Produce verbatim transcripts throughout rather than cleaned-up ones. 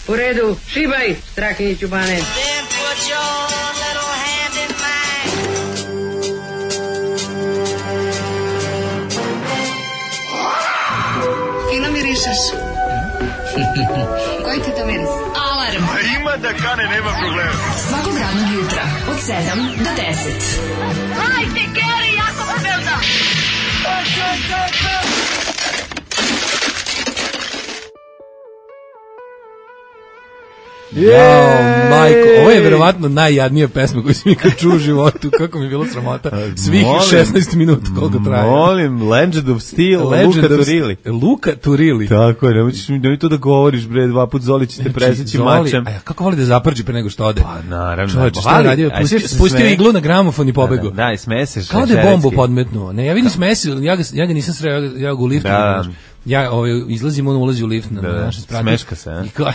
U redu, šibaj, Strahinji Ćubane. Fino mirišeš. Koji ti to miris? Alarm. A ima da kane, nema problema. Svakog radnog jutra, od sedam do deset. Hajde, Geri, jako se velda. Jao, majko, ovo je verovatno najjadnija pesma koju sam ikad čuo u životu, kako mi je bilo sramota. Svih molim, šesnaest minuta koliko traje. Molim, Legend of Steel, Legend Luka of Turili. Luka Turili. Tako je, nemoćeš mi, nemoj to da govoriš, bre, dva put Zoli će te preseći mačem. A kako voli da zaprđi pre nego što ode? Pa naravno. Čovječe, šta je radio? Pustio, spustio iglu na gramofon i pobegao. Da, da, i smeseš. Kao da je bombu podmetnuo. Ne, ja vidim smesi, ja ga, ja ga nisam sreo, ja, ja ga u liftu. Da. Ja ovaj, izlazim, on ulazi u lift na, da, na naše sprate. Smeška se, a? Kao,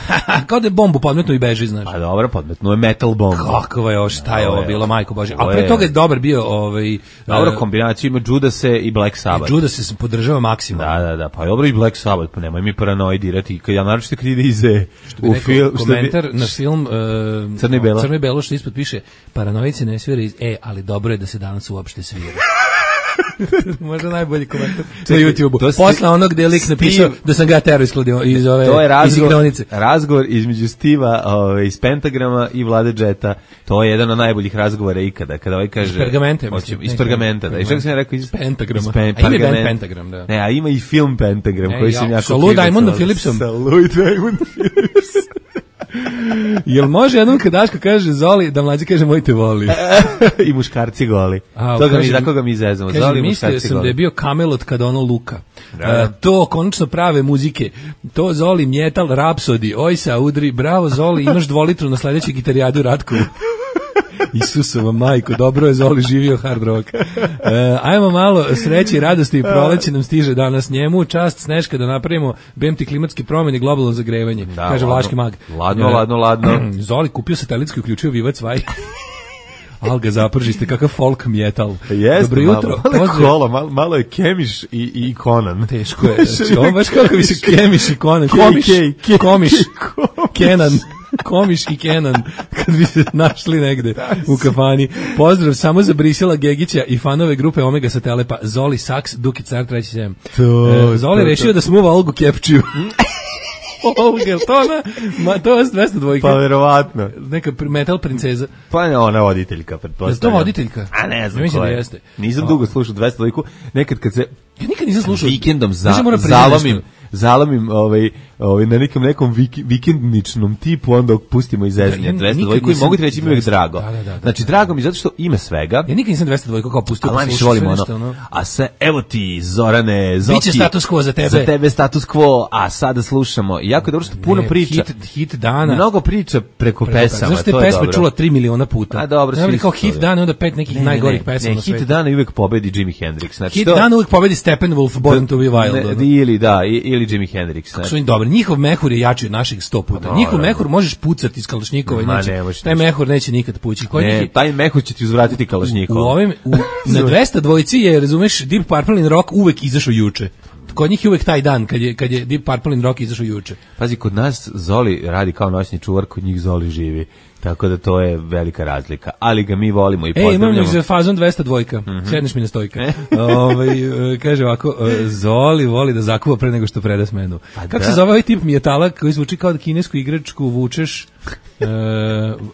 kao da je bombu podmetno i beži, znaš. Pa dobro, podmetno je metal bomba. Kakva je ovo, šta je ovo bilo, majko Bože. A pre toga je dobar bio... Ovaj, dobro, kombinaciju ima Judase i Black Sabbath. Judase se podržava maksimalno. Da, da, da, pa dobro i Black Sabbath, pa nemoj mi paranoidirati. Ja naročito kad ide iz E. U film, komentar bi, na film uh, Crno i Belo. Crno i Belo, što ispod piše, paranoici ne svira iz E, ali dobro je da se danas uopšte svira. Možda najbolji komentar na YouTubeu. Posle onog gde je lik napisao da sam ga tero iskladio iz ove to je razgovor, iz razgovor između Stiva ove, iz Pentagrama i Vlade Jeta. To je jedan od najboljih razgovora ikada. Kada ovaj kaže... Iz Pergamente. Hoće, iz Pergamenta, da. I što sam ja rekao? Iz Pentagrama. Pen, a ima band Pentagram, da. Ne, a ima i film Pentagram, koji sam jako... Sa Lou Diamondom Philipsom. Sa Lou Diamondom Philipsom. Jel može jednom kad Daško kaže Zoli, da mlađi kaže moj te voli? I muškarci goli. A, Toga mi, tako ga mi izezamo. Kaže, Zoli, mislio sam goli. da je bio Kamelot kad ono Luka. Da. Uh, to konačno prave muzike. To Zoli, Mjetal, Rapsodi, Ojsa, Udri, bravo Zoli, imaš dvolitru na sledećoj gitarijadu Ratkovu. Isusova majko, dobro je Zoli živio hard rock. E, ajmo malo sreće i radosti i proleće nam stiže danas njemu. Čast Sneška da napravimo B M T klimatski promjeni i globalno zagrevanje, da, kaže ladno, Vlaški mag. Ladno, e, ladno, ladno. Zoli kupio satelitski, uključio Vivac Vaj. Alga zapržiste, kakav folk metal. Jeste, dobro jutro. Malo, malo, kola, malo, malo je Kemiš i, i Conan. Teško je. Ovo baš kako bi se Kemiš i Conan. Komiš, Komiš, Kenan. Komiš i Kenan, kad bi se našli negde u kafani. Pozdrav samo za Brisela Gegića i fanove grupe Omega Satelepa, Zoli Saks, Duki Car, treći sedam. E, Zoli to, rešio to. da smuva Olgu Kepčiju. Olga, to ona, ma, to je dvesta dvojka. Pa verovatno. Neka metal princeza. Pa ne, ona voditeljka, pretpostavljam. Je to voditeljka? A ne znam ja ko je. Da jeste. Nisam dugo slušao dvesta dvojku, nekad kad se... Ja nikad nisam slušao. Vikendom za, zalomim, zalomim ovaj, ovaj, na nekom nekom vik, vikendničnom tipu, onda pustimo iz zezanja dvesta dvojku i mogu ti reći mi uvijek drago. Da, da, da, znači, drago mi zato što ima svega. Ja nikad nisam dvesta dvojku kao pustio. A niš volimo ono, ono. A se, evo ti, Zorane, Zoki. Biće status quo za tebe. Za tebe status quo, a sada slušamo. I jako je dobro što puno ne, priča. Hit, hit dana. Mnogo priča preko, preko pesama, zašto to je pesme dobro. čula tri miliona puta. A dobro, svi kao hit dana, onda pet nekih ne, najgorih pesama na svijetu. Hit dana uvijek pobedi Jimi Hendrix. Znači, hit dana uvijek pobedi Steppenwolf, Born to be Wild. Ne, ili da, ili Jimi Hendrix. Kako su oni dobri. Njihov mehur je jači od naših sto puta. No, Njihov no, mehur možeš pucati iz kalašnjikova i neće. Ne, taj mehur neće nikad pući. Koji ne, neki... taj mehur će ti uzvratiti kalašnjikova. U ovim, u, na dvesta dvojici je, razumeš, Deep Purple in Rock uvek izašao juče. Kod njih je uvek taj dan kad je, kad je Deep Purple in Rock izašao juče. Pazi, kod nas Zoli radi kao noćni čuvar, kod njih Zoli živi. Tako da to je velika razlika. Ali ga mi volimo i pozdravljamo. E, imam za fazon dvesta dvojka. Mm-hmm. Sedneš mi na stojka. Ove, kaže ovako, Zoli voli da zakuva pre nego što preda smenu. Pa kako da. se zove ovaj tip mijetala koji zvuči kao da kinesku igračku vučeš uh,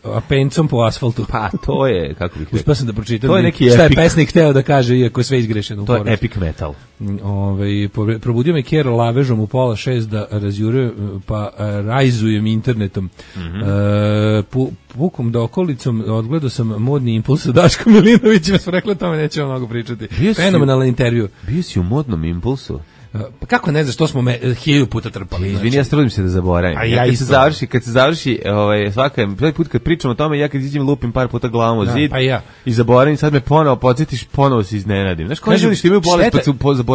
a pencom po asfaltu? Pa to je, kako bih rekao. Uspio sam da pročitam. To je neki šta epic. je pesnik hteo da kaže, iako je sve izgrešeno. To je epic metal. Ove, probudio me Kjer lavežom u pola šest da razjure, pa rajzujem internetom. Mm-hmm. Uh, pu, pukom da okolicom odgledao sam modni impuls sa Daškom Milinovićem, smo rekli o tome, nećemo mnogo pričati. Fenomenalan intervju. Bio si u modnom impulsu? Pa kako ne znaš, to smo me hilju puta trpali. Izvini, znači. Ja trudim se da zaboravim. A ja, ja kad se završi, kad se završi, ovaj svaka prvi put kad pričamo o tome, ja kad iđem lupim par puta glavom u da, zid. Pa ja. I zaboravim, sad me ponovo podsjetiš, ponovo se iznenadim. Znaš, koji ljudi što imaju bolest pa su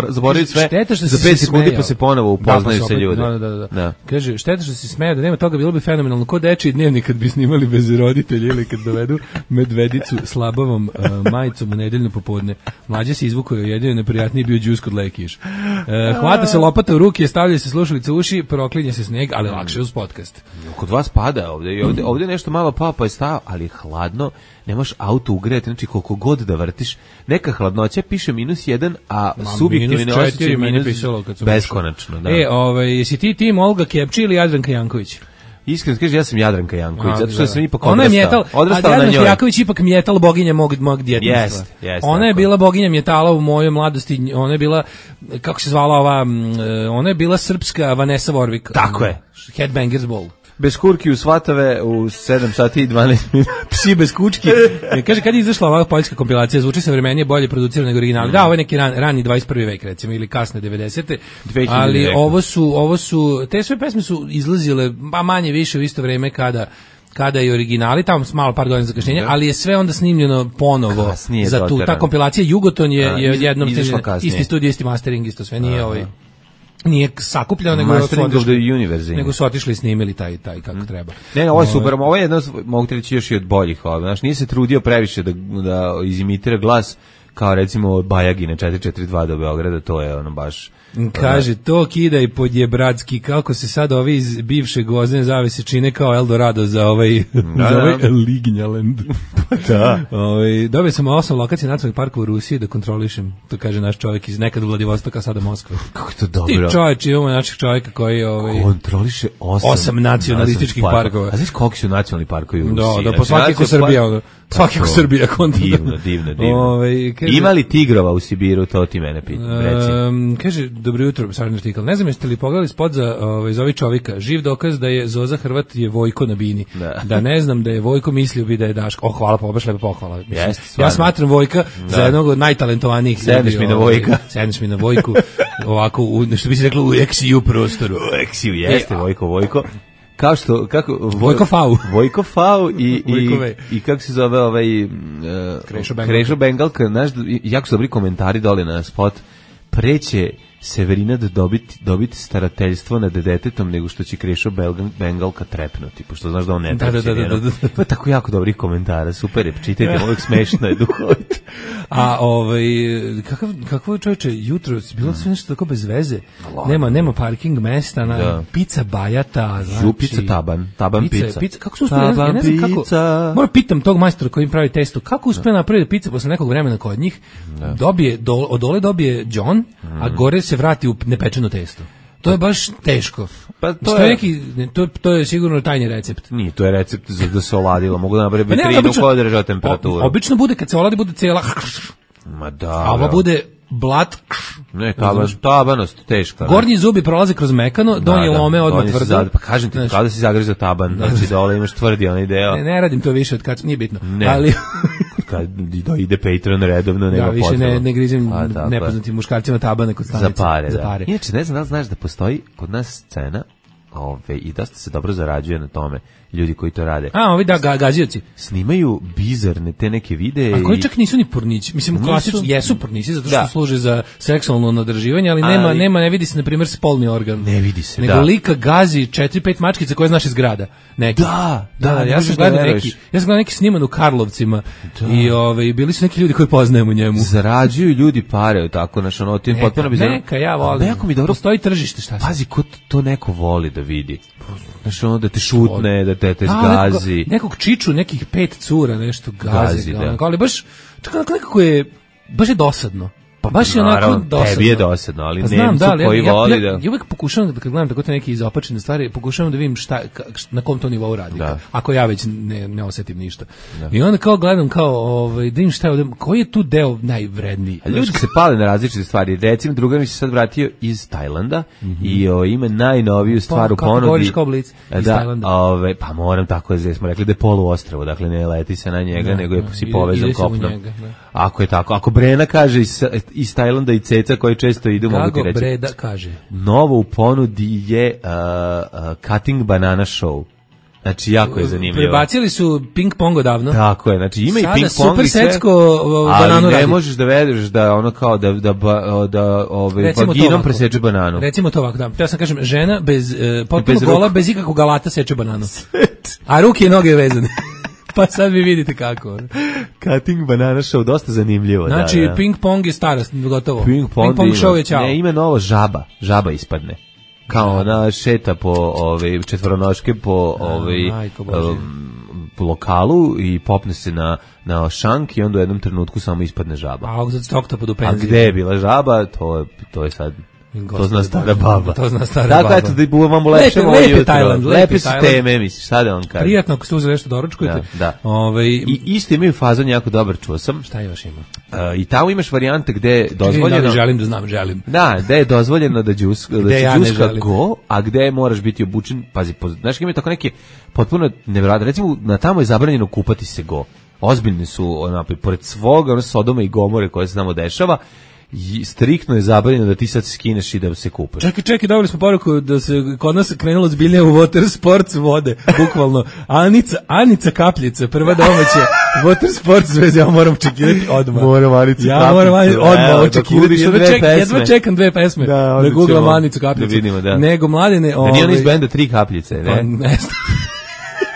zaboravili sve. Za pet sekundi pa se ponovo upoznaju da, pa se ljudi. Da, da, da. da. Kaže, šteta što se smeje da nema toga, bilo bi fenomenalno. Ko dečiji dnevnik kad bi snimali bez roditelja ili kad dovedu medvedicu slabavom uh, majicom u nedeljno popodne. Mlađe se izvukao, jedino neprijatniji bio džus kod Lekiš. Uh, E, hvata se lopata u ruke, stavlja se slušalice u uši, proklinje se sneg, ali lakše uz podcast. Kod vas pada ovde, i ovde, ovde nešto malo pao pa je stao, ali je hladno, ne možeš auto ugrejati, znači koliko god da vrtiš, neka hladnoća piše minus jedan, a subjektivni osjećaj minus beskonačno. Da. E, ovaj, jesi ti tim Olga Kepči ili Jadranka Janković? Iskreno kaže, ja sam Jadranka Janković, zato što sam ipak ona odrastao. Je mjetal, odrastao a na njoj. Jadranka Janković ipak mjetal boginja mog, mog djetinjstva. Jest, jest, ona je tako. bila boginja mjetala u mojoj mladosti, ona je bila, kako se zvala ova, ona je bila srpska Vanessa Warwick. Tako je. Headbangers Ball. Bez kurki u svatave u sedam sati i dvanaest minuta. Psi bez kučki. Kaže, kad je izašla ova poljska kompilacija, zvuči savremenije, bolje producirano nego original. Mm. Da, ovo je neki ran, rani dvadeset prvi vek, recimo, ili kasne devedesete. Ali ovo su, ovo su, te sve pesme su izlazile, a manje više u isto vreme kada kada je originali, tamo malo par godina zakašnjenja, ali je sve onda snimljeno ponovo kasnije za tu. Ta kompilacija Jugoton je, je jednom snimljena, isti studio, isti mastering, isto sve, nije ovaj... Nije sakupljeno, nego su, otišli, nego su otišli i snimili taj, taj kako treba. Ne, ne, ovo je super, ovo je jedno, mogu ti reći još i od boljih, ovo, znaš, nije se trudio previše da, da izimitira glas, kao recimo Bajagine četiri četiri dva do Beograda, to je ono baš... Kaže, to kidaj podjebradski, kako se sad ovi iz bivše Gvozdene zavese čine kao Eldorado za ovaj, da, za ovaj Lignjaland. Da. Ovaj, dobio sam osam lokacija nacionalnih parkova u Rusiji da kontrolišem, to kaže naš čovjek iz nekad Vladivostoka, sada Moskva. Kako je to dobro? Ti čovječ, imamo naših čovjeka koji ovaj, kontroliše osam, osam nacionalističkih parkova. parkova. A znaš koliko su nacionalni parkovi u Rusiji? Da, da, po svaki ko Srbija, ono. Svaki ko Srbija konta. Divno, divno, divno. Ove, kaže, ima li tigrova u Sibiru, to ti mene pita, reci. Um, kaže, dobro jutro, sadnji artikl. Ne znam jeste li pogledali spot za, ovaj, za ovaj čovjeka. Živ dokaz da je Zoza Hrvat je Vojko na bini. Da, da ne znam da je Vojko mislio bi da je Daško. O, hvala, pa baš lepa pohvala. Jest, ja smatram Vojka da. za jednog od najtalentovanijih. Sedneš mi na Vojka. Sedneš mi na Vojku. Ovako, u, što bi se reklo, u eksiju prostoru. U eksiju, jeste, Vojko, Vojko. Kao što, kako... Vojko Fau. Vojko Fau i, i, i kako se zove ovaj... Uh, Krešo Bengalka. Krešo Bengalka, znaš, jako su dobri komentari dole na spot. Preće Severina da dobiti, dobiti starateljstvo nad detetom nego što će Krešo Bengalka trepnuti, pošto znaš da on ne treći. Da, da, da, da, da. To je tako jako dobrih komentara, super je, čitajte, uvijek smešno je, duhovito. A ovaj, kakav, kakvo je čovječe, jutro, bilo sve nešto tako bez veze, nema, nema parking mesta, na, da. Pizza Bajata, znači... Ju, pizza Taban, Taban pizza. pizza. pizza. Kako su uspjeli, ja ne znam kako, moram pitam tog majstora koji im pravi testo, kako uspjeli napraviti pizza posle nekog vremena kod njih, da. Dobije, do, od dole dobije John, mm. a gore se vrati u nepečeno testo. To je baš teško. Pa to je neki to to je sigurno tajni recept. Nije, to je recept za da se oladilo. Mogu da napravi vitrinu koja drža temperaturu. Obično bude kad se oladi bude cela. Ma da. A ovo bude blat. Ne, taban, tabanost teška. Gornji zubi prolaze kroz mekano, donji da, da, lome odmah tvrdo. Zad, pa kažem ti, kada si zagrizao taban, da, znači dole imaš tvrdi onaj deo. Ne, ne radim to više od kad nije bitno. Ne. Ali kad ide Patreon redovno, nema potreba. Da, više ne, ne grizim a, nepoznatim muškarcima tabane kod stanice. Za pare, za pare. Da. Inače, ne znam da li znaš da postoji kod nas scena ove, i dosta se dobro zarađuje na tome, ljudi koji to rade. A, ovi da, ga, gazioci. Snimaju bizarne te neke videe. A koji čak nisu ni pornići. Mislim, klasično, jesu pornići, zato što da. služe za seksualno nadrživanje, ali, ali nema, nema, ne vidi se, na primjer, spolni organ. Ne vidi se, nego da. lika gazi četiri pet mačkica koje znaš iz grada. Neki. Da, da, da, ja sam gledao neki, ja sam gledao neki sniman u Karlovcima da. i ovaj bili su neki ljudi koji poznajemo njemu. Zarađuju ljudi pare, tako, naš ono, tim potpuno bizarno. Neka, ja volim. Jako mi dobro. Postoji tržište, šta se. Pazi, ko to neko voli da vidi. Znaš, ono da te šutne, da te, te zgazi. Nekog, nekog čiču, nekih pet cura, nešto gazi. gazi da. Ali baš, čak nekako je, baš je dosadno. Pa baš je onako dosadno. Tebi je dosadno, ali pa znam, Nemcu da, koji ja, voli ja, da... Ja, ja uvijek pokušavam, da kad gledam tako te neke izopačene stvari, pokušavam da vidim šta, na kom to nivou radi. Da. Ako ja već ne, ne osjetim ništa. Da. I onda kao gledam kao, ovaj, da vidim šta je ovdje, koji je tu deo najvredniji. A ljudi se pale na različite stvari. Recimo, druga mi se sad vratio iz Tajlanda mm-hmm. i o, ima najnoviju stvar pa, u ponudi. Kako govoriš kao blic iz da, Tajlanda? Ove, pa moram tako, da smo rekli da je poluostrvo, dakle ne leti se na njega, da, nego je si povezan kopnom. Ako je tako, ako Brena kaže iz, iz Tajlanda i Ceca koji često idu, mogu ti reći. Kako Breda kaže? Novo u ponudi je uh, uh, Cutting Banana Show. Znači, jako je zanimljivo. Prebacili su ping pong odavno. Tako je, znači ima sada i ping pong super i sve. Secko bananu ali ne radi. možeš da vedeš da ono kao da, da, da, da ove, vaginom preseče bananu. Recimo to ovako, da. Ja sam kažem, žena bez, uh, potpuno bez gola, bez ikakvog alata seče bananu. A ruke i noge vezane. Pa sad vi vidite kako. Cutting Banana Show, dosta zanimljivo. Znači, da, da. ping pong je stara, gotovo. Ping pong, ping pong show je ćao. Ne, ima novo žaba, žaba ispadne. Kao ona šeta po ove četvoronoške po ove um, po lokalu i popne se na na šank i onda u jednom trenutku samo ispadne žaba. A za stokta pod u penziji. A gde je bila žaba, to to je sad to zna stara baba. To zna stara dakle, baba. Dakle, eto da buvamo lepše lepe, moje lepe Tajland, lepe su teme, misliš, šta da vam kažem. Prijatno ako ste uzeli nešto doručkujete. Da, da. Ove, I isto imaju fazon jako dobar, čuo sam. Šta još ima? Uh, I tamo imaš varijante gde je dozvoljeno... Da li želim da znam, želim. Da, gde je dozvoljeno da, džus, da se ja džuska go, a gde moraš biti obučen, pazi, poz, znaš, imaju tako neke potpuno nevjerojatne, recimo, na tamo je zabranjeno kupati se go. Ozbiljni su, onapoj, pored svoga, ono Sodoma i Gomore koje se tamo dešava, i striktno je zabranjeno da ti sad se skineš i da se kupaš. Čekaj, čekaj, dobili smo poruku da se kod nas krenulo zbiljnije u water sports vode, bukvalno. Anica, Anica Kapljica, prva domaća water sports zveze, ja moram čekirati odmah. Moram Anicu ja Kapljicu. Ja moram Anicu odmah očekirati. Jedva, ček, jedva čekam dve pesme. Da, da googlam Anicu Kapljicu. Da vidimo, da. Nego, mladine... Da nije on iz benda Tri Kapljice, ne? Pa, ne znam.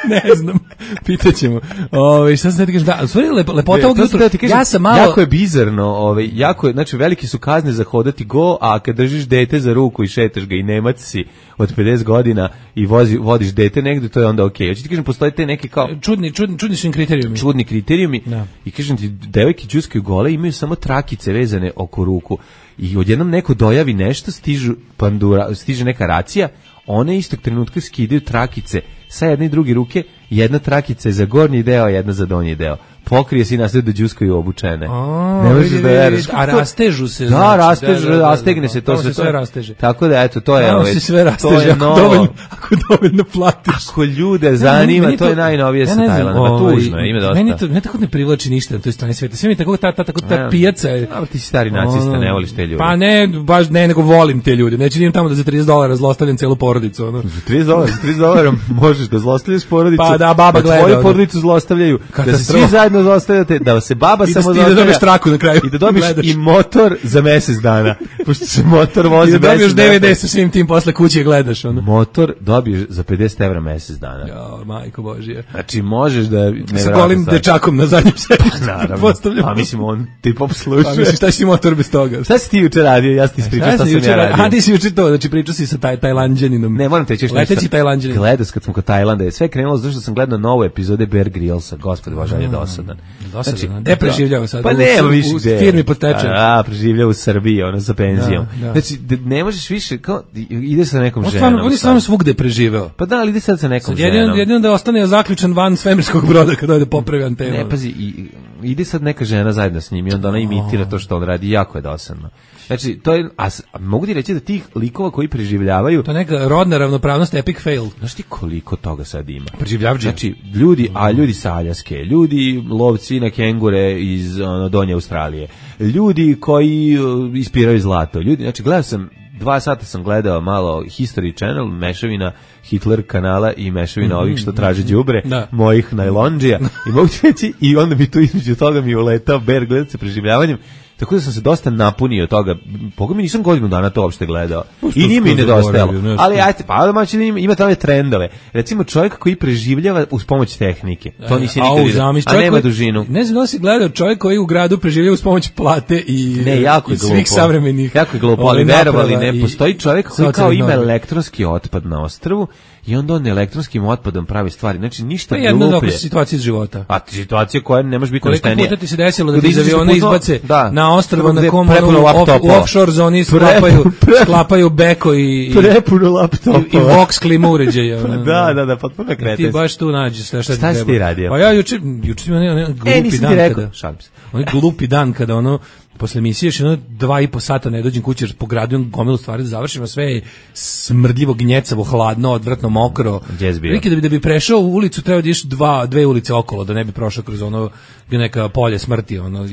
Ne znam, pitaćemo. Ove, šta sam da ti kažem, da, u stvari lep, lepota ovog jutra, ja sam malo... Jako je bizarno, ove, jako je, znači veliki su kazne za hodati go, a kad držiš dete za ruku i šetaš ga i Nemac si od pedeset godina i vozi, vodiš dete negde, to je onda okej. Okay. Hoće ti kažem, postoje te neke kao... Čudni, čudni, čudni su im kriterijumi. Čudni kriterijumi da. I kažem ti, devojke džuskaju gole, imaju samo trakice vezane oko ruku i odjednom neko dojavi nešto, stižu pandura, stiže neka racija, one istog trenutka skidaju trakice sa jedne i druge ruke, jedna trakica je za gornji deo, jedna za donji deo. Pokrije se i nasled da džuskaju obučene. A, ne možeš da veriš. A rastežu se. Da, znači, rastežu, da, da, rastegne da, se, to se sve rasteže. Tako da, eto, to je... Tamo se sve rasteže, ako dovoljno, ako dovoljno platiš. Ako ljude zanima, to, to je najnovije sa Tajlandom. Tužno je, ima dosta. Meni to, meni tako ne privlači ništa na toj strani sveta. Sve mi tako ta, ta, tako ta pijaca je... Ali ti si stari nacista, ne voliš te ljude. Pa ne, baš ne, nego volim te ljude. Neću idem tamo da za trideset dolara zlostavljam celu porodicu. Ono. Za trideset dolara, za trideset dolara možeš da zlostavljaš porodicu. Pa da, baba gleda. Tvoju porodicu zlostavljaju. Da se svi zajedno zlostavljate, da se baba samo zlostavlja. I da dobiješ traku na kraju. I da dobiješ i motor za mesec dana. Pošto se motor vozi mesec dana. I da dobiješ D V D sa svim tim posle kuće gledaš. Ono. Motor dobiješ za pedeset evra mesec dana. Jo, majko Božije. Znači možeš da... Sa golim dečakom na zadnjem sedištu. Naravno. Pa mislim, on ti pop sluša. Pa mislim, šta si motor bez toga? Šta si ti juče radio? Ja ti ispričao šta sam ja radio. A ti si juče to, znači pričao si sa taj Tajlanđaninom. Ne, moram te reći nešto. Leteći Tajlanđanin. Gledas kad smo kod Tajlanda, je sve krenulo zato što sam gledao nove epizode Bear Grillsa. Gospod Bože, je dosadan. Dosadan. Gde preživljava sad? Pa nema više gde. U firmi pod tečem. A, preživljava u Srbiji, ono sa penzijom. Znači, ne možeš više, kao, ide sa nekom ženom. On je stvarno svugde preživeo. Pa da, ali ide sad sa nekom ženom. Jedino da ostane zaključan van svemirskog broda kad ode popravi antenu. Ne, pazi, ide sad neka žena zajedno s njim i onda ona imitira to što on radi, jako je dosadno. Znači, to je, a, a mogu ti reći da tih likova koji preživljavaju... To je neka rodna ravnopravnost, epic fail. Znaš ti koliko toga sad ima? Preživljavđe. Znači, ljudi, a ljudi sa Aljaske, ljudi lovci na kengure iz ono, Donje Australije, ljudi koji uh, ispiraju zlato, ljudi, znači, gledao sam, dva sata sam gledao malo History Channel, mešavina Hitler kanala i mešavina ovih što traže đubre, da. Mojih najlondžija, i mogu ti reći, i onda mi tu između toga mi uletao Bear gledat se preživljavanjem. Tako da sam se dosta napunio toga. Boga mi nisam godinu dana to uopšte gledao. I nije mi nedostajalo. Ali ajte, pa da ima, ima tamo trendove. Recimo čovjek koji preživljava uz pomoć tehnike. To nisi nikad vidio. A nema dužinu. Ne znam da si gledao čovjek koji u gradu preživljava uz pomoć plate i, ne, jako i svih savremenih. Jako je glupo, ali verovali ne. Postoji čovjek koji kao ima elektronski otpad na ostrvu i onda on elektronskim otpadom pravi stvari. Znači ništa gluplje. Pa jedna od situacija iz života. A situacija koja ne može biti naštenija. Koliko puta ti se desilo da ti iz aviona izbace na ostrvo na kom u offshore zoni sklapaju, sklapaju beko i, prepuno laptopa. I, i Vox klima uređaja. Da, da, da, potpuno kretes. Ti baš tu nađeš sve što ti treba. Šta si ti radio? Pa ja juče, juče sam imao ne, glupi e, nisam dan ti rekao. kada, šalim se. onaj glupi dan kada ono, posle emisije još jedno dva i po sata ne dođem kući jer po gradu imam gomilu stvari da završimo, sve je smrdljivo, gnjecavo, hladno, odvratno, mokro. Riki, da bi, da bi prešao u ulicu treba da ješ dva, dve ulice okolo, da ne bi prošao kroz ono neka polje smrti, ono.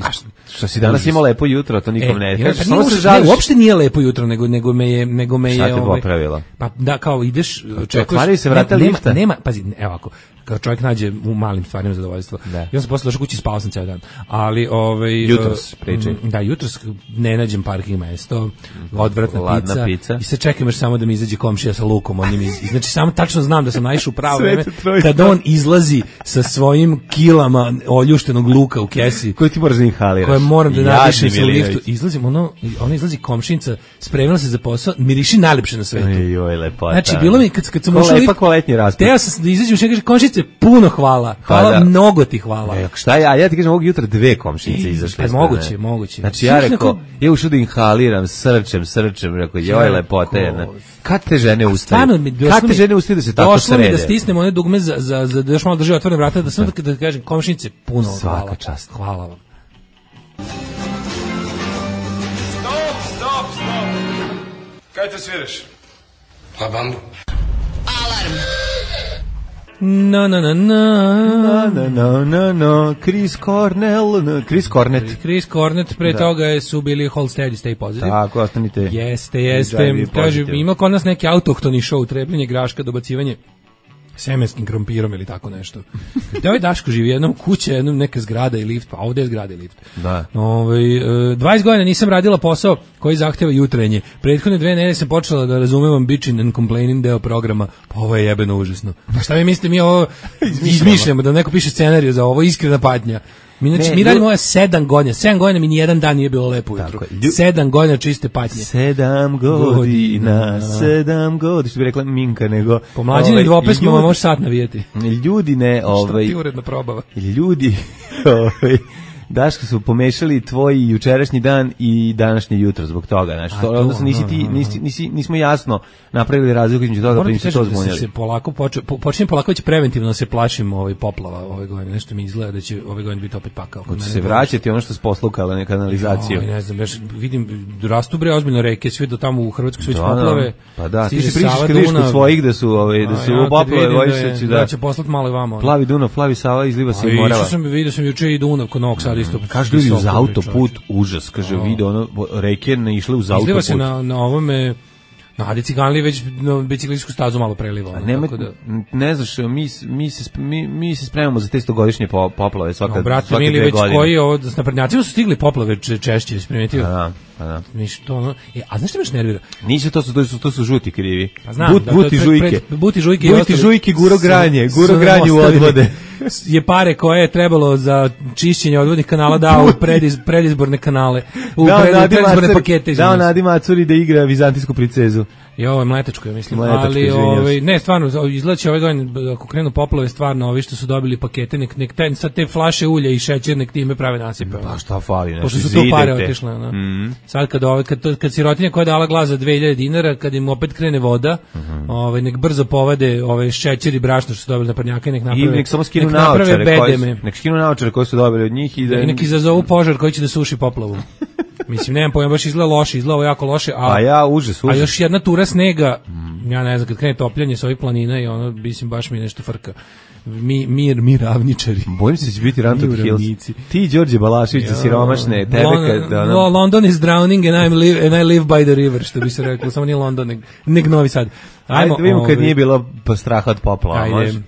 Što si danas imao lepo jutro, to nikom e, ne ja, kažeš, pa samo se ne, žališ. Uopšte nije lepo jutro, nego, nego me je, nego me je, šta te ovaj, popravilo? Pa da, kao ideš, otvaraju se vrata nema, lifta. Nema, pazi, evo ovako, kao čovjek nađe u malim stvarima zadovoljstvo. Da. Ja sam posle došao kući i spao sam ceo dan. Ali ovaj jutros pričaj. Da, jutros ne nađem parking mesto, odvratna pizza, pizza. I sad čekam još samo da mi izađe komšija sa lukom, on mi iz... znači samo tačno znam da sam naišao u pravo vreme kada on izlazi sa svojim kilama oljuštenog luka u kesi koji ti moraš da inhaliraš. Koje moram da nadišem sa liftu. Izlazim, ono, ona izlazi komšinca, spremila se za posao, miriši najlepše na svetu. Joj, lepota. Znači, bilo mi, kad, kad sam ušao lift, koletnji raspad. Teo sam da izađem, što kaže, komšinice, puno hvala. Hvala, pa da. Mnogo ti hvala. E, šta ja, ja ti kažem, ovog jutra dve komšinice izašle. Pa moguće, moguće. Znači, ja rekao, ja ušao da inhaliram, srčem, srčem, rekao, joj, lepota jedna. Kad te žene ustaju? Kad te žene ustaju da se tako srede? Došlo mi da stisnem one dugme za, za, za da još malo drži otvorene vrata, da sam da, da kažem, komšinice, puno hvala. Svaka čast. Hvala vam. Stop, stop, stop. Kaj te sviraš? La bambu. Alarm. Na na na na na na na na Chris Cornell, na, Chris Cornet. Chris Cornet, pre da. toga su bili Hold Steady, Stay Positive. Tako, ostanite. Jeste, jeste. Kaže, ima kod nas neki autohtoni show, trebljenje graška, dobacivanje semenskim krompirom ili tako nešto. Da ovaj Daško živi jednom kuće, jednom neka zgrada i lift, pa ovdje je zgrada i lift. Da. Ove, dvadeset godina nisam radila posao koji zahteva jutrenje. Prethodne dve nedelje sam počela da razumevam bitching and complaining deo programa, pa ovo je jebeno užasno. Pa šta vi mislite, mi ovo izmišljamo, da neko piše scenariju za ovo, iskrena patnja. Mi, znači, ne, mi radimo ovo sedam godina, sedam godina mi nijedan dan nije bilo lepo ujutro. Sedam godina čiste patnje. Sedam godina, sedam godina, što bi rekla Minka, nego... Pomlađeni ovaj, dvopesmo vam može sat navijeti. Ljudi ne, ovaj... Što ti uredno probava. Ljudi, ovaj... Daško su pomešali tvoj jučerašnji dan i današnje jutro zbog toga, znači to odnosno nisi ti nisi, nisi nismo jasno napravili razliku između toga, pa nisi to zbunjali. Se polako počne počinje polako već preventivno da se plašim ovaj poplava ove godine, nešto mi izgleda da će ove godine biti opet pakao. Hoće se vraćati ono što se poslukalo na kanalizaciju. Oj, ne znam, baš vidim rastu bre ozbiljno reke, sve do tamo u Hrvatskoj su već poplave. Pa da, ti se pričaš kod svojih da su ove da su poplave, bojiš se da će poslati malo i vamo. Plavi Dunav, plavi Sava izliva se i Morava. Ja sam vidio sam juče i Dunav kod Novog Sada isto. Kažu ljudi uz autoput, užas, kaže, oh. Vide ono, reke ne išle uz autoput. Izliva se na, na ovome, na Adi Ciganli već na biciklističku stazu malo preliva. Ono, nema, tako da... Ne znaš, mi, mi, se, mi, mi se spremamo za te stogodišnje poplave svaka, no, brate, svake dve već godine. Koji ovo, s naprednjacima su stigli poplave češće, isprimetio. Da, pa da. Ništa, ono, e, a znaš što me još nervira? Nisu, to su, to su, to su žuti krivi. Pa znam, But, da, buti pred, žujke. Pred, buti žujke. Buti žujke, guro granje, guro granje u odvode. Je pare koje je trebalo za čišćenje odvodnih kanala dao u prediz, predizborne kanale, u dao prediz, predizborne Macuri, pakete. Dao Nadi Macuri da igra vizantijsku princezu. I ovo je mletačko, ja mislim. Mletačko, ali ovaj, ne, stvarno, izgledaće ove godine, ako krenu poplave, stvarno, ovi što su dobili pakete, nek, nek te, sad te flaše ulja i šećer, nek time prave nasipe. Pa šta fali, pošto su tu pare otišle. No? Mm. Sad kad, ove, kad, kad sirotinja koja je dala glas za dve hiljade dinara, kad im opet krene voda, mm -hmm. ovaj, nek brzo povade ove šećer i brašno što su dobili na prnjaka i nek naprave, I nek samo skinu nek naočare koji su, nek skinu naočare koji su dobili od njih i da... I nek izazovu požar koji će da suši poplavu. Mislim, nemam pojma, baš izgleda loše, izgleda jako loše, a, a ja užas, užas. A još jedna tura snega, mm. ja ne znam, kad krene topljanje sa ovih planina i ono, mislim, baš mi nešto frka. Mi, mir, mi ravničari. Bojim se da će biti Run to the Hills. Ti, Đorđe Balašević, za siromašne, tebe Lon, kad... Ono... London is drowning and, I'm live, and I live by the river, što bi se reklo, samo nije London, nek, nek Novi Sad. Ajmo, ajde da vidimo kad nije bilo straha od poplava, može?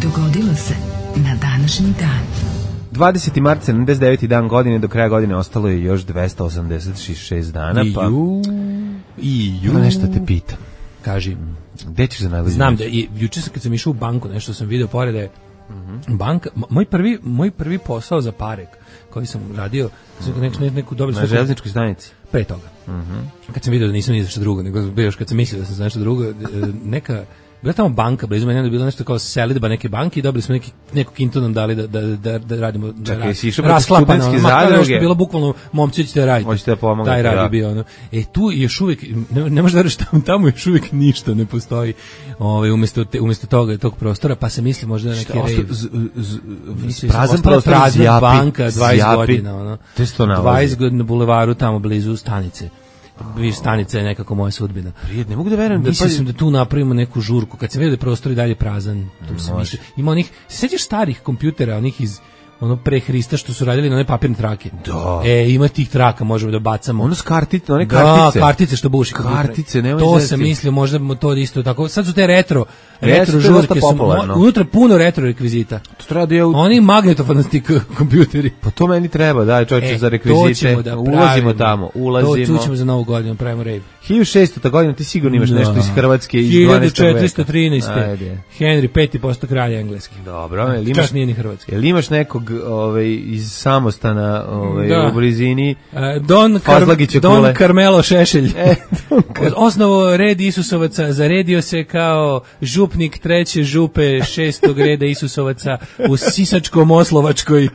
Dogodilo se na današnji dan. dvadeseti mart, sedamdeset deveti dan godine, do kraja godine ostalo je još dvesta osamdeset šest dana, pa... I ju... Pa nešto te pitam. Kaži. Gde ćeš za najbolji? Znam da, i, juče sam kad sam išao u banku, nešto sam video pored da je mm-hmm. banka, moj prvi, moj prvi posao za Parek, koji sam radio, sam nek, nek, neku dobili... Na železničkoj stanici? Pre toga. Mm-hmm. Kad sam video da nisam ni za što drugo, nego još kad sam mislio da sam za nešto drugo, neka... Bila tamo banka, blizu mene je bilo nešto kao selidba neke banke i dobili smo neki, neku kintu nam dali da, da, da, da radimo da Čekaj, rad, si išao proti studentske zadruge? Bilo bukvalno, momci ćete da raditi. Hoćete da pomognete, taj rad da. Je bio. Ono. E tu još uvijek, ne, ne možda reći tamo, tamo još uvijek ništa ne postoji ovaj, umjesto, te, umjesto toga, tog prostora, pa se misli možda da neki rejv. Prazan prostor, prazna banka, dvadeset zjapi, godina. Ono, te sto nalazi. dvadeset godina na bulevaru tamo blizu stanice. vi stanica je nekako moja sudbina. Prijed, ne mogu da verujem. Mislio sam da tu napravimo neku žurku, kad se vidi da je prostor i dalje prazan, tu sam mislio. Ima onih, se sjećaš starih kompjutera, onih iz ono pre Hrista što su radili na one papirne trake. Da. E, ima tih traka, možemo da bacamo. Ono s kartice, one kartice. Da, kartice što buši. Kartice, nemoj to zeti. sam mislio, možda to isto tako. Sad su te retro, retro retro žurke su, unutra puno retro rekvizita. To treba da je u... Oni magnetofanastik kompjuteri. Pa to meni treba, daj čovječe, e, za rekvizite. Da ulazimo tamo, ulazimo. To ćemo za novu godinu, pravimo rave. hiljadu šestota godina, ti sigurno imaš da. nešto iz Hrvatske iz hiljadu četiristo trinaeste. Henry peti posto kralja engleski. Dobro, jel imaš, nije ni hrvatski. Jel imaš nekog ovaj, iz samostana ovaj, da. u blizini? Uh, Don, Kar Don Carmelo Šešelj. E, osnovo red Isusovaca, zaredio se kao župnik treće župe šestog reda Isusovaca u Sisačko-Moslovačkoj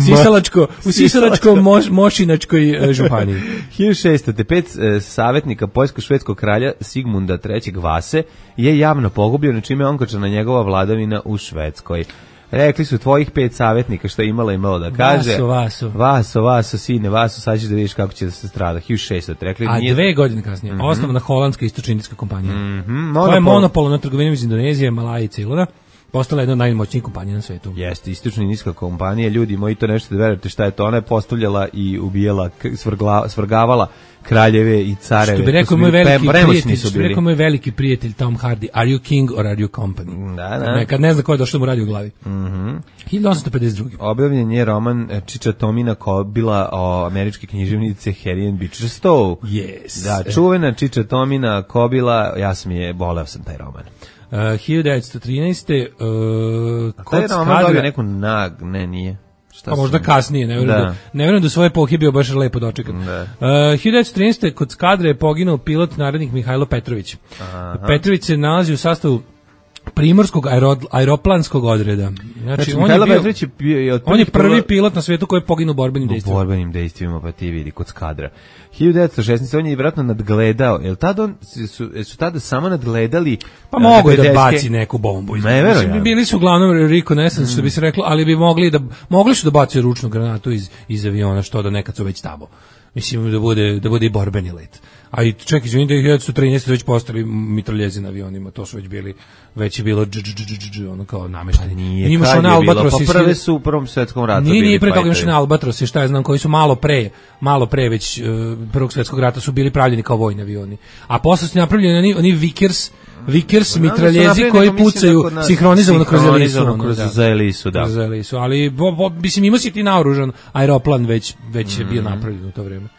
Sisalačko, u Sisalačko-Mošinačkoj županiji. hiljadu šeststo pet e, savjetnika poljsko-švedskog kralja Sigmunda trećeg Vase je javno pogubljeno, čime je onkočana njegova vladavina u Švedskoj. Rekli su tvojih pet savjetnika što je imala imalo da kaže. Vaso, Vaso. Vaso, Vaso, sine, Vaso, sad ćeš da vidiš kako će da se strada. hiljadu šeststo rekli. A nije... dve godine kasnije, mm-hmm. osnovna holandska istočno-indijska kompanija. Mm-hmm. Monopol. Koja je monopol na trgovinu iz Indonezije, Malaji i Ceylona. Postala jedna od najmoćnijih kompanija na svetu. Jeste, istočno-indijska kompanija, ljudi moji, to nešto da verujete šta je to, ona je postavljala i ubijala, svrgla, svrgavala kraljeve i careve. Što bi rekao moj veliki prijatelj, što bi rekao moj veliki prijatelj Tom Hardy, are you king or are you company? Da, da. Nekad ne zna ko je došlo mu radi u glavi. Mhm. hiljadu osamsto pedeset druge. Objavljen je roman Čiča Tomina Kobila o američke književnice Harry and Beecher Stowe. Yes. Da, čuvena Čiča Tomina Kobila, ja sam je, voleo sam taj roman. Uh, hiljadu devetsto trinaeste Uh, taj roman dobio neku nag, ne, nije. Šta pa možda kasnije, ne vjerujem da. da, ne vjerujem da svoje epohe bio baš lepo dočekan. Uh, hiljadu devetsto trinaeste kod Skadre je poginuo pilot narednik Mihajlo Petrović. Aha. Petrović se nalazi u sastavu primorskog aero, aeroplanskog odreda. Znači, znači on, je bio, je bio, je on je prvi pilot na svijetu koji je poginuo u borbenim dejstvima. U borbenim dejstvima, pa ti vidi, kod Skadra. hiljadu devetsto šesnaeste on je vjerojatno nadgledao. Jel tada on, su, su tada samo nadgledali... Pa mogu je da baci neku bombu. Ne, verujem. Bili su uglavnom reconnaissance, mm. što bi se reklo, ali bi mogli da, mogli su da baci ručnu granatu iz, iz aviona, što da nekad su već tamo. Mislim da bude, da bude i borbeni let. A i čekaj, izvini da je hiljadu devetsto trinaeste već postali mitraljezi na avionima, to su već bili, već je bilo dž, dž, dž, dž, ono kao namešteni. Pa nije, kad je bilo, pa prve su u Prvom svjetskom ratu. Nije, nije pre toga imaš na Albatrosi, šta ja znam, koji su malo pre, malo pre već uh, Prvog svjetskog rata su bili pravljeni kao vojni avioni. A posle su napravljeni oni, oni Vickers, Vickers mitraljezi koji pucaju da sinhronizovano kroz Elisu. Kroz za Elisu, da. Kroz Elisu, ali bo, bo, mislim ima si ti naoružan aeroplan već, već je bio napravljen u to vrijeme. Uh,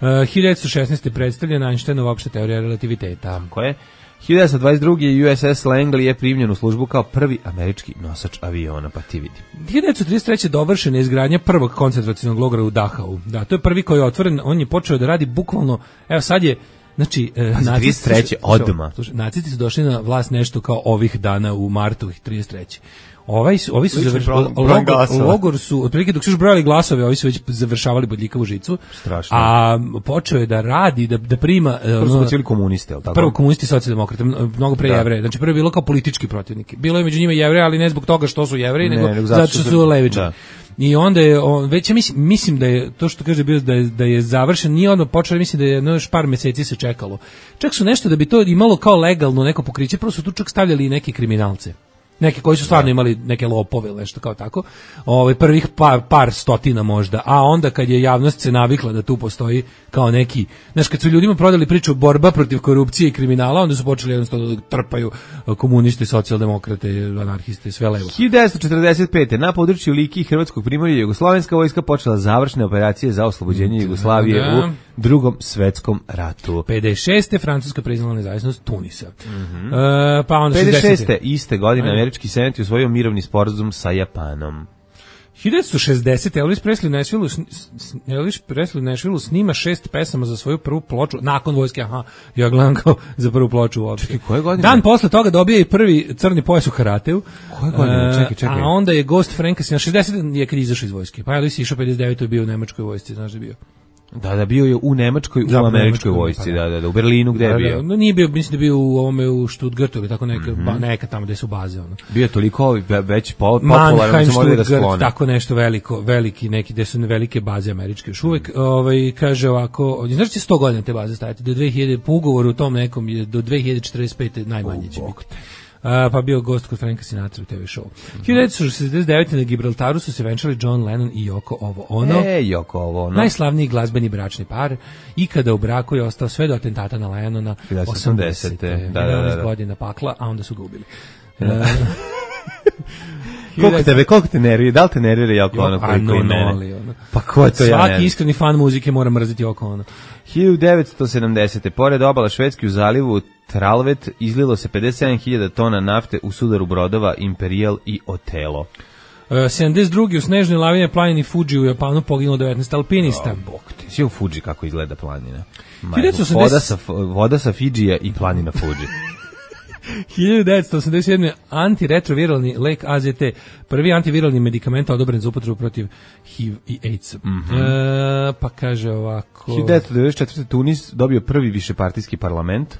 hiljadu devetsto šesnaeste predstavljena Einsteinova opšta teorija relativiteta. Ko je? hiljadu devetsto dvadeset druge. U S S Langley je primljen u službu kao prvi američki nosač aviona, pa ti vidi. hiljadu devetsto trideset treće dovršena je izgradnja prvog koncentracionog logora u Dachau. Da, to je prvi koji je otvoren, on je počeo da radi bukvalno, evo sad je, znači, e, trideset treće odma. Nacisti su došli na vlast nešto kao ovih dana u martu trideset treće. Ovaj su, ovi su završavali logor, logor su otprilike dok su još brojali glasove, ovi su već završavali bodljikavu žicu. Strašno. A počeo je da radi, da da prima prvo su bili komuniste, al tako. Prvo komunisti, socijaldemokrati, mnogo pre Jevreja. Znači prvo je bilo kao politički protivnik. Bilo je među njima Jevreji, ali ne zbog toga što su Jevreji, nego, nego zato što su levičari. I onda je on, već ja mislim, mislim da je to što kaže bio da je, da je završen, nije ono počelo, mislim da je no, još par meseci se čekalo. Čak su nešto da bi to imalo kao legalno neko pokriće, prvo su tu čak stavljali i neke kriminalce. Neki koji su stvarno imali neke lopove ili nešto kao tako, ovaj prvih par, par stotina možda, a onda kad je javnost se navikla da tu postoji kao neki, znaš, kad su ljudima prodali priču borba protiv korupcije i kriminala, onda su počeli jednostavno da trpaju komuniste, socijaldemokrate, anarhiste, sve levo. hiljadu devetsto četrdeset pete. na području Liki i Hrvatskog primorja jugoslovenska vojska počela završne operacije za oslobođenje Jugoslavije da, da. u Drugom svetskom ratu. pedeset šeste. Francuska priznala nezavisnost Tunisa. Mm-hmm. Uh, pa onda pedeset šeste. iste godine američki senat je usvojio mirovni sporazum sa Japanom. hiljadu devetsto šezdesete. Elvis Presley u Nashvilleu Elvis Presley u Nashvilleu snima šest pesama za svoju prvu ploču nakon vojske, aha, ja gledam kao za prvu ploču uopšte. Koje godine? Dan posle toga dobije i prvi crni pojas u karateu. Koje godine? Čekaj, čekaj. A onda je Ghost Frank na šezdeset je kad izašao iz vojske. Pa Elvis je išao pedeset devete. je bio u nemačkoj vojsci, znaš da je bio. Da, da, bio je u Nemačkoj, u američkoj vojsci, da, da, da, u Berlinu gde je bio. No nije bio, mislim da bio u ovome u Stuttgartu ili tako neka, mm-hmm. ba, neka tamo gde su baze, ono. Bio je toliko već popularan da se morali da sklone. Tako nešto veliko, veliki neki gde su velike baze američke. Još uvek, mm. ovaj kaže ovako, znaš će sto godina te baze stajati do dve hiljade po ugovoru u tom nekom je do dve hiljade četrdeset pete najmanje će biti. Uh, pa bio gost kod Franka Sinatra u te ve show. Mm-hmm. hiljadu devetsto šezdeset devete na Gibraltaru su se venčali John Lennon i Yoko Ovo Ono. E, Yoko Ovo Ono. Najslavniji glazbeni bračni par. Ikada u braku je ostao sve do atentata na Lennona. osamdesete Da, da, da, da. godina pakla, a onda su ga ubili. Koliko tebe, koliko te nervira? Da li te nervira Yoko Ono? A no, no, ono. Pa ko je to ja Svaki iskreni fan muzike mora mrziti Yoko Ono. hiljadu devetsto sedamdesete pored obala Švedske u zalivu Tralvet izlilo se pedeset sedam hiljada tona nafte u sudaru brodova Imperial i Otelo. Uh, sedamdeset druge u snežnoj lavini planini Fuji u Japanu poginulo devetnaest alpinista. Oh, bok ti. Svi u Fuji kako izgleda planina. Voda sa, voda sa Fidžija i planina Fuji. hiljadu devetsto osamdeset sedme antiretroviralni lek A Z T, prvi antiviralni medikament odobren za upotrebu protiv H I V i AIDS. Mm-hmm. E, pa kaže ovako... hiljadu devetsto devedeset četvrte Tunis dobio prvi višepartijski parlament.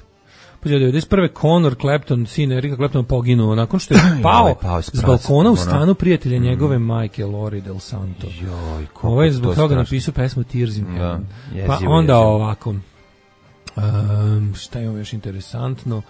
Pa devedeset prve Conor Clapton, sin Erika Claptona, poginuo nakon što je pao, pao s balkona u stanu prijatelja mm. njegove majke Lori Del Santo. Joj, ovo je zbog toga napisao pesmu Tears in Heaven. Ja, pa onda jezivo. Ovako, um, šta je ovo još interesantno?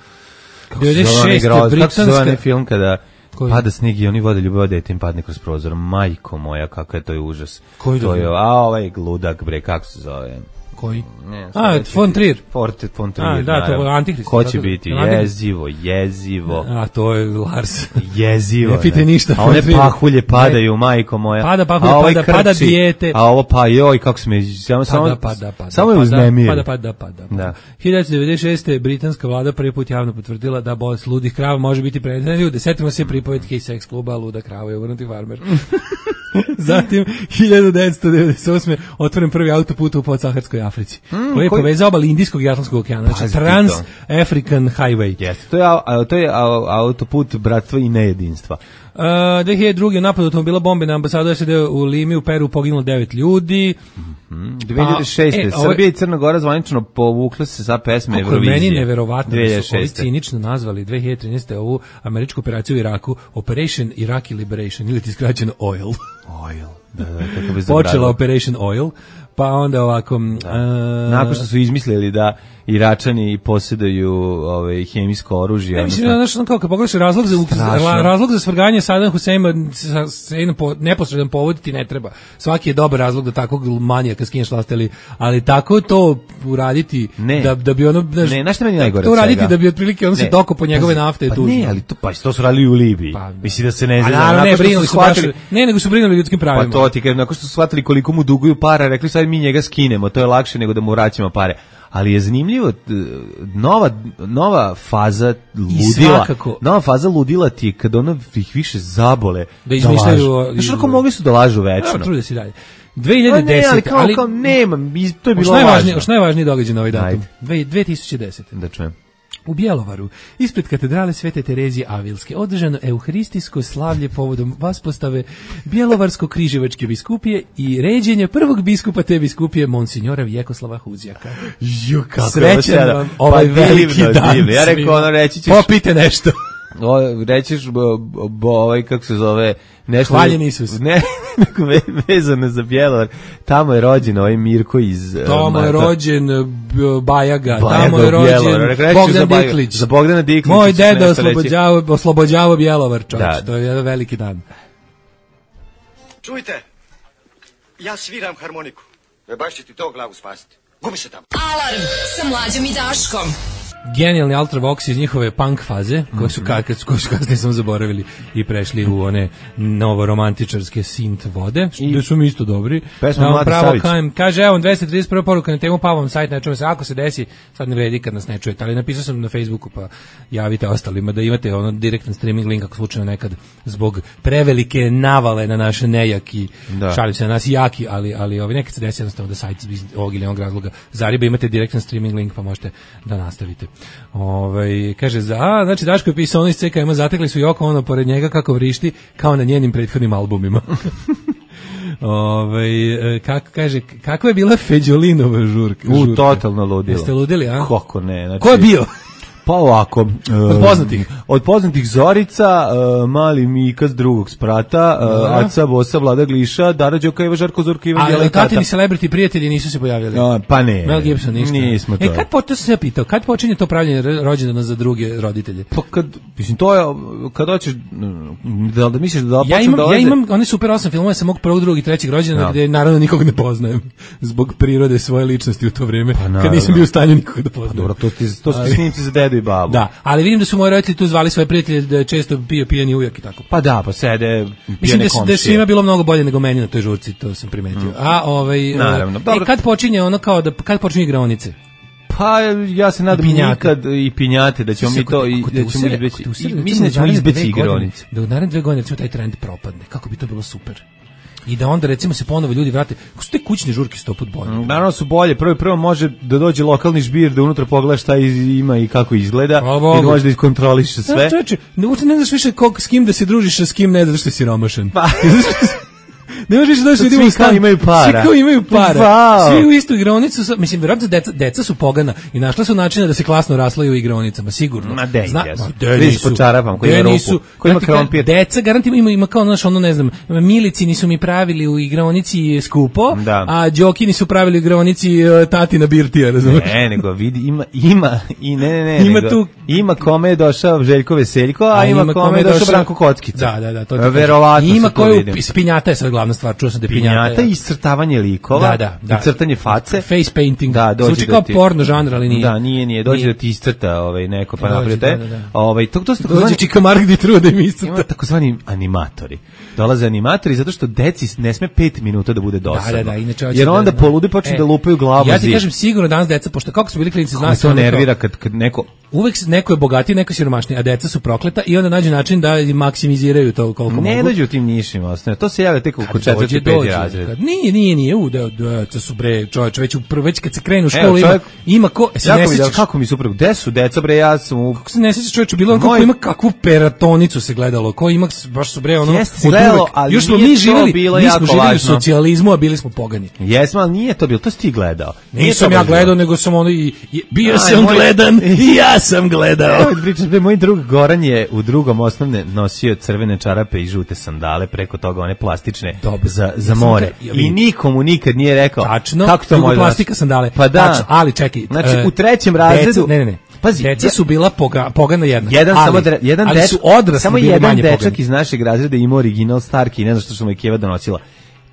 devedeset šeste Britanska... Kako se zove film kada koji? Pada sneg i oni vode ljubav dete im padne kroz prozor. Majko moja, kako je to je užas. Koji to je? A ovaj ludak, bre, kako se zove? Koji? Ne, a, von Trier. Forte von Trier. A, da, to je Antihrist. Ko će biti? Jezivo, jezivo. A, to je Lars. Jezivo. Ne pite ništa. A one pahulje padaju, majko moja. Pada pahulje, ovaj pada, pada dijete. A ovo pa, joj, kako sme, samo, samo, pada, pada, pada, samo je uznemir. Pada, pada, pada. Da. hiljadu devetsto devedeset šeste britanska vlada prvi put javno potvrdila da bolest ludih krava može biti prenesena na ljude. Setimo se pripovetke iz seks kluba Luda krava i uvrnuti farmer. Zatim, hiljadu devetsto devedeset osme otvoren prvi autoput u podsaharskoj Africi, mm, koji je koji... povezao obali Indijskog i Atlantskog okeana, znači Trans-African Highway. Yes. To je, a, to je autoput bratstva i nejedinstva. Uh, dve hiljade druge napad automobila bombe na ambasadu S A D u Limi u Peru poginulo devet ljudi. Mm-hmm. dve hiljade šeste E, Srbija i Crna Gora zvanično povukla se sa pesme Eurovizije. Meni neverovatno da su ovi cinično nazvali dve hiljade trinaeste ovu američku operaciju u Iraku Operation Iraqi Liberation, ili ti skraćeno Oil. Oil, da, da, kako bi počela Operation Oil, pa onda ovako... Da. Uh, nakon što su izmislili da Iračani posjeduju ovaj hemijsko oružje. Ne, mislim, znaš, kao kad pogledaš razlog za, razlog za svrganje Sadama Huseina po, neposredan povod ti ne treba. Svaki je dobar razlog da takvog manijaka skinješ vlast, ali, ali tako to uraditi ne. da, da bi ono... Znaš, ne, znaš šta meni najgore to uraditi da bi otprilike ono se doko po njegove nafte pa, je tužno. Ne, ali to, pa to su radili u Libiji. Pa, misli da se ne zna. A ne, brinuli su shvatili, ne, nego su brinuli ljudskim pravima. Pa to ti kažem, nakon što su shvatili koliko mu duguju para, rekli sad mi njega skinemo, to je lakše nego da mu vraćamo pare. Ali je zanimljivo, nova, nova faza ludila, nova faza ludila ti je kada ono ih više zabole da izmišljaju. Znaš, ako mogli su da lažu večno. Evo, trude si dalje. dve hiljade desete Ne, ali kao, ali, kao nema, to je bilo važno. Što najvažnije događaj na ovaj datum? dve tisuće desete Da čujem. U Bjelovaru, ispred katedrale Svete Terezije Avilske, održano euharistijsko slavlje povodom vaspostave Bjelovarsko-križevačke biskupije i ređenja prvog biskupa te biskupije, monsinjora Vjekoslava Huzjaka. Ju, kako srećan vam ovaj pa veliki divno, dan. Divno. Ja rekao, ono, reći ćeš... Popite nešto. O, rećiš, bo, bo, ovaj, kako se zove... Nešto, Hvaljen Isus. Ne, vezano za Bjelovar. Tamo je rođen ovaj Mirko iz... Tamo uh, je rođen Bajaga, Bajaga tamo je rođen Bogdan za Diklić. Za Bogdana Diklić. Moj deda oslobođavao, oslobođavao Bjelovar, čovječ. Da. To je jedan veliki dan. Čujte, ja sviram harmoniku. E baš će ti to glavu spasiti. Gubi se tamo. Alarm sa Mlađom i Daškom. Genijalni Ultravox iz njihove punk faze, koje su, kad, koje su kasnije sam zaboravili i prešli u one novoromantičarske synth vode, što su mi isto dobri. Pesma Mladi Savić. Kajem, kaže, evo, dvesta trideset prva poruka na temu Pavlom sajt, ne čujemo se, ako se desi, sad ne vredi kad nas ne čujete, ali napisao sam na Facebooku, pa javite ostalima da imate ono direktan streaming link ako slučajno nekad zbog prevelike navale na naše nejaki, da. Šalim se na nas jaki, ali, ali ovi nekad se desi jednostavno da sajt iz ovog ili onog razloga zariba, imate direktan streaming link pa možete da nastavite. Ovaj kaže za a, znači Daško je pisao ono iz C K M, zatekli su Joko Ono pored njega kako vrišti kao na njenim prethodnim albumima. Ovaj kako kaže kakva je bila Feđolinova žurka? U žurka. Totalno ludilo. Jeste ludili, a? Kako ne, znači. Ko je bio? Pa ovako, od poznatih. Od poznatih Zorica, uh, Mali Mika s drugog sprata, uh, Aca Bosa, Vlada Gliša, Dara Đokajeva, Žarko Zorka, Ivan Jelekata. Ali tatini celebrity prijatelji nisu se pojavili. No, pa ne. Mel Gibson ništa. Nismo to. E, kad počne se pitao, kad počinje to pravljenje rođendana za druge roditelje? Pa kad, mislim, to je, kad hoćeš, da, da misliš da ja imam, dolaze... Ja imam one super osam filmova sa mog prvog, drugog i trećeg rođendana, no. Gde naravno nikog ne poznajem, zbog prirode svoje ličnosti u to vrijeme, pa, kad nisam bio u stanju nikog da poznajem. Pa, dobro, to ti, to ti snimci za dedu i babu. Da, ali vidim da su moji roditelji tu zvali svoje prijatelje da često pio pijani ujak i tako. Pa da, pa sede pijane mislim da, komšije. Da svima bilo mnogo bolje nego meni na toj žurci, to sam primetio. Mm. A ovaj naravno, dobro. E, kad počinje ono kao da kad počinje igraonice? Pa ja se nadam nikad i pinjate da ćemo mi to i da ćemo izbeći. Mislim da ćemo izbeći igraonice. Da u naredne dve godine recimo taj trend propadne. Kako bi to bilo super. I da onda recimo se ponovo ljudi vrate. Kako su te kućne žurke sto put bolje? Naravno su bolje. Prvo prvo može da dođe lokalni žbir da unutra pogleda šta ima i kako izgleda i može da iskontroliše sve. Ja, čoveče, ne, ne znaš više kog, s kim da se družiš, a s kim ne znaš što je siromašan. Pa. Ne možeš da doći ljudima u stan. Imaju para. Svi kao imaju para. Wow. Svi u istu igraonicu. Su, mislim, vjerojatno deca, deca su pogana i našla su načina da se klasno raslaju u igraonicama, sigurno. Ma de, Zna, jesu. De nisu. Po čarapam, koji ima rupu, koji ima krompir. Deca, garantim, ima, ima kao, znaš, ono, ne znam, milici nisu mi pravili u igraonici skupo, da. A Đoki nisu pravili u igraonici uh, tatina birtija, razumiješ? Ne, nego vidi, ima, ima, i ne, ne, ne, ima nego, tu, ima kome je došao Željko Veseljko, a, a ima, ima kome je došao Branko Kockica. Da, da, da. To verovatno ima koju, spinjata je sad glavna stvar, čuo sam da je pinjata. Pinjata i iscrtavanje likova, da, da, da. i crtanje face, face painting. Da, dođe zvuči kao ti, porno žanr, ali nije. Da, nije, nije, dođe nije. Da ti iscrta ovaj neko pa napravi te. Da, da, da. Ovaj to to su dođe Čika Mark di trude im iscrta. Ima takozvani animatori. Dolaze animatori zato što deci ne sme pet minuta da bude dosadno. Da, da, da, inače jer onda da, polude počnu e, da lupaju glavu. Ja ti kažem sigurno danas deca, pošto kako su bili klinici, znaš, to nervira kad kad neko uvek neko je bogatiji, neko je siromašniji, a deca su prokleta i onda nađu način da maksimiziraju to koliko mogu. Ne dođu tim nišima, osnovno. To se javlja tek oko četvrti peti razred. Nije, nije, nije, u da deca su bre, čovjek, već u prvo već kad se krenu u školu ima, ima ko, se ne sećaš kako mi suprug, gde su deca bre, ja sam u... Kako se ne sećaš čovječe, bilo on kako ima kakvu peratonicu se gledalo, ko ima baš su bre ono. Jeste gledalo, ali još smo mi živjeli, mi smo živjeli u socijalizmu, a bili smo pogani. Jesmo, ali nije to bilo, to si ti gledao. Nisam ja gledao, nego sam ono i bio sam gledan i ja sam gledao. Evo pričaš, bre, moj drug Goran je u drugom osnovne nosio crvene čarape i žute sandale, preko toga one plastične za za more. I nikomu nikad nije rekao tačno, kako to može plastika sandale. Pa da, tačno, ali čekaj. Znači uh, u trećem razredu, deca, ne, ne, ne. Pazi, deca su bila poga, pogana jedna. Jedan ali, samo dre, jedan ali deč, su odrasli samo bili jedan manje dečak pogani. Iz našeg razreda ima original Starki, ne znam što što mu je Keva donosila.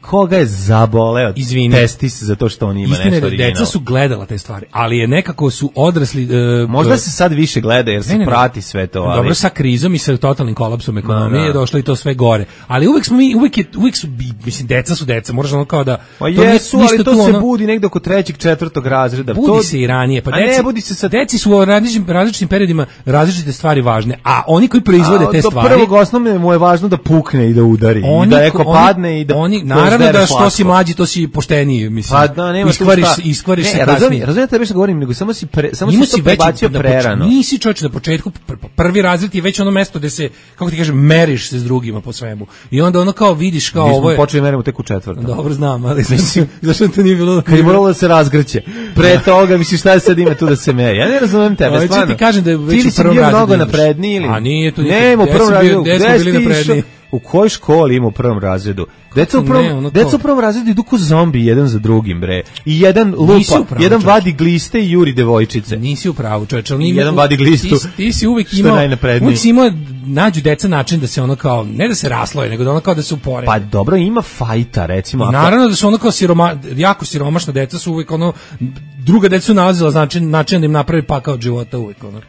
Koga je zaboleo testis za to što on ima Istine, nešto original. Deca su gledala te stvari, ali je nekako su odrasli... Uh, Možda se sad više gleda jer se ne, ne, prati sve to. Ali... Dobro, sa krizom i sa totalnim kolapsom ekonomije je došlo i to sve gore. Ali uvek smo mi, uvek, je, uvek su, mislim, deca su deca, moraš ono kao da... Pa jesu, ali to se ono, budi negde oko trećeg, četvrtog razreda. Budi to, se i ranije. Pa a deci, ne, budi se sad... Deci su u različitim, različitim periodima različite stvari važne, a oni koji proizvode a, te do stvari... Do prvog osnovne mu je važno da pukne i da udari. Oni, I da neko oni, padne i da... Oni, naravno da što si mlađi, to si pošteniji, mislim. Pa da, nema iskvariš, iskvariš ne, se kasnije. Razumije, razumije tebe što govorim, nego samo si, pre, samo si to prebacio prerano. Nisi čovječ na početku, prvi razred je već ono mesto gde se, kako ti kažem, meriš se s drugima po svemu. I onda ono kao vidiš kao ovo je... Mi smo počeli merimo tek u četvrtom. Dobro, znam, ali mislim, zašto to nije bilo... Kad je moralo da se razgrće. Pre toga, misliš, šta je sad ima tu da se meri? Ja ne razumem tebe, stvarno. Ti kažem da je već u prvom razredu. Mnogo napredniji ili... A nije to... Ne, u prvom razredu. Gde smo bili napredniji? U kojoj školi ima u prvom razredu? Deca u prvom, ne, ono deca u prvom razredu idu ko zombi jedan za drugim, bre. I jedan lupa, pravu, jedan čoč. Vadi gliste i juri devojčice. Nisi u pravu, čoveče. Jedan vadi glistu. Ti, ti si uvek imao, uvek si imao, nađu deca način da se ono kao, ne da se rasloje, nego da ono kao da se uporede. Pa dobro, ima fajta, recimo. Ako... Naravno da su ono kao siroma, jako siromašna deca su uvek ono, druga deca su nalazila način, način da im napravi pakao od života uvek, ono.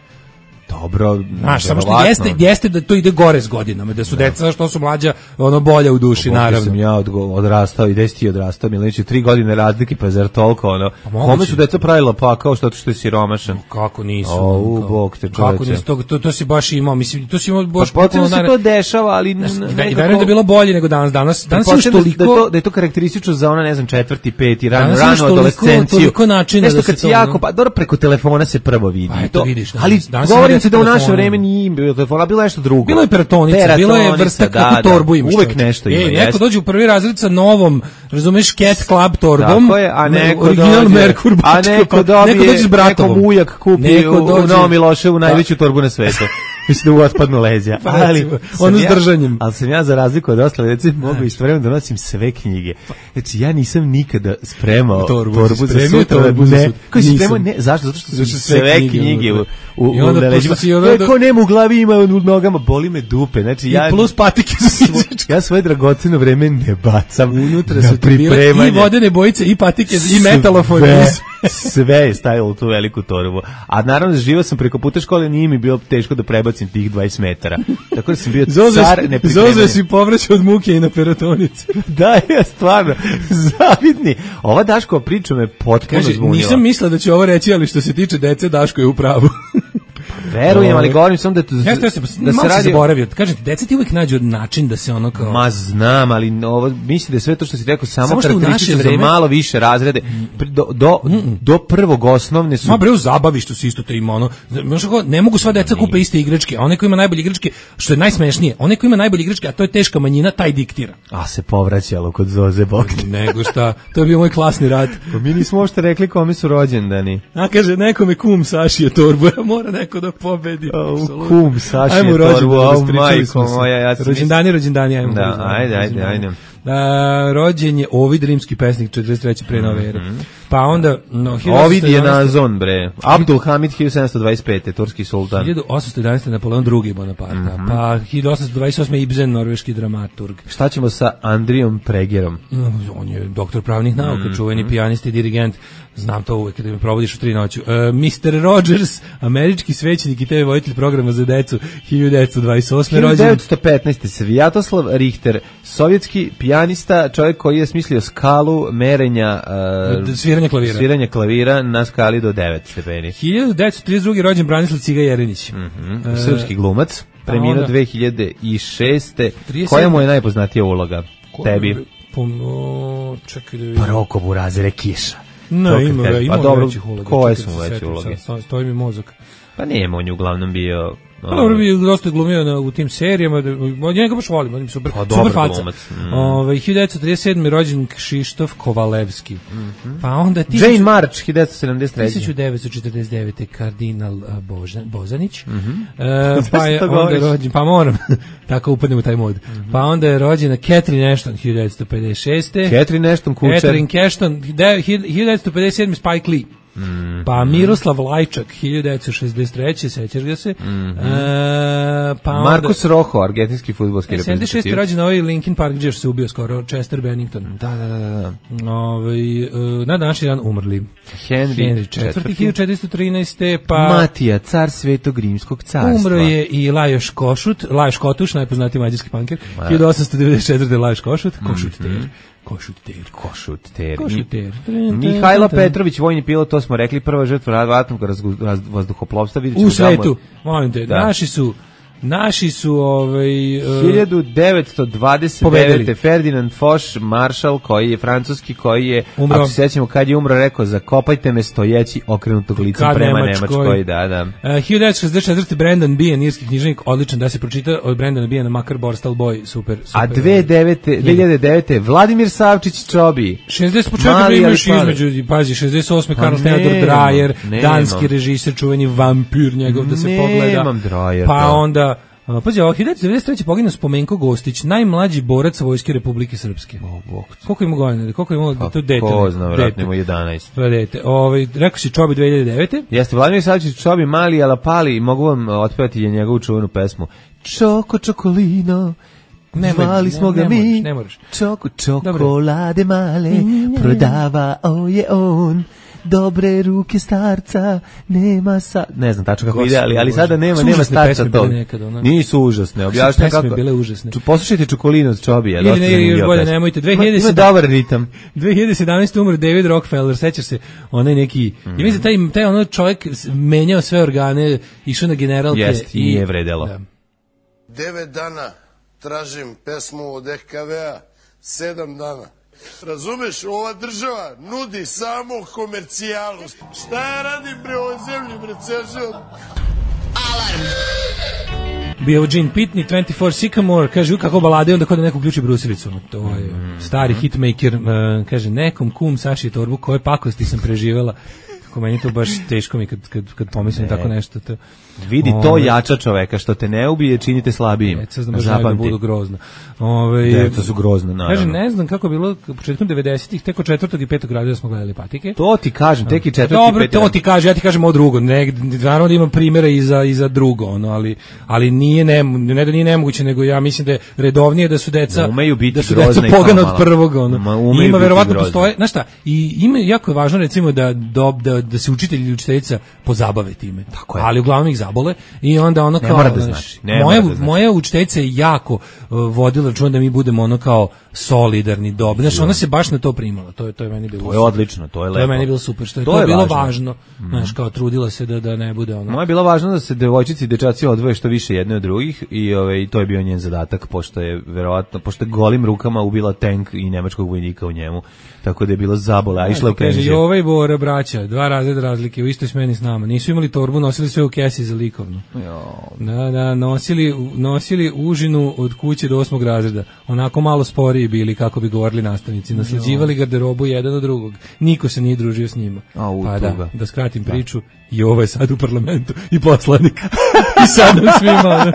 Dobro, znaš, samo što jeste, jeste da to ide gore s godinama, da su da. deca što su mlađa, ono bolja u duši, Bogu naravno. Sam ja od, odrastao i gde si ti odrastao, Milinić, tri godine razlike, pa zar toliko, ono, kome su deca pravila pa kao što, što je siromašan? No, kako nisu? O, u, bog te čoveče. Kako nisu, to, to, to si baš imao, mislim, to si imao baš... Pa potrebno se to dešava, ali... Verujem da je bilo bolje nego danas, danas, danas imaš toliko... Da je, to, da je to karakteristično za ona, ne znam, četvrti, peti, rano, rano adolescenciju. Toliko načina nešto da kad se si to... jako, pa dobro, preko telefona se prvo vidi. Pa to vidiš. Ali govorim se da u naše vreme nije bilo telefona, bilo nešto drugo. Bilo je peratonica, bilo je vrsta kako da, torbu imaš. Uvek nešto ima. Ej, neko dođe u prvi razred sa novom, razumeš, Cat Club torbom. Tako je, a neko original dođe, Merkur a neko dobije, neko dođe s bratovom. Neko ujak kupi neko u, u Novom Miloševu najveću torbu na svetu. Mislim da u otpadnu leđa. Pa, ali ono s držanjem. Ali sam ja za razliku od ostale djece mogu istovremeno da nosim sve knjige. Znači ja nisam nikada spremao torbu, torbu za sutra. Ne, koji si spremao? Ne, zašto? Zato što su sve knjige u, u, u leđima. Ko nema u glavi ima u nogama, boli me dupe. Znači, ja, i plus patike za fizičko. Ja svoje dragoceno vreme ne bacam. Unutra su ti bile i vodene bojice, i patike, i metalofon. Sve je stavilo u tu veliku torbu. A naravno, živao sam preko puta škole, nije mi bilo teško da prebacim tih dvadeset metara. Tako da sam bio car nepripremljen. Zoze si povraćao od muke i na peratonici. Da, ja stvarno, zavidni. Ova Daškova priča me potpuno zbunila. Nisam mislila da će ovo reći, ali što se tiče dece, Daško je u pravu. Verujem, ali govorim samo da to, ja, da se, da se radi zaboravio. Kažem ti, deca ti uvijek nađu način da se ono kao... Ma znam, ali ovo, mislim da je sve to što si rekao samo, samo karakteristično vreme... za malo više razrede. Do, do, do prvog osnovne su... Ma bre, u zabavištu si isto to ima ono... Ne mogu sva deca kupe iste igračke, a onaj ko ima najbolje igračke, što je najsmešnije, onaj ko ima najbolje igračke, a to je teška manjina, taj diktira. A se povraćalo kod Zoze Bogdan. Nego šta, to je bio moj klasni rad. Pa mi nismo uopšte rekli kome su rođendani. A kaže, nekome kum Sašije torbu, mora neko da pobedi. Oh, kum Sašije torbu, oh, majko moja. Ja rođendani, rođendani, ajmo. Da, ajde, ajde, ajde. Da, rođen je Ovid, rimski pesnik, četrdeset treće pre nove ere. Pa onda... No, Ovid je nazon, bre. Abdul Hamid, hiljadu sedamsto dvadeset pete, turski sultan. hiljadu osamsto jedanaeste Napoleon drugi Bonaparte. Mm-hmm. Pa hiljadu osamsto dvadeset osme Ibsen, norveški dramaturg. Šta ćemo sa Andrijom Pregerom? No, on je doktor pravnih nauka, mm-hmm. čuveni pijanist i dirigent. Znam to uvek kada me provodiš u tri noću. Uh, mister Rogers, američki svećenik i te ve voditelj programa za decu, hiljadu devetsto dvadeset osme rođen. hiljadu devetsto petnaeste Svjatoslav Richter, sovjetski pijanista, čovjek koji je smislio skalu merenja uh, sviranja klavira. Sviranja klavira na skali do devet stepeni. hiljadu devetsto trideset druge rođen Branislav Ciga Jerinić. Mm-hmm. Uh, Srpski glumac, preminuo dve hiljade šeste Koja mu je najpoznatija uloga? Ko, Tebi? Po, čekaj da vidim. Pa Roko Burazere Kiša. No, ima ga, ima pa većih uloga. Koje su mu veće uloge? Stoji mi mozak. Pa nije, on je uglavnom bio... Pa dobro bi dosta glumio na, u tim serijama, od njega baš volim, on je super, pa, super faca. Mm. Ove, hiljadu devetsto trideset sedme rođen Kšištof Kovalevski. Mm-hmm. Pa onda... Tisuću, Jane March, hiljadu devetsto sedamdeset treće tisuću devetsto četrdeset devete kardinal Božan, Bozanić. Mm-hmm. e, pa je onda rođen, pa moram, tako upadnem u taj mod. Mm-hmm. Pa onda je rođena Catherine Ashton, hiljadu devetsto pedeset šeste Catherine Ashton, kućer. Catherine Ashton, hiljadu devetsto pedeset sedme Spike Lee. Mm. Pa Miroslav Lajčak, hiljadu devetsto šezdeset treće sećaš ga se. Mm-hmm. E, pa Marcus onda, Rojo, argentinski fudbalski reprezentativ. sedamdeset šeste rođen ovaj Linkin Park, gdje se ubio skoro, Chester Bennington. Da, da, da, da. Ovaj e, na današnji dan umrli. Henry, Henry četvrti, hiljadu četiristo trinaeste Pa Matija, car Svetog Rimskog carstva. Umro je i Lajoš Košut, Lajoš Kotuš, najpoznatiji mađarski panker. hiljadu osamsto devedeset četvrte Lajoš Košut, Košut mm-hmm. ter. Košut ter. Košut ter. Košut ter. Mihajlo Petrović, vojni pilot, to smo rekli, prva žrtva ratnog vazduhoplovstva. U svetu, molim te, da. naši su Naši su ovaj uh, hiljadu devetsto dvadeset devete Ferdinand Foch, maršal koji je francuski, koji je umro. Ako se sećamo kad je umro, rekao zakopajte me stojeći okrenutog licem prema Nemačkoj, Nemačkoj da, da. Uh, hiljadu devetsto šezdeset četvrte Brandon Behan, irski književnik, odličan da se pročita od Brandona Behana, makar Borstal Boy, super, super. A dve hiljade devete Vladimir Savčić Čobi. šezdeset početka imaš između, pazi, šezdeset osme Pa Karl Theodor Dreyer, danski režiser, čuveni vampir njegov da se pogleda. Dreyer, pa onda Uh, pazi, ovo, hiljadu devetsto devedeset treće poginuo Spomenko Gostić, najmlađi borac Vojske Republike Srpske. Oh, koliko ima godina? Koliko ima pa, to dete? Ko zna, vratno ima jedanaest. To je dete. Ovaj, rekao si Čobi dve hiljade devete Jeste, Vladimir Savčić Čobi, mali alapali, mogu vam otpevati je njegovu čuvenu pesmu. Čoko čokolino, zvali smo ga mi, ne moraš. Čoko čokolade male, prodava o je on. dobre ruke starca, nema sa... Ne znam tačno kako ide, ali, ali sada nema, nema starca tog. Nisu užasne, objašnjam kako... bile užasne. Poslušajte Čokolinu od Čobija. Ili ne, još bolje, nemojte. Ima dobar ritam. dve hiljade sedamnaeste umro David Rockefeller, sećaš se, onaj neki... Mm. Ja mislim, taj, taj ono čovjek menjao sve organe, išao na generalke. Jest, i nije vredelo. Da. Devet dana tražim pesmu od E K V-a, sedam dana. Razumeš, ova država nudi samo komercijalu. Šta ja radim bre ovoj zemlji, bre, ceo? Alarm. Bio Gene Pitney, dvadeset četiri Sycamore, kaže, kako balade, onda kod da neko uključi brusilicu. To je stari hitmaker, uh, kaže, nekom kum saši torbu, koje pakosti sam preživela. Kako meni to baš teško mi kad, kad, kad pomislim ne. tako nešto. To, vidi, to ove, jača čoveka, što te ne ubije, činite slabijim. Deca znam da budu grozno. Ove, Deca su grozno, naravno. Kaže, ne znam kako je bilo početkom devedesetih, tek od četvrtog i petog razreda smo gledali Patike. To ti kažem, tek i četvrti Dobro, i petog. to ti kaže, ja ti kažem ovo drugo. Ne, naravno da imam primjera i za, i za drugo, ono, ali, ali nije, ne, ne da nije nemoguće, nego ja mislim da je redovnije da su deca, da su deca pogana od prvog. Ono. Ma, ima, verovatno postoje, znaš šta, i ima, jako je važno recimo da, da, da, da se učitelji i učiteljica pozabave time. Tako je. Ali uglavnom ih zabole i onda ono kao... Ne mora da znači. Ne moja, da znači. Moja učiteljica je jako uh, vodila računa da mi budemo ono kao solidarni, dobri. Znaš, ona se baš na to primala. To je, to je meni bilo To je odlično, to je lepo. To je meni bilo super, što je to, to je bilo važno. važno. Mm. Znaš, kao trudila se da, da ne bude ono... Moje je bilo važno da se devojčici i dečaci odvoje što više jedne od drugih i ovaj, to je bio njen zadatak, pošto je verovatno, pošto je golim rukama ubila tank i nemačkog vojnika u njemu. Tako da je bilo zabola, a išla u penziju. Kaže, i ovaj Bora, braća, dva razreda razlike, u istoj smeni s nama. Nisu imali torbu, nosili sve u kesi za likovnu. Jo. Da, da, nosili, nosili užinu od kuće do osmog razreda. Onako malo sporiji bili, kako bi govorili nastavnici. Nasleđivali garderobu jedan od drugog. Niko se nije družio s njima. A, u, pa da, da skratim da. priču. I ovo je sad u parlamentu i poslanik. I sad nam svima.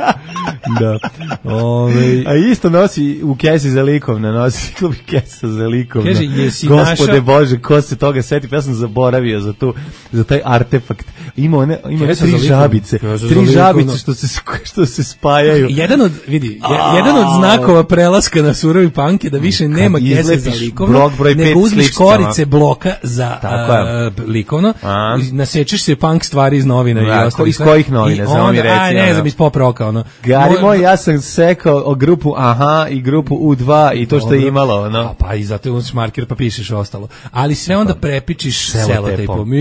Da. Ove... A isto nosi u kesi za likovne, nosi klubi kesa za likovne. Kaže, jesi Gospode naša... Bože, ko se toga seti? Ja sam zaboravio za tu, za taj artefakt. Ima one, ima ne tri žabice. Tri žabice što se, što se spajaju. Jedan od, vidi, jedan od znakova prelaska na surovi panke da više nema kese za likovno, nego uzmiš korice bloka za uh, likovno, a? Nasečeš se punk stvari iz novina da, i ostalo. Iz kojih novina, samo mi reci. Aj, ne znam, iz pop roka, ono. Gari moj, ja sam sekao o grupu Aha i grupu U dva i to što je imalo, ono. A, pa i zato uzmiš marker pa pišeš ostalo. Ali sve onda prepičiš selotejpom.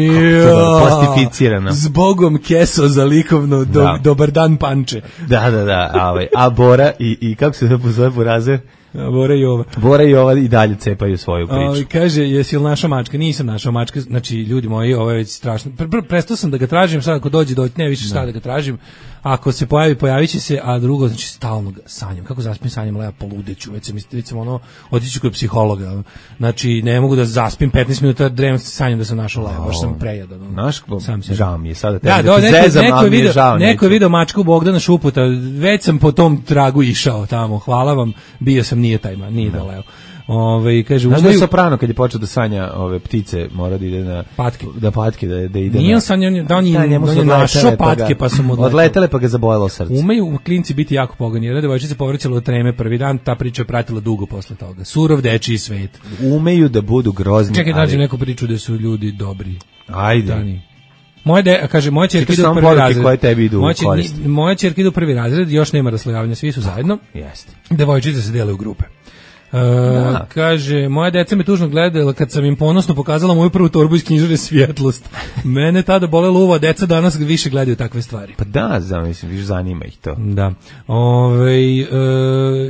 Plastificirano. Zbogom keso za likovno, do, da. Dobar dan panče. Da, da, da. A, a Bora i, i kako se zove Burazer? Bora i ova. Bora i ova i dalje cepaju svoju priču. O, kaže, jesi li naša mačka? Nisam naša mačka. Znači, ljudi moji, ovo je već strašno. Prestao sam da ga tražim, sad ako dođe, dođe, ne više šta da ga tražim. Ako se pojavi, pojavit će se, a drugo, znači, stalno ga sanjam. Kako zaspim sanjam, leva poludeću, već sam, već sam ono, otiću kod psihologa. Znači, ne mogu da zaspim petnaest minuta, drem sanjam da sam našao leva, baš sam prejadan. Naš, žao mi je sada da, tebi, da, da te neko, zezam, neko, mi je žao. Neko je video mačku Bogdana Šuputa, već sam po tom tragu išao tamo, hvala vam, bio sam, nije taj man, nije da leo. Ove, kaže, znaš da je Soprano kad je počeo da sanja ove ptice, mora da ide na patke, da patke da, da ide. Nije on sanjao da on je našao patke pa su mu odletele pa ga zabojalo srce. Umeju klinci biti jako pogani. Jedna devojčica povraćala od treme prvi dan, ta priča je pratila dugo posle toga. Surov dečiji svet. Umeju da budu grozni. Čekaj, nađem neku priču da su ljudi dobri. Ajde. Dani. Moje de, kaže moja ćerka ide u prvi razred. Koje tebi idu moja, moja ćerka ide u prvi razred, još nema raslojavanja, svi su zajedno. Jeste. Devojčice se dele u grupe. Uh, kaže, moja deca me tužno gledala kad sam im ponosno pokazala moju prvu torbu iz knjižare Svjetlost. Mene tada bolela uvo, deca danas više gledaju takve stvari. Pa da, znam, mislim, više zanima ih to. Da. Ove, uh,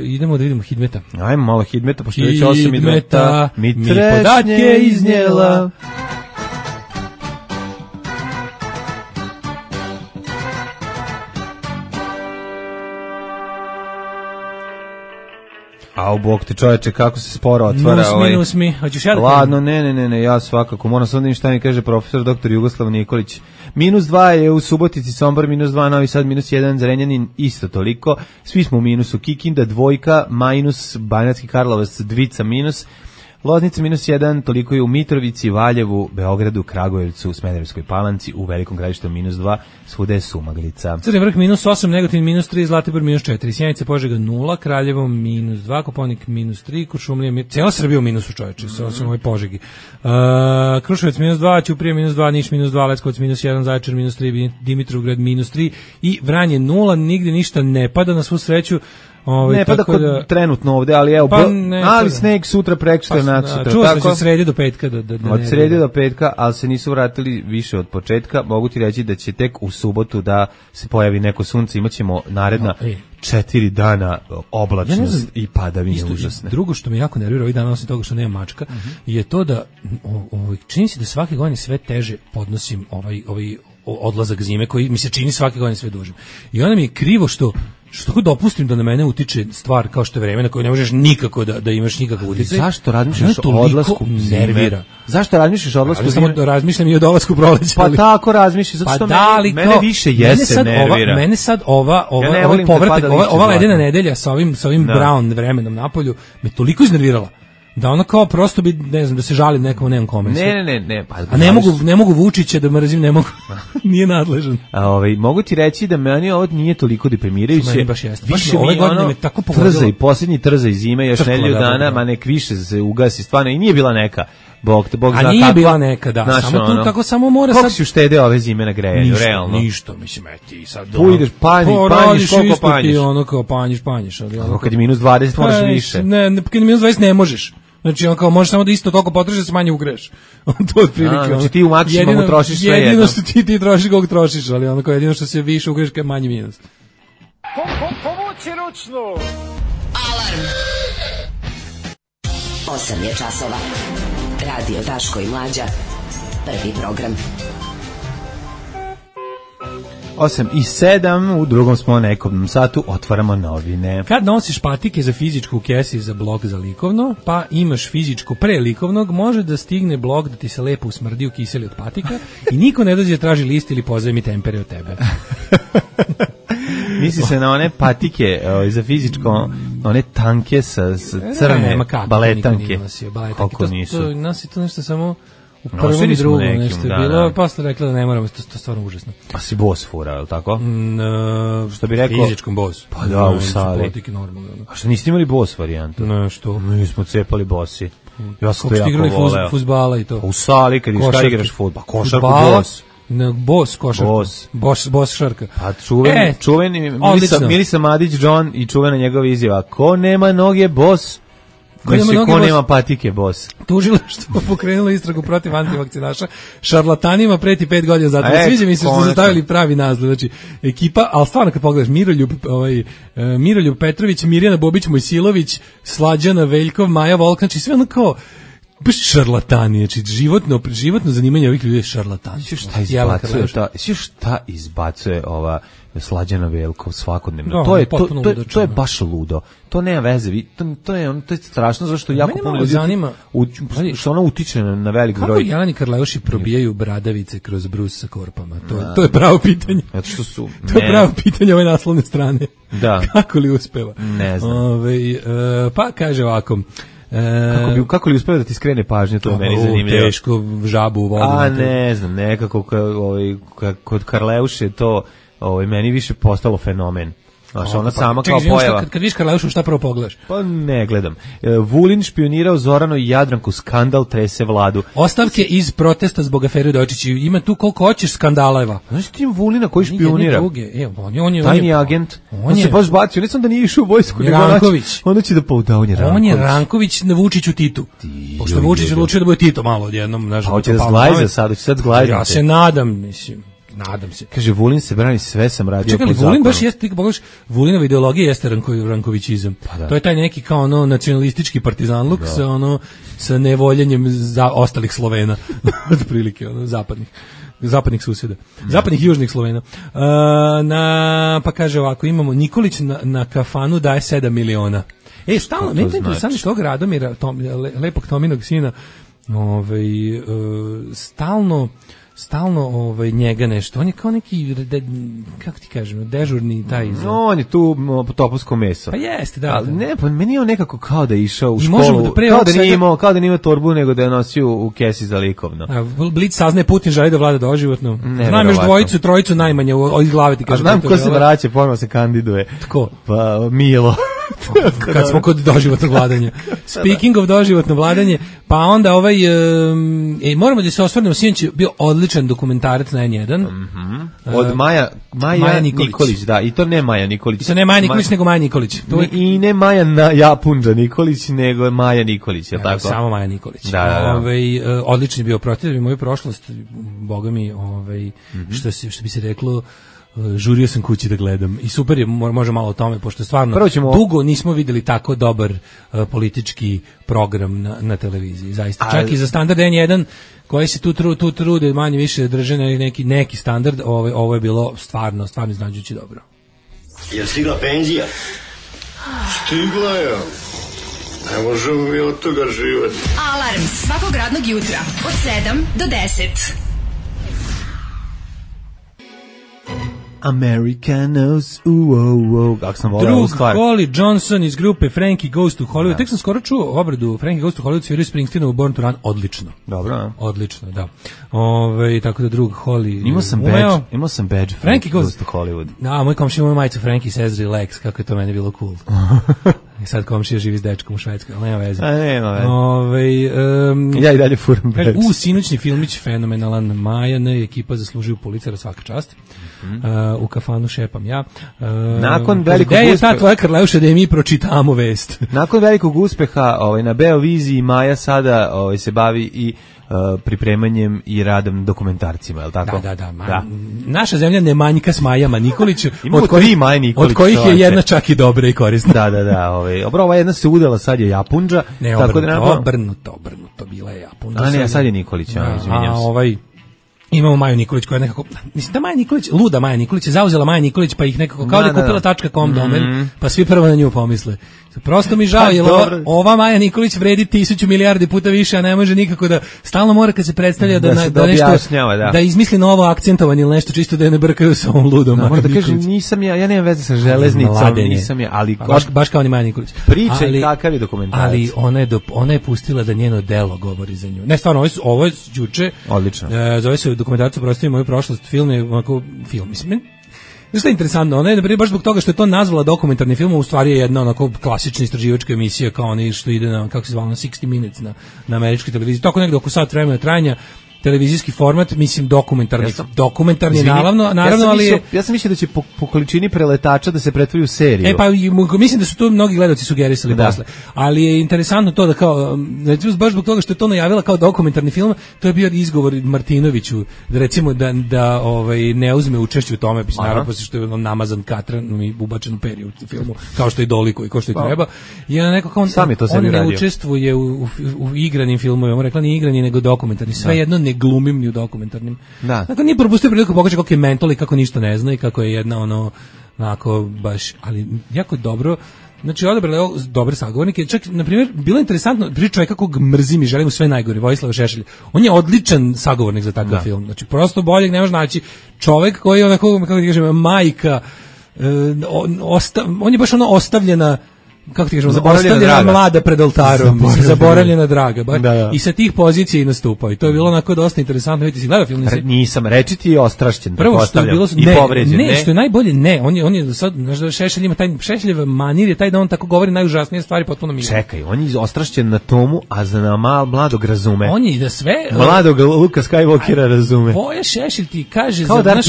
idemo da vidimo Hidmeta. Ajmo malo Hidmeta, pošto već osam i Hidmeta, mi, mi podatke iznijela. A u bok te čoveče, kako se sporo otvara nus mi, ovaj... Nus mi, hoćeš ja da ladno, ne, ne, ne, ne, ja svakako. Moram sam da im šta mi kaže profesor doktor Jugoslav Nikolić. Minus dva je u Subotici, Sombor, minus dva, Novi Sad, minus jedan, Zrenjanin, isto toliko. Svi smo u minusu. Kikinda, dvojka, minus, Banjacki Karlovac, dvica, minus. Loznica minus jedan, toliko je u Mitrovici, Valjevu, Beogradu, Kragujevcu, Smederevskoj Palanci, u Velikom Gradištu minus dva, svuda je sumaglica. Crni vrh minus osam, Negotin minus tri, Zlatibor minus četiri, Sjenica, Požega nula, Kraljevo minus dva, Koponik minus tri, Kuršumlija, cijela Srbija u minusu, čoveče, sa osim ovoj Požegi. Uh, Kruševac minus dva, Ćuprija minus dva, Niš minus dva, Leskovac minus jedan, Zaječar minus tri, Dimitrovgrad minus tri i Vranje nula, nigde ništa ne pada na svu sreću. Ove, ne pada kod da, trenutno ovde, ali evo, pa ne, ali sneg sutra, prekosutra, pa, naksutra. Čuo sam od srede do petka. Da, da, da od srede do petka, ali se nisu vratili više od početka. Mogu ti reći da će tek u subotu da se pojavi neko sunce, imaćemo naredna no, četiri dana oblačnost ja znam, i padavine užasne. Drugo što me jako nervira ovih dana, osim toga što nema mačka, uh-huh. je to da o, o, čini se da svake godine sve teže podnosim ovaj, ovaj odlazak zime koji mi se čini svake godine sve dužim. I onda mi je krivo što što dopustim da na mene utiče stvar kao što je vreme na koje ne možeš nikako da, da imaš nikakav uticaj. Zašto razmišljaš o odlasku zime? Zašto razmišljaš o odlasku zime? Samo razmišljam i o dolasku proleća. Pa tako razmišljaš, zato što pa mene, mene više jesen nervira. Ova, mene sad ova, ova, ja ovaj povratak, ova, ova ledena nedelja sa ovim, sa ovim brown vremenom napolju me toliko iznervirala. Da ono kao prosto bi, ne znam, da se žalim nekom, nemam kome. Ne, ne, ne, ne. Pa, a ne mogu, ne mogu Vučića da mrzim, ne mogu, nije nadležan. A ovaj, mogu ti reći da meni ovo nije toliko deprimirajuće. Meni baš jeste. Više ove godine me tako pogodilo. Trza i posljednji trza i zime, još nedelju dana, ma nek više se ugasi stvarno i nije bila neka. Bog te, Bog zna a nije kakva, bila neka, da, naš, samo tu ono, tako samo mora sad... Kako si uštedeo ove zime na grejanju, ništa, realno? Ništa, mislim, eti, sad... Pujdeš, panji, panjiš, koliko panjiš? Ono kao panjiš, panjiš. Ali ono kad je minus dvadeset moraš pa, više. Ne, ne, kad je minus dvadeset ne možeš. Znači, on kao možeš samo da isto toliko potrošiš da se manje ugreš. To je otprilike. Znači ti u maksimumu trošiš sve jedno. Jedino što ti, ti trošiš koliko trošiš, ali ono kao jedino što se više ugreš kad je manji minus. Povuci ručnu! Alarm! Osam je časova. Radio Daško i Mlađa. Prvi program. osam i sedam, u drugom smo nekom satu, otvaramo novine. Kad nosiš patike za fizičku u kesi za blok za likovno, pa imaš fizičko pre likovnog, može da stigne blok da ti se lepo usmrdi u kiseli od patika i niko ne dođe da traži list ili pozajmi tempere od tebe. Misli se na one patike o, za fizičko, one tanke sa, sa crne ne, kako, baletanke. Kako to, nisu? To, nas je to nešto samo... U prvom i drugom nešto je da, bilo, da. Posle rekla da ne moramo, to je stvarno užasno. Pa si bos fura, je li tako? No, što bi rekao? Fizičkom bos. Pa da, u sali. Normalno. A što niste imali bos varijantu? Ne, što? Mi smo cepali bosi. Ja sam to jako voleo. Kako ste igrali fuzbala i to? Pa u sali, kad išta igraš fudbal. Pa košarku bos. Ne, bos košarku. Bos. Bos, bos šarka. Pa čuven, e, čuveni Milisa, Milisa Madić John i čuvena njegova izjava. Ko nema noge, bos. Ko nema, noge, ko nema bos, patike, bos. Tužilaštvo pokrenulo istragu protiv antivakcinaša. Šarlatanima preti pet godina zatvora. E, sviđa mi se što su zastavili pravi naziv. Znači, ekipa, ali stvarno kad pogledaš, Miroljub, ovaj, uh, Miroljub Petrović, Mirjana Bobić, Mojsilović, Slađana Veljkov, Maja Volk, znači sve ono kao baš šarlatani, znači životno, životno zanimanje ovih ljudi je šarlatani. Šta izbacuje, ta, šta izbacuje ova Slađana Veljkov svakodnevno? No, to je to, to, je, to je baš ludo. To nema veze. To, to je on to je strašno zašto jako puno ljudi zanima u, što ona utiče na, na velik broj. Kako Jeleni Karleuši probijaju bradavice kroz brus sa korpama? To je, to je pravo pitanje. Zato što su to je pravo pitanje ove naslovne strane. Da. Kako li uspeva? Ne znam. Ove, uh, pa kaže ovako. E, kako, bi, kako li uspeo da ti skrene pažnju, to je meni zanimljivo. Teško, žabu u vodu. A ne znam, nekako ovaj, kod Karleuše to ovaj, meni više postalo fenomen. Znaš, ona pa, sama čekaj, kao pojava. Kad, kad viš Karleušu, šta prvo pogledaš? Pa ne gledam. Vulin špionirao Zoranu i Jadranku, skandal trese vladu. Ostavke iz protesta zbog afere Dojčić. Ima tu koliko hoćeš skandaleva. Znaš ti Vulina koji špionira? E, on je, on je, tajni agent. On, on se baš bacio. Ne sam da nije išao u vojsku. Ranković. Onda će da pouda, on je Ranković. On je Ranković na Vučiću Titu. Pošto Vučić odlučio da bude Tito malo odjednom. A hoće da zglajza sad, hoće sad zglajza. Ja se nadam, mislim. Nadam se. Kaže, Vulin se brani, sve sam radio. Čekaj, po zakonu. Vulin baš jeste, ti pogledaš, Vulinova ideologija jeste Ranko, Rankovićizam. Pa da. To je taj neki kao ono nacionalistički partizanluk da. sa ono sa nevoljenjem za ostalih Slovena, otprilike ono zapadnih zapadnih susjeda, mm. zapadnih i južnih Slovena. Uh, na pa kaže ovako, imamo Nikolić na, na kafanu daje sedam miliona. E, stalno, meni je interesantno što Radomira, Tom, lepog Tominog sina, ovaj, uh, stalno stalno ovaj njega nešto. On je kao neki de, kako ti kažem, dežurni taj. Za... No, on je tu topovsko meso. Pa jeste, da. Ali da. ne, pa meni je on nekako kao da je išao u I školu. Da pre kao da nije svega... imao, kao da nije imao torbu, nego da je nosio u kesi za likovno. A Blic saznaje Putin želi da vlada doživotno. Znam još dvojicu, trojicu najmanje od glave ti kažem. Znam ko se vraća, ponovo se kandiduje. Tko? Pa Milo. Kad smo kod doživotnog vladanja. Speaking of doživotno vladanje, pa onda ovaj um, e, moramo da se osvrnemo, sinoć je bio odličan dokumentarac na N jedan. Mm-hmm. Od Maja, Maja, Maja Nikolić. Nikolić, da, i to ne Maja Nikolić. I to ne Maja Nikolić, Ma... nego Maja Nikolić. To je... I ne Maja na Japunđa Nikolić, nego Maja Nikolić, je li tako? Samo Maja Nikolić. Da, da, da. Ovaj, uh, odličan je bio, protiv moju prošlost, boga mi, ovaj, mm-hmm. što, se, što bi se reklo, žurio sam kući da gledam i super je, može malo o tome, pošto stvarno ćemo... dugo nismo videli tako dobar uh, politički program na, na televiziji, zaista. Čak A... i za standard N jedan koji se tu, tru, tu trude manje više drže na neki, neki standard, ovo, ovo je bilo stvarno, stvarno iznenađujuće dobro. Je stigla penzija? Stigla je. Ne možemo mi od toga živati. Alarm svakog radnog jutra od sedam do deset. Americanos, uo, uo, kako sam volao ovu stvar. Drug Holly Johnson iz grupe Frankie Goes to Hollywood. Da. Tek sam skoro čuo obradu Frankie Goes to Hollywood, sviraju Springsteenovu Born to Run, odlično. Dobro, a? Odlično, da. Ove, tako da drug Holly... Imao sam badge, imao sam badge Frankie Goes, goes to Hollywood. Da, moj komšija imao majicu Frankie says relax, kako je to meni bilo cool. I sad komšija živi s dečkom u Švedskoj, ali nema veze. A nema veze. Ove, um, ja i dalje furam badge. U, sinoćni filmić, fenomenalan, Maja, ne, ekipa zaslužuju Pulitzera, svaka čast. Uh, u kafanu šepam ja. Uh, Nakon velikog uspeha... uspeha... je ta tvoja Karleuša da je mi pročitamo vest? Nakon velikog uspeha ovaj, na Beoviziji Maja sada ovaj, se bavi i uh, pripremanjem i radom dokumentarcima, je li tako? Da, da, da. Ma, da. Naša zemlja ne manjka s Majama Nikolić, od kojih, Maja Nikolić, od kojih je jedna čak i dobra i korisna. Da, da, da. Ovaj. Obro, ova jedna se udala, sad je Japunđa. Ne, tako obrnuto, da nam... obrnuto, obrnuto, bila je Japunđa. A ne, sad je Nikolić, ja, izvinjam se. A ovaj... Imamo Maju Nikolić koja je nekako, mislim da Maja Nikolić, luda Maja Nikolić je zauzela Maja Nikolić pa ih nekako, kao da je kupila .com domen, pa svi prvo na nju pomisle. Prosto mi žao, jer ova, ova Maja Nikolić vredi tisuću milijardi puta više, a ne može nikako da, stalno mora kad se predstavlja da, da, da nešto, da. da izmisli novo akcentovanje ili nešto čisto da je ne brkaju sa ovom ludom. Da, da kažem, nisam ja, ja nemam veze sa železnicom, Mladenje. nisam ja, ali... Pa, baš, baš kao ni Maja Nikolić. Priča i kakav je dokumentarac. Ali ona je, do, ona je pustila da njeno delo govori za nju. Ne, stvarno, ovo je, ovo je juče, odlično. E, zove se dokumentarac Oprosti moju prošlost, film je onako, film, mislim, što je interesantno, ona je naprijed baš zbog toga što je to nazvala dokumentarni film, u stvari je jedna onako klasična istraživačka emisija kao oni što ide na, kako se zvala, na sixty minutes na, na američkoj televiziji, tako negde oko sat vremena trajanja, televizijski format, mislim dokumentarni, ja sam, dokumentarni izvini, naravno, naravno, ja ali mislio, ja sam mislio da će po, po količini preletača da se pretvori u seriju. E pa mislim da su to mnogi gledaoci sugerisali da. posle. Ali je interesantno to da kao znači baš zbog toga što je to najavila kao dokumentarni film, to je bio izgovor Martinoviću da recimo da da ovaj ne uzme učešće u tome, mislim naravno posle što je on namazan katran i ubačen u periju u filmu, kao što i doliko i kao što i treba. I ona neko kao on, on ne radio. učestvuje u, u, u igranim filmovima, on rekla ni igrani nego dokumentarni, sve da. jedno ne glumim ni u dokumentarnim. Da. Dakle, nije propustio priliku pokaže kako je mental i kako ništa ne zna i kako je jedna ono, onako, baš, ali jako dobro, znači odabrali dobre sagovornike, čak, na primjer, bilo je interesantno, priča je kako mrzim i želim sve najgore, Vojislav Šešelj, on je odličan sagovornik za takav da. film, znači prosto boljeg ne može naći, čovek koji je onako, kako ti kažem, majka, e, osta, on je baš ono ostavljena, kako ti kažemo, ostavljena mlada pred oltarom, zaboravljena, zaboravljena draga, ba, da, da. I sa tih pozicija i nastupao. I to je bilo onako dosta interesantno. Vidite, si gledao film? Re, nisam, reći ti je ostrašćen, prvo što je bilo, i ne, povređen. Ne, ne, što je najbolje, ne, on je, on je sad, znaš, Šešelj ima taj, Šešeljev manir je taj da on tako govori najužasnije stvari potpuno mimo. Čekaj, on je ostrašćen na tomu, a za na mal, mladog razume. On je da sve... Mladog Luka Skywalkera razume. Voja Šešelj ti kaže, kao za, naš,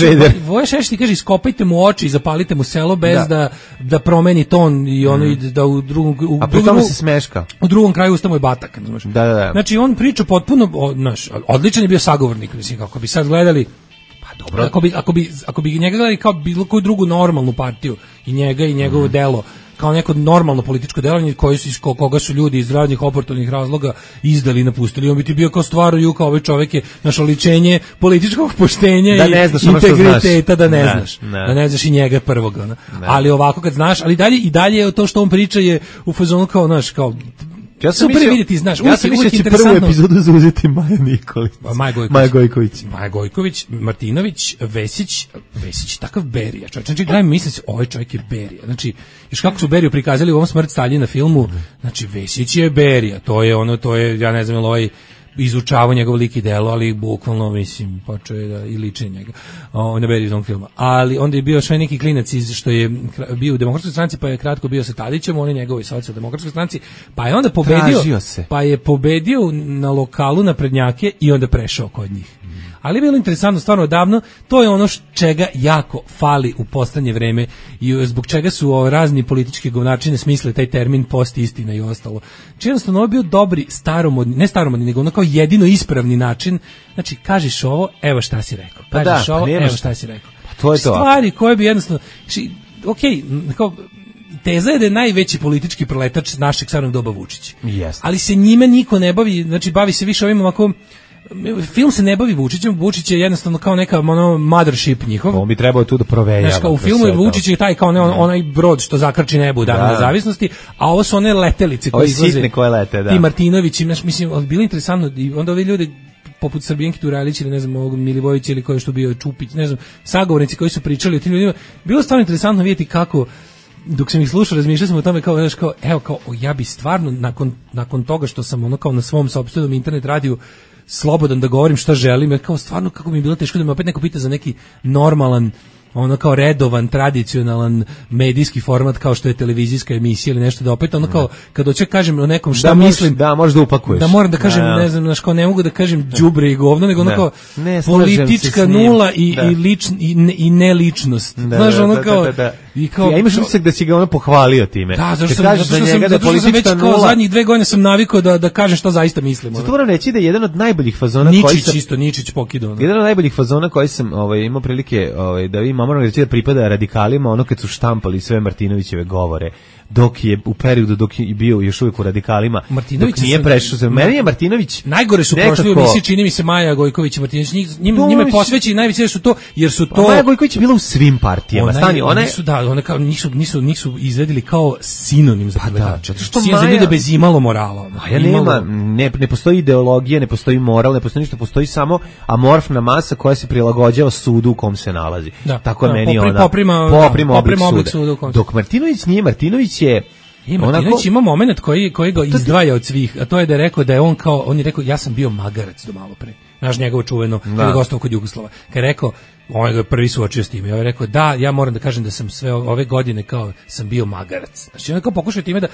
Voja Šešelj ti kaže, iskopajte mu oči i zapalite mu selo bez da, da, da promeni ton i ono, mm. da u drugom... U, a pri tome se smeška. U drugom kraju usta mu je batak, znaš. Da, da, da. Znači on priča potpuno, znaš, odličan je bio sagovornik, mislim kako bi sad gledali. Pa dobro. Ako bi ako bi ako bi njega gledali kao bilo koju drugu normalnu partiju i njega i njegovo mm. delo kao neko normalno političko delovanje koji su koga su ljudi iz raznih oportunih razloga izdali i napustili. On bi ti bio kao stvarno kao ovaj čovjek je naše oličenje političkog poštenja da i integriteta da ne, ne znaš. Ne. Da ne znaš i njega prvog. Ali ovako kad znaš, ali dalje i dalje to što on priča je u fazonu kao, znaš, kao Ja sam super vidjeti, znaš, ja sam mislio da će prvu epizodu zauzeti Maja Nikolić. Maja Gojković. Maja Gojković. Maja Gojković, Martinović, Vesić, Vesić, takav Berija. Čovječ, znači, gledam, mislim se, ovaj čovjek je Berija. Znači, još kako su Beriju prikazali u ovom Smrt Staljina filmu, znači, Vesić je Berija. To je ono, to je, ja ne znam, ili ovaj izučavao njegov lik i delo, ali bukvalno, mislim, počeo je da i liči njega. O, ne beri iz onog filma. Ali onda je bio še neki klinac iz, što je bio u Demokratskoj stranci, pa je kratko bio sa Tadićem, on je njegovoj socijaldemokratskoj stranci, pa je onda pobedio, pa je pobedio na lokalu naprednjake i onda prešao kod njih. Ali je bilo interesantno, stvarno davno, to je ono čega jako fali u poslednje vreme i zbog čega su o, razni politički govnačine smisle taj termin post istina i ostalo. Znači jednostavno ovo je bio dobri, staromodni, ne staromodni, nego ono kao jedino ispravni način, znači kažeš ovo, evo šta si rekao, kažeš da, ovo, evo šta, šta si rekao. Pa to je to. Stvari koje bi jednostavno, znači, ok, kao, teza je da je najveći politički proletač našeg stvarnog doba Vučić. Yes. Ali se njime niko ne bavi, znači bavi se više ovim ovako. Film se ne bavi Vučićem, Vučić je jednostavno kao neka ono mothership njihov. On bi trebao tu da provejava. Znaš, kao u filmu je Vučić je taj kao ne, on, onaj brod što zakrči nebu u Dan nezavisnosti, a ovo su one letelice koje izlaze. Sitne koje lete, da. Ti Martinović, znaš, mislim, bilo interesantno i onda ovi ljudi poput Srbijanke Turajlić ili ne znam ovog Milivojevića ili koji što bio Čupić, ne znam, sagovornici koji su pričali o tim ljudima. Bilo stvarno interesantno vidjeti kako dok sam ih slušao, razmišljao sam o tome kao, znaš, kao, evo, kao, ja bi stvarno nakon, nakon toga što sam ono kao na svom sopstvenom internet radiju slobodan da govorim šta želim, jer kao stvarno kako mi je bilo teško da me opet neko pita za neki normalan, ono kao redovan, tradicionalan medijski format kao što je televizijska emisija ili nešto, da opet ono kao kad hoće kažem o nekom šta da mislim, možeš, da možeš da upakuješ. Da moram da kažem, da, ne znam, znaš, kao ne mogu da kažem đubre i govno, nego ono kao ne, politička nula i, da. i, ličn, i, ne, i neličnost. Da, znaš, ono da, kao... Da, da, da. I kao, ja imaš utisak da si ga ono pohvalio time. Da, zato što sam, zato što sam, zato što sam već kao zadnjih dve godine sam navikao da, da kažem šta zaista mislim. Zato moram reći da je jedan od najboljih fazona Ničić, koji sam... Ničić isto, Ničić pokidao. Jedan od najboljih fazona koji sam ovaj, imao prilike ovaj, da vidim, moram reći da pripada radikalima, ono kad su štampali sve Martinovićeve govore, dok je u periodu dok je bio još uvijek u radikalima, Martinović dok nije prešao se. Meni je Martinović najgore su prošli u emisiji, čini mi se Maja Gojković i Martinović, njima, njima je posvećeni najveće su to, jer su to... Maja Gojković je bila u svim partijama, ona, stani, one... Nisu, da, one kao, nisu, nisu, nisu izvedili kao sinonim za pa da, što Maja... za ljude bez imalo morala. Maja nema, ne, ne postoji ideologija, ne postoji moral, ne postoji ništa, postoji samo amorfna masa koja se prilagođava sudu u kom se nalazi. Da, tako da, meni popri, ona... Poprima, poprima oblik suda. suda Dok Martinović nije, Martinović je... I Martinović onako, ima moment koji, koji ga izdvaja od svih, a to je da je rekao da je on kao, on je rekao, ja sam bio magarac do malo pre. Znaš njegovo čuveno, kada je gostao kod Jugoslava. Kad je rekao, on je prvi suočio s tim, ja je rekao, da, ja moram da kažem da sam sve ove godine kao, sam bio magarac. Znači, on je kao pokušao time da,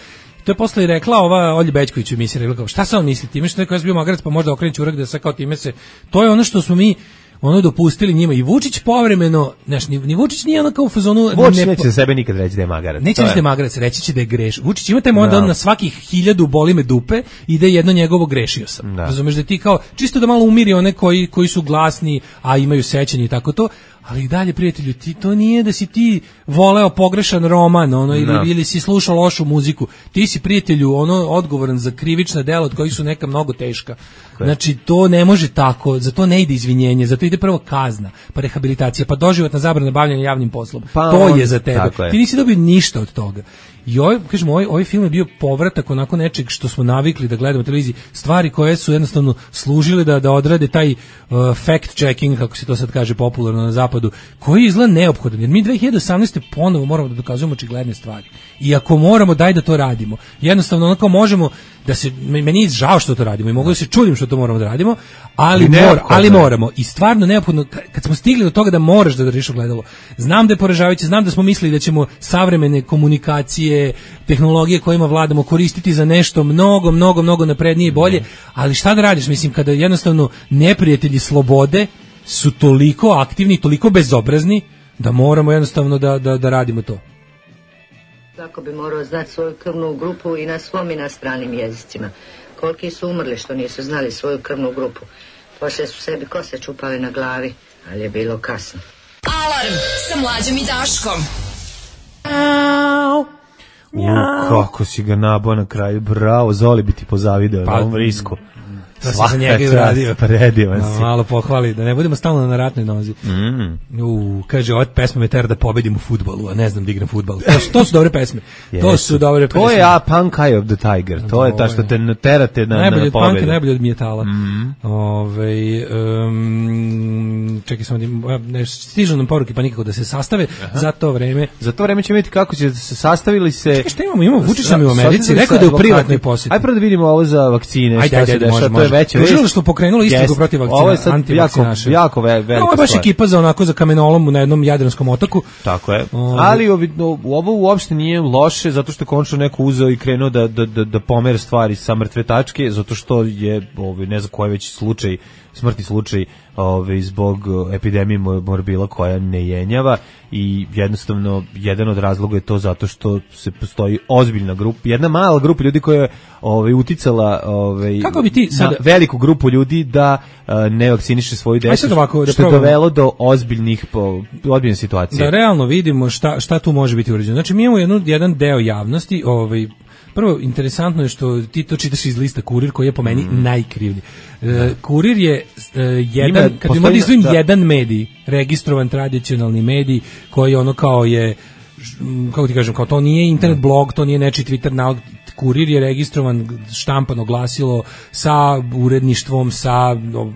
to je posle i rekla ova Olja Bećković u emisiji, rekla kao, šta se on misli time, što je rekao, ja sam bio magarac, pa možda okrenući urak da sve kao time se, to je ono što smo mi, ono dopustili njima i Vučić povremeno, znaš, ni, ni Vučić nije ono kao u fazonu... Vučić neće za sebe nikad reći da je magarac. Neće reći da je magarac, reći će da je greš. Vučić ima taj moment da on na svakih hiljadu boli me dupe i da je jedno njegovo grešio sam. Da. Razumeš da ti kao, čisto da malo umiri one koji, koji su glasni, a imaju sećanje i tako to, ali i dalje, prijatelju, ti, to nije da si ti voleo pogrešan roman, ono, ili, no. ili si slušao lošu muziku. Ti si, prijatelju, ono, odgovoran za krivična dela od kojih su neka mnogo teška. Okay. Znači, to ne može tako, za to ne ide izvinjenje, za to ide prvo kazna, pa rehabilitacija, pa doživotna zabrana bavljanja javnim poslom. Pa to on, je za tebe. Je. Ti nisi dobio ništa od toga. I ovaj, kažemo, ovaj, ovaj film je bio povratak onako nečeg što smo navikli da gledamo televiziji, stvari koje su jednostavno služile da, da odrade taj uh, fact checking, kako se to sad kaže popularno na zapadu, koji je izgleda neophodan, jer mi dve hiljade osamnaeste ponovo moramo da dokazujemo očigledne stvari. I ako moramo, daj da to radimo. Jednostavno, onako možemo da se, meni je žao što to radimo i mogu da se čudim što to moramo da radimo, ali, mora, ali moramo. I stvarno neophodno, kad smo stigli do toga da moraš da držiš ogledalo, znam da je poražavajuće, znam da smo mislili da ćemo savremene komunikacije, tehnologije kojima vladamo koristiti za nešto mnogo, mnogo, mnogo naprednije i bolje, ali šta da radiš, mislim, kada jednostavno neprijatelji slobode su toliko aktivni, toliko bezobrazni, da moramo jednostavno da, da, da radimo to. Svako bi morao znati svoju krvnu grupu i na svom i na stranim jezicima. Koliki su umrli što nisu znali svoju krvnu grupu. Poslije su sebi kose čupali na glavi, ali je bilo kasno. Alarm sa Mlađom i Daškom. U, kako si ga nabao na kraju, bravo, Zoli bi ti pozavideo pa, na ovom risku. To se za njega i uradio. Predivan no, si. Malo pohvali, da ne budemo stalno na ratnoj nozi. Mm. U, kaže, ova pesma me tera da pobedim u fudbalu, a ne znam da igram fudbal. To, to su dobre pesme. Yes. To su dobre pesme. To je a Punk Eye of the Tiger. To je ta što te terate na, najbolje na pobedu. Najbolje od punka, najbolje od metala. Mm. Ove, um, čekaj samo, ne, stižu nam poruke pa nikako da se sastave. Aha. Za to vreme. Za to vreme ćemo vidjeti kako će se sastavili se. Čekaj, šta imamo? Imamo Vučića mi u Americi. Rekao da je u privatnoj posjeti. Ajde prvo da vidimo ovo za vakcine. Ajde, ajde, ajde, može, može. To je veće vest. Tužilaštvo pokrenulo istragu protiv vakcina. Ovo je sad jako, jako velika stvar. Ovo je baš ekipa za onako za kamenolom na jednom jadranskom otoku. Tako je. Ali ovo uopšte nije loše zato što je konačno neko uzeo i krenuo da, da, da, da pomere stvari sa mrtve tačke, zato što je, ovaj, ne znam koji već slučaj, smrtni slučaj ovaj, zbog epidemije morbila koja ne jenjava i jednostavno jedan od razloga je to zato što se postoji ozbiljna grupa, jedna mala grupa ljudi koja je ovaj, uticala ovaj, kako bi ti sad... na veliku grupu ljudi da uh, ne vakciniše svoju decu, ovako, da što je dovelo do ozbiljnih po, ozbiljne situacije. Da realno vidimo šta, šta tu može biti urađeno. Znači mi imamo jednu, jedan deo javnosti, ovaj, prvo, interesantno je što ti to čitaš iz lista Kurir, koji je po meni mm. najkrivlji. E, Kurir je e, jedan, Ima, kad bi možda izvojim jedan medij, registrovan tradicionalni medij, koji ono kao je, kako ti kažem, kao to nije internet blog, to nije nečiji Twitter nalog, Kurir je registrovan, štampano glasilo sa uredništvom, sa no,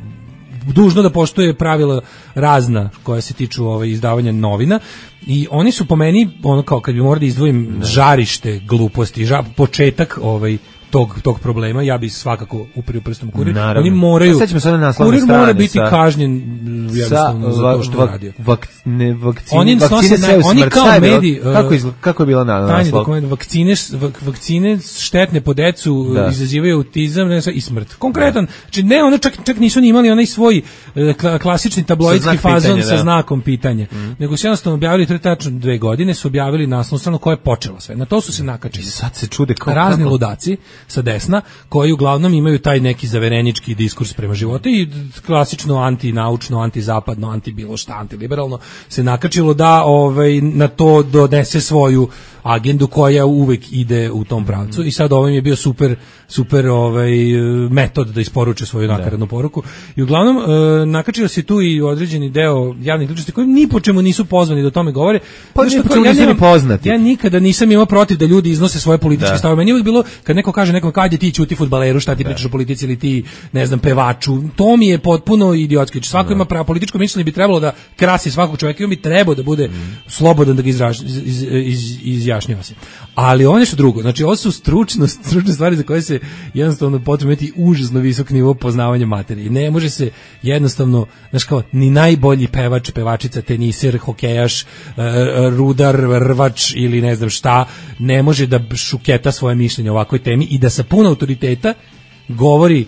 dužno da poštuje pravila razna koja se tiču ovaj, izdavanja novina i oni su po meni, ono kao kad bi morao da izdvojim ne. žarište gluposti, ža, početak ovaj, tog, tog problema, ja bi svakako uperio prstom Kurir. Naravno. Oni moraju, Kurir mora biti sa, kažnjen jednostavno za to što va, radio. Vak, ne, vakcine, oni vakcine naj, oni kao mediji, kako, izla, kako je bila na, naslov? Vakcine, vak, vakcine štetne po decu da. izazivaju autizam ne, i smrt. Konkretan, znači ne, ono čak, čak nisu ni imali onaj svoj klasični tabloidski fazon pitanja, sa znakom pitanja, mm. nego su jednostavno objavili, to je tačno dve godine, su objavili naslovnu stranu koja je počela sve. Na to su se nakačili. Sad se čude kao razni ludaci sa desna, koji uglavnom imaju taj neki zaverenički diskurs prema životu i klasično antinaučno, antizapadno, anti bilo šta, antiliberalno se nakačilo da ovaj, na to donese svoju agendu koja uvek ide u tom pravcu mm. i sad ovim je bio super super ovaj metod da isporuče svoju nakaradnu poruku i uglavnom e, nakačio se tu i određeni deo javnih ličnosti koji ni po čemu nisu pozvani da o tome govore. Pa ni po čemu nisu ni poznati. Ja nikada nisam imao protiv da ljudi iznose svoje političke stavove. Meni je uvijek bilo kad neko kaže nekom kad je ti ćuti fudbaleru, šta ti da. pričaš o politici ili ti ne znam pevaču. To mi je potpuno idiotski. Svako da. ima pravo političko mišljenje, bi trebalo da krasi svakog čovjeka i on bi trebao da bude mm. slobodan da ga izraž, iz, iz, iz, izjašnjava se. Ali ovo je nešto drugo. Znači ovo su stručno, stručne stvari za koje se jednostavno potrebno imati užasno visok nivo poznavanja materije. Ne može se jednostavno, znaš kao, ni najbolji pevač, pevačica, teniser, hokejaš, rudar, rvač ili ne znam šta, ne može da šuketa svoje mišljenje o ovakvoj temi i da sa puno autoriteta govori e,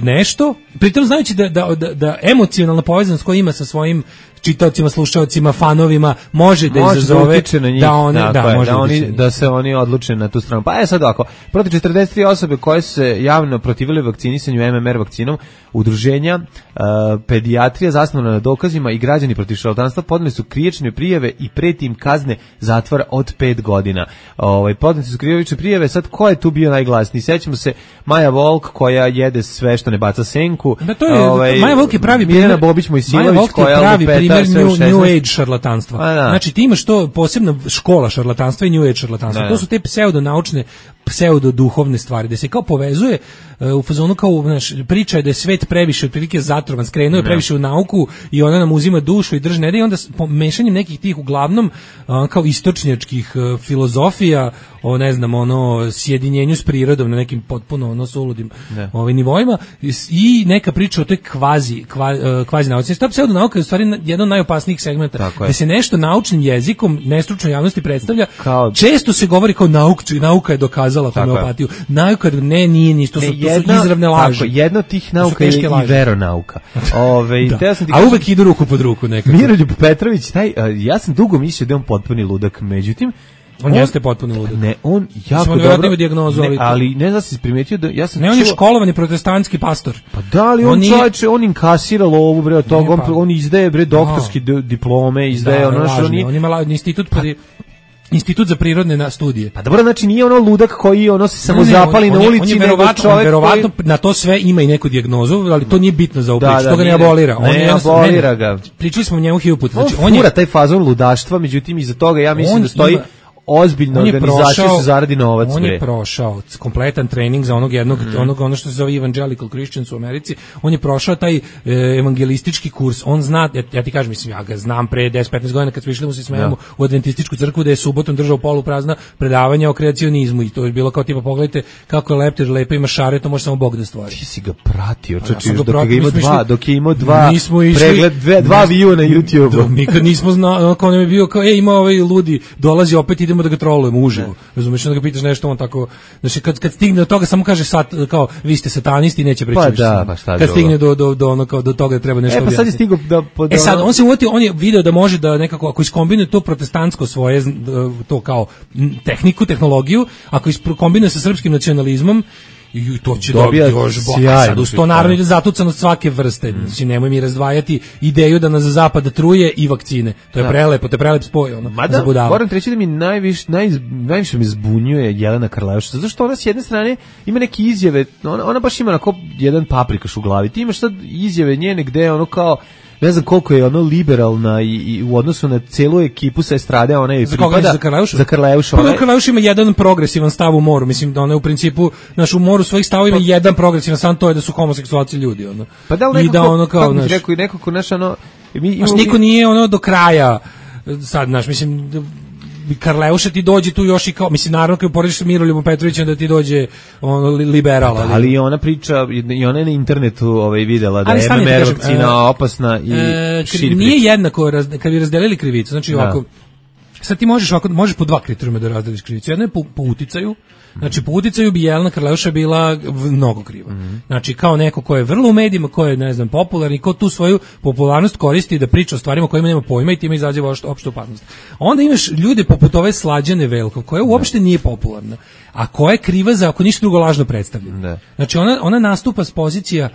nešto, pritom znajući da, da, da, da emocionalna povezanost koja ima sa svojim čitaocima, slušaocima, fanovima može da može izazove da, njih, da, one, da, je, može da, oni, da se oni odluče na tu stranu. Pa je sad ovako, protiv četrdeset tri osobe koje se javno protivile vakcinisanju M M R vakcinom, udruženja, uh, pedijatrija zasnovana na dokazima i građani protiv šarlatanstva podneli su krivične prijave i preti im kazne zatvora od pet godina. Ovaj podneli su krivične prijave, sad ko je tu bio najglasniji? Sećamo se Maja Volk koja jede sve što ne baca senku. Da, to je, ovaj, Maja Volk je pravi Mirjana Bobić Mojsilović koja pravi primjer new, new age šarlatanstva. Da. Znači ti imaš to posebna škola šarlatanstva i new age šarlatanstva. Da. To su te pseudonaučne, pseudoduhovne stvari, da se kao povezuje uh, u fazonu kao, znaš, priča je da je svet previše otprilike zatrovan, skrenuo je previše u nauku i ona nam uzima dušu i drži ne da i onda mešanjem nekih tih uglavnom uh, kao istočnjačkih uh, filozofija o ne znam ono sjedinjenju s prirodom na nekim potpuno ono suludim ovaj nivoima i neka priča o toj kvazi kva, uh, kvazi nauci. Ta pseudonauka je u stvari jedan od najopasnijih segmenta da se nešto naučnim jezikom nestručnoj javnosti predstavlja. Kao... Često se govori kao nauk, nauka je dokazala homeopatiju. Nauka ne nije ništa, to su, to su izravne laži. Tako, jedna od tih nauka je i veronauka. Ove, da. sam ti A kažem, uvek idu ruku pod ruku nekako. Miroljub Petrović, taj, ja sam dugo mislio da je on potpuni ludak, međutim On, on jeste potpuno ludak. Ne, on jako dobro. Dijagnozu, ne, ali ne znam se primetio da ja sam ne, on je školovani protestantski pastor. Pa da li on, on nije... čovječe, on inkasira lovu bre od toga, on, pa... on izdaje bre doktorski no. diplome, izdaje da, ono što on on ima institut pa Institut za prirodne na studije. Pa dobro, znači nije ono ludak koji ono se samo zapali on, na on ulici, on je nego verovatno, čovjek verovatno koji... na to sve ima i neku dijagnozu, ali to nije bitno za ovu priču, da, to ga ne abolira. Ne, on je abolira ga. Pričali smo o njemu hiljadu puta. Znači, on, on je taj fazon ludaštva, međutim iza toga ja mislim da stoji ima, ozbiljna organizacija su zaradi novac. On je bre. prošao kompletan trening za onog jednog, mm. onog ono što se zove Evangelical Christians u Americi. On je prošao taj e, evangelistički kurs. On zna, ja, ja ti kažem, mislim, ja ga znam pre deset petnaest godina kad smo išli mu se smejemo ja. u adventističku crkvu da je subotom držao poluprazna predavanja o kreacionizmu i to je bilo kao tipa pogledajte kako je leptir, lepo ima šare, to može samo Bog da stvori. Ti si ga pratio, čoči, ja dok, pratio, ga ima dva, išli, dok je imao dva išli, pregled, dve, dva view na YouTube-u. Mi kad nismo znali, kao nam je bio kao, ej, ima ovaj ludi, dolazi opet, idemo da ga trolujemo uživo. Razumeš, onda ga pitaš nešto, on tako, znači kad kad stigne do toga samo kaže sat, kao vi ste satanisti, neće pričati. Pa da, pa šta kad stigne do do do ono kao do toga da treba nešto. E pa sad je stigao da pod... E sad on se uvatio, on je video da može da nekako ako iskombinuje to protestantsko svoje to kao tehniku, tehnologiju, ako iskombinuje sa srpskim nacionalizmom i to će dobiti još sad uz to naravno ide zatucanost svake vrste. Mm. Znači nemoj mi razdvajati ideju da nas zapad truje i vakcine. To je da. prelepo, to je prelep spoj ono. Mada, moram treći da mi najviše naj, najviše me zbunjuje Jelena Karleuša. Zato što ona s jedne strane ima neke izjave, ona, ona baš ima onako jedan paprikaš u glavi. Ti imaš sad izjave njene gde ono kao ne znam koliko je ono liberalna i, i u odnosu na celu ekipu sa estrade, ona je pripada za Karleušu. Za Karleušu. Pa Karleuš ima jedan progresivan stav u moru, mislim da ona je u principu naš u moru svojih stavova ima pa, jedan progresivan stav, to je da su homoseksualci ljudi, ono. Pa da li nekako, i da ono kao naš, rekao i nekako naš ono mi imamo, niko nije ono do kraja sad naš mislim Karleuša ti dođe tu još i kao, mislim, naravno kad porediš sa Miroljubom Petrovićem da ti dođe ono, liberala. Da, ali ona priča, i ona je na internetu ovaj, videla da je M M R vakcina opasna i e, širi nije priča. Jednako, raz, kad bi razdelili krivicu, znači ovako, da. Sad ti možeš ovako, možeš po dva kriterijuma da razdeliš krivicu. Jedno je po, po uticaju, znači po uticaju bi Jelena Karleuša bila mnogo kriva. Mm-hmm. Znači kao neko ko je vrlo u medijima, ko je ne znam popularni, ko tu svoju popularnost koristi da priča o stvarima kojima nema pojma i time izaziva opštu opasnost. Onda imaš ljude poput ove Slađane Velkov, koja uopšte nije popularna, a koja je kriva za ako ništa drugo lažno predstavljanje. Znači ona, ona nastupa s pozicija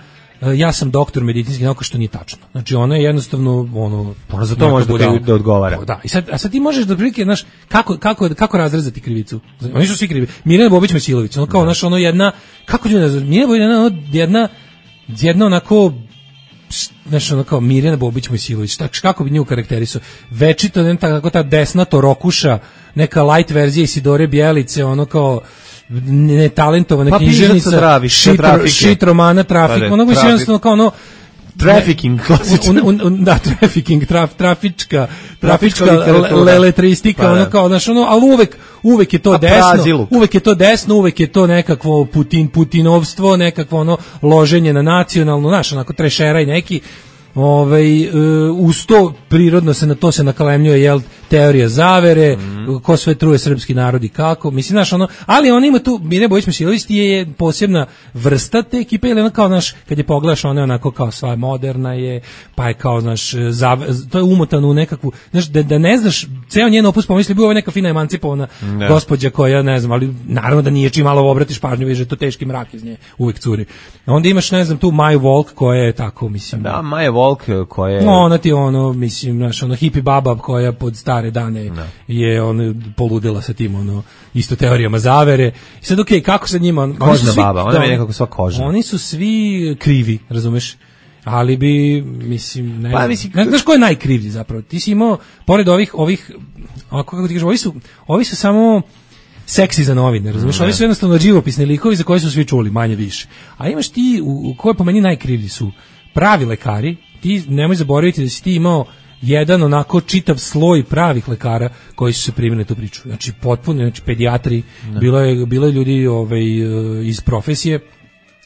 ja sam doktor medicinskih nauka, što nije tačno. Znači ona je jednostavno ono ona za to može da, da odgovara. Da, i sad a sad ti možeš da prilike, znaš, kako kako kako razrezati krivicu. Oni su svi krivi. Mirjana Bobić Mesilović, ono kao naš ono jedna kako ću nazvati, Mirjana Bobić jedna jedna jedna onako znaš, ono kao Mirjana Bobić Mesilović, tako kako bi nju karakterisao. Večito ne tako ta desna torokuša, neka light verzija Isidore Bjelice, ono kao netalentovana pa književnica, shit, shit romana, trafik, pa ono bi se jednostavno kao ono trafficking, klasično. Un, un, da, trafficking, traf, trafička, trafička leletristika, ono kao, znaš, ono, ali uvek, uvek je to a desno, praziluk. uvek je to desno, uvek je to nekakvo Putin, Putinovstvo, nekakvo ono loženje na nacionalno, znaš, onako trešeraj neki, ovaj, uz to prirodno se na to se nakalemljuje jel teorija zavere, mm. ko sve truje srpski narod i kako, mislim, znaš, ono, ali on ima tu, Mirjana Bojić Mesilović je posebna vrsta te ekipe, ili ono kao, znaš, kad je pogledaš, ona je onako kao sva moderna je, pa je kao, znaš, zav, to je umotano u nekakvu, znaš, da, da ne znaš, ceo njen opus pomisli, bio ovo neka fina emancipovana ne. gospođa koja, ne znam, ali naravno da nije čim malo obratiš pažnju, vidiš da je to teški mrak iz nje, uvek curi. Onda imaš, ne znam, tu Maju Volk koja je tako, mislim. Da, Maja Volk koja je... No, ona ti ono, mislim, znaš, ono hippie baba koja pod stare dane no. je on poludela sa tim, ono, isto teorijama zavere. I sad, okej, okay, kako sa njima... Kožna svi, baba, ona je nekako sva kožna. Oni su svi krivi, razumeš? Ali bi, mislim, ne pa, znam. Mislim, ne znaš ko je najkrivlji zapravo? Ti si imao, pored ovih, ovih, ovako kako ti kažem, ovi su, ovi su samo... seksi za novine, razumiješ? Ovi su jednostavno živopisni likovi za koje su svi čuli, manje više. A imaš ti, u, u koje po meni najkrivlji su pravi lekari, ti nemoj zaboraviti da si ti imao jedan onako čitav sloj pravih lekara koji su se primili na tu priču. Znači potpuno, znači pedijatri, ne. bilo je, bilo je ljudi ovaj, iz profesije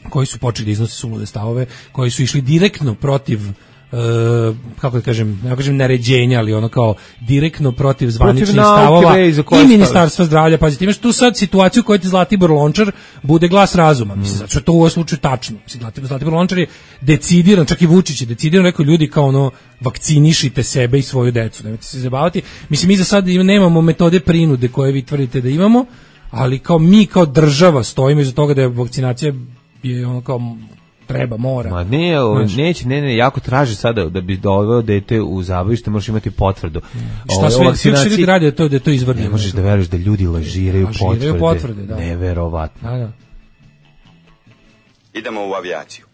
koji su počeli da iznose sulude stavove, koji su išli direktno protiv Uh, kako da kažem, ne kažem naređenja, ali ono kao direktno protiv zvaničnih stavova i ministarstva zdravlja. Pazite, imaš tu sad situaciju koju ti Zlatibor Lončar bude glas razuma. Mislim, zato što je to u ovom slučaju tačno. Mislim, Zlatibor Lončar je decidiran, čak i Vučić je decidiran, rekao ljudi kao ono, vakcinišite sebe i svoju decu, nemojte se zabavati. Mislim, mi za sad nemamo metode prinude koje vi tvrdite da imamo, ali kao mi kao država stojimo iza toga da je vakcinacija je ono kao treba, mora. Ma ne, o, neće, ne, ne, jako traži sada da bi doveo dete u zabavište, možeš imati potvrdu. Šta sve, sve što ljudi radi, to, da je to izvrdi. Ne možeš da veruješ da ljudi lažiraju potvrde. potvrde, da. Neverovatno. Da, da. Idemo u avijaciju.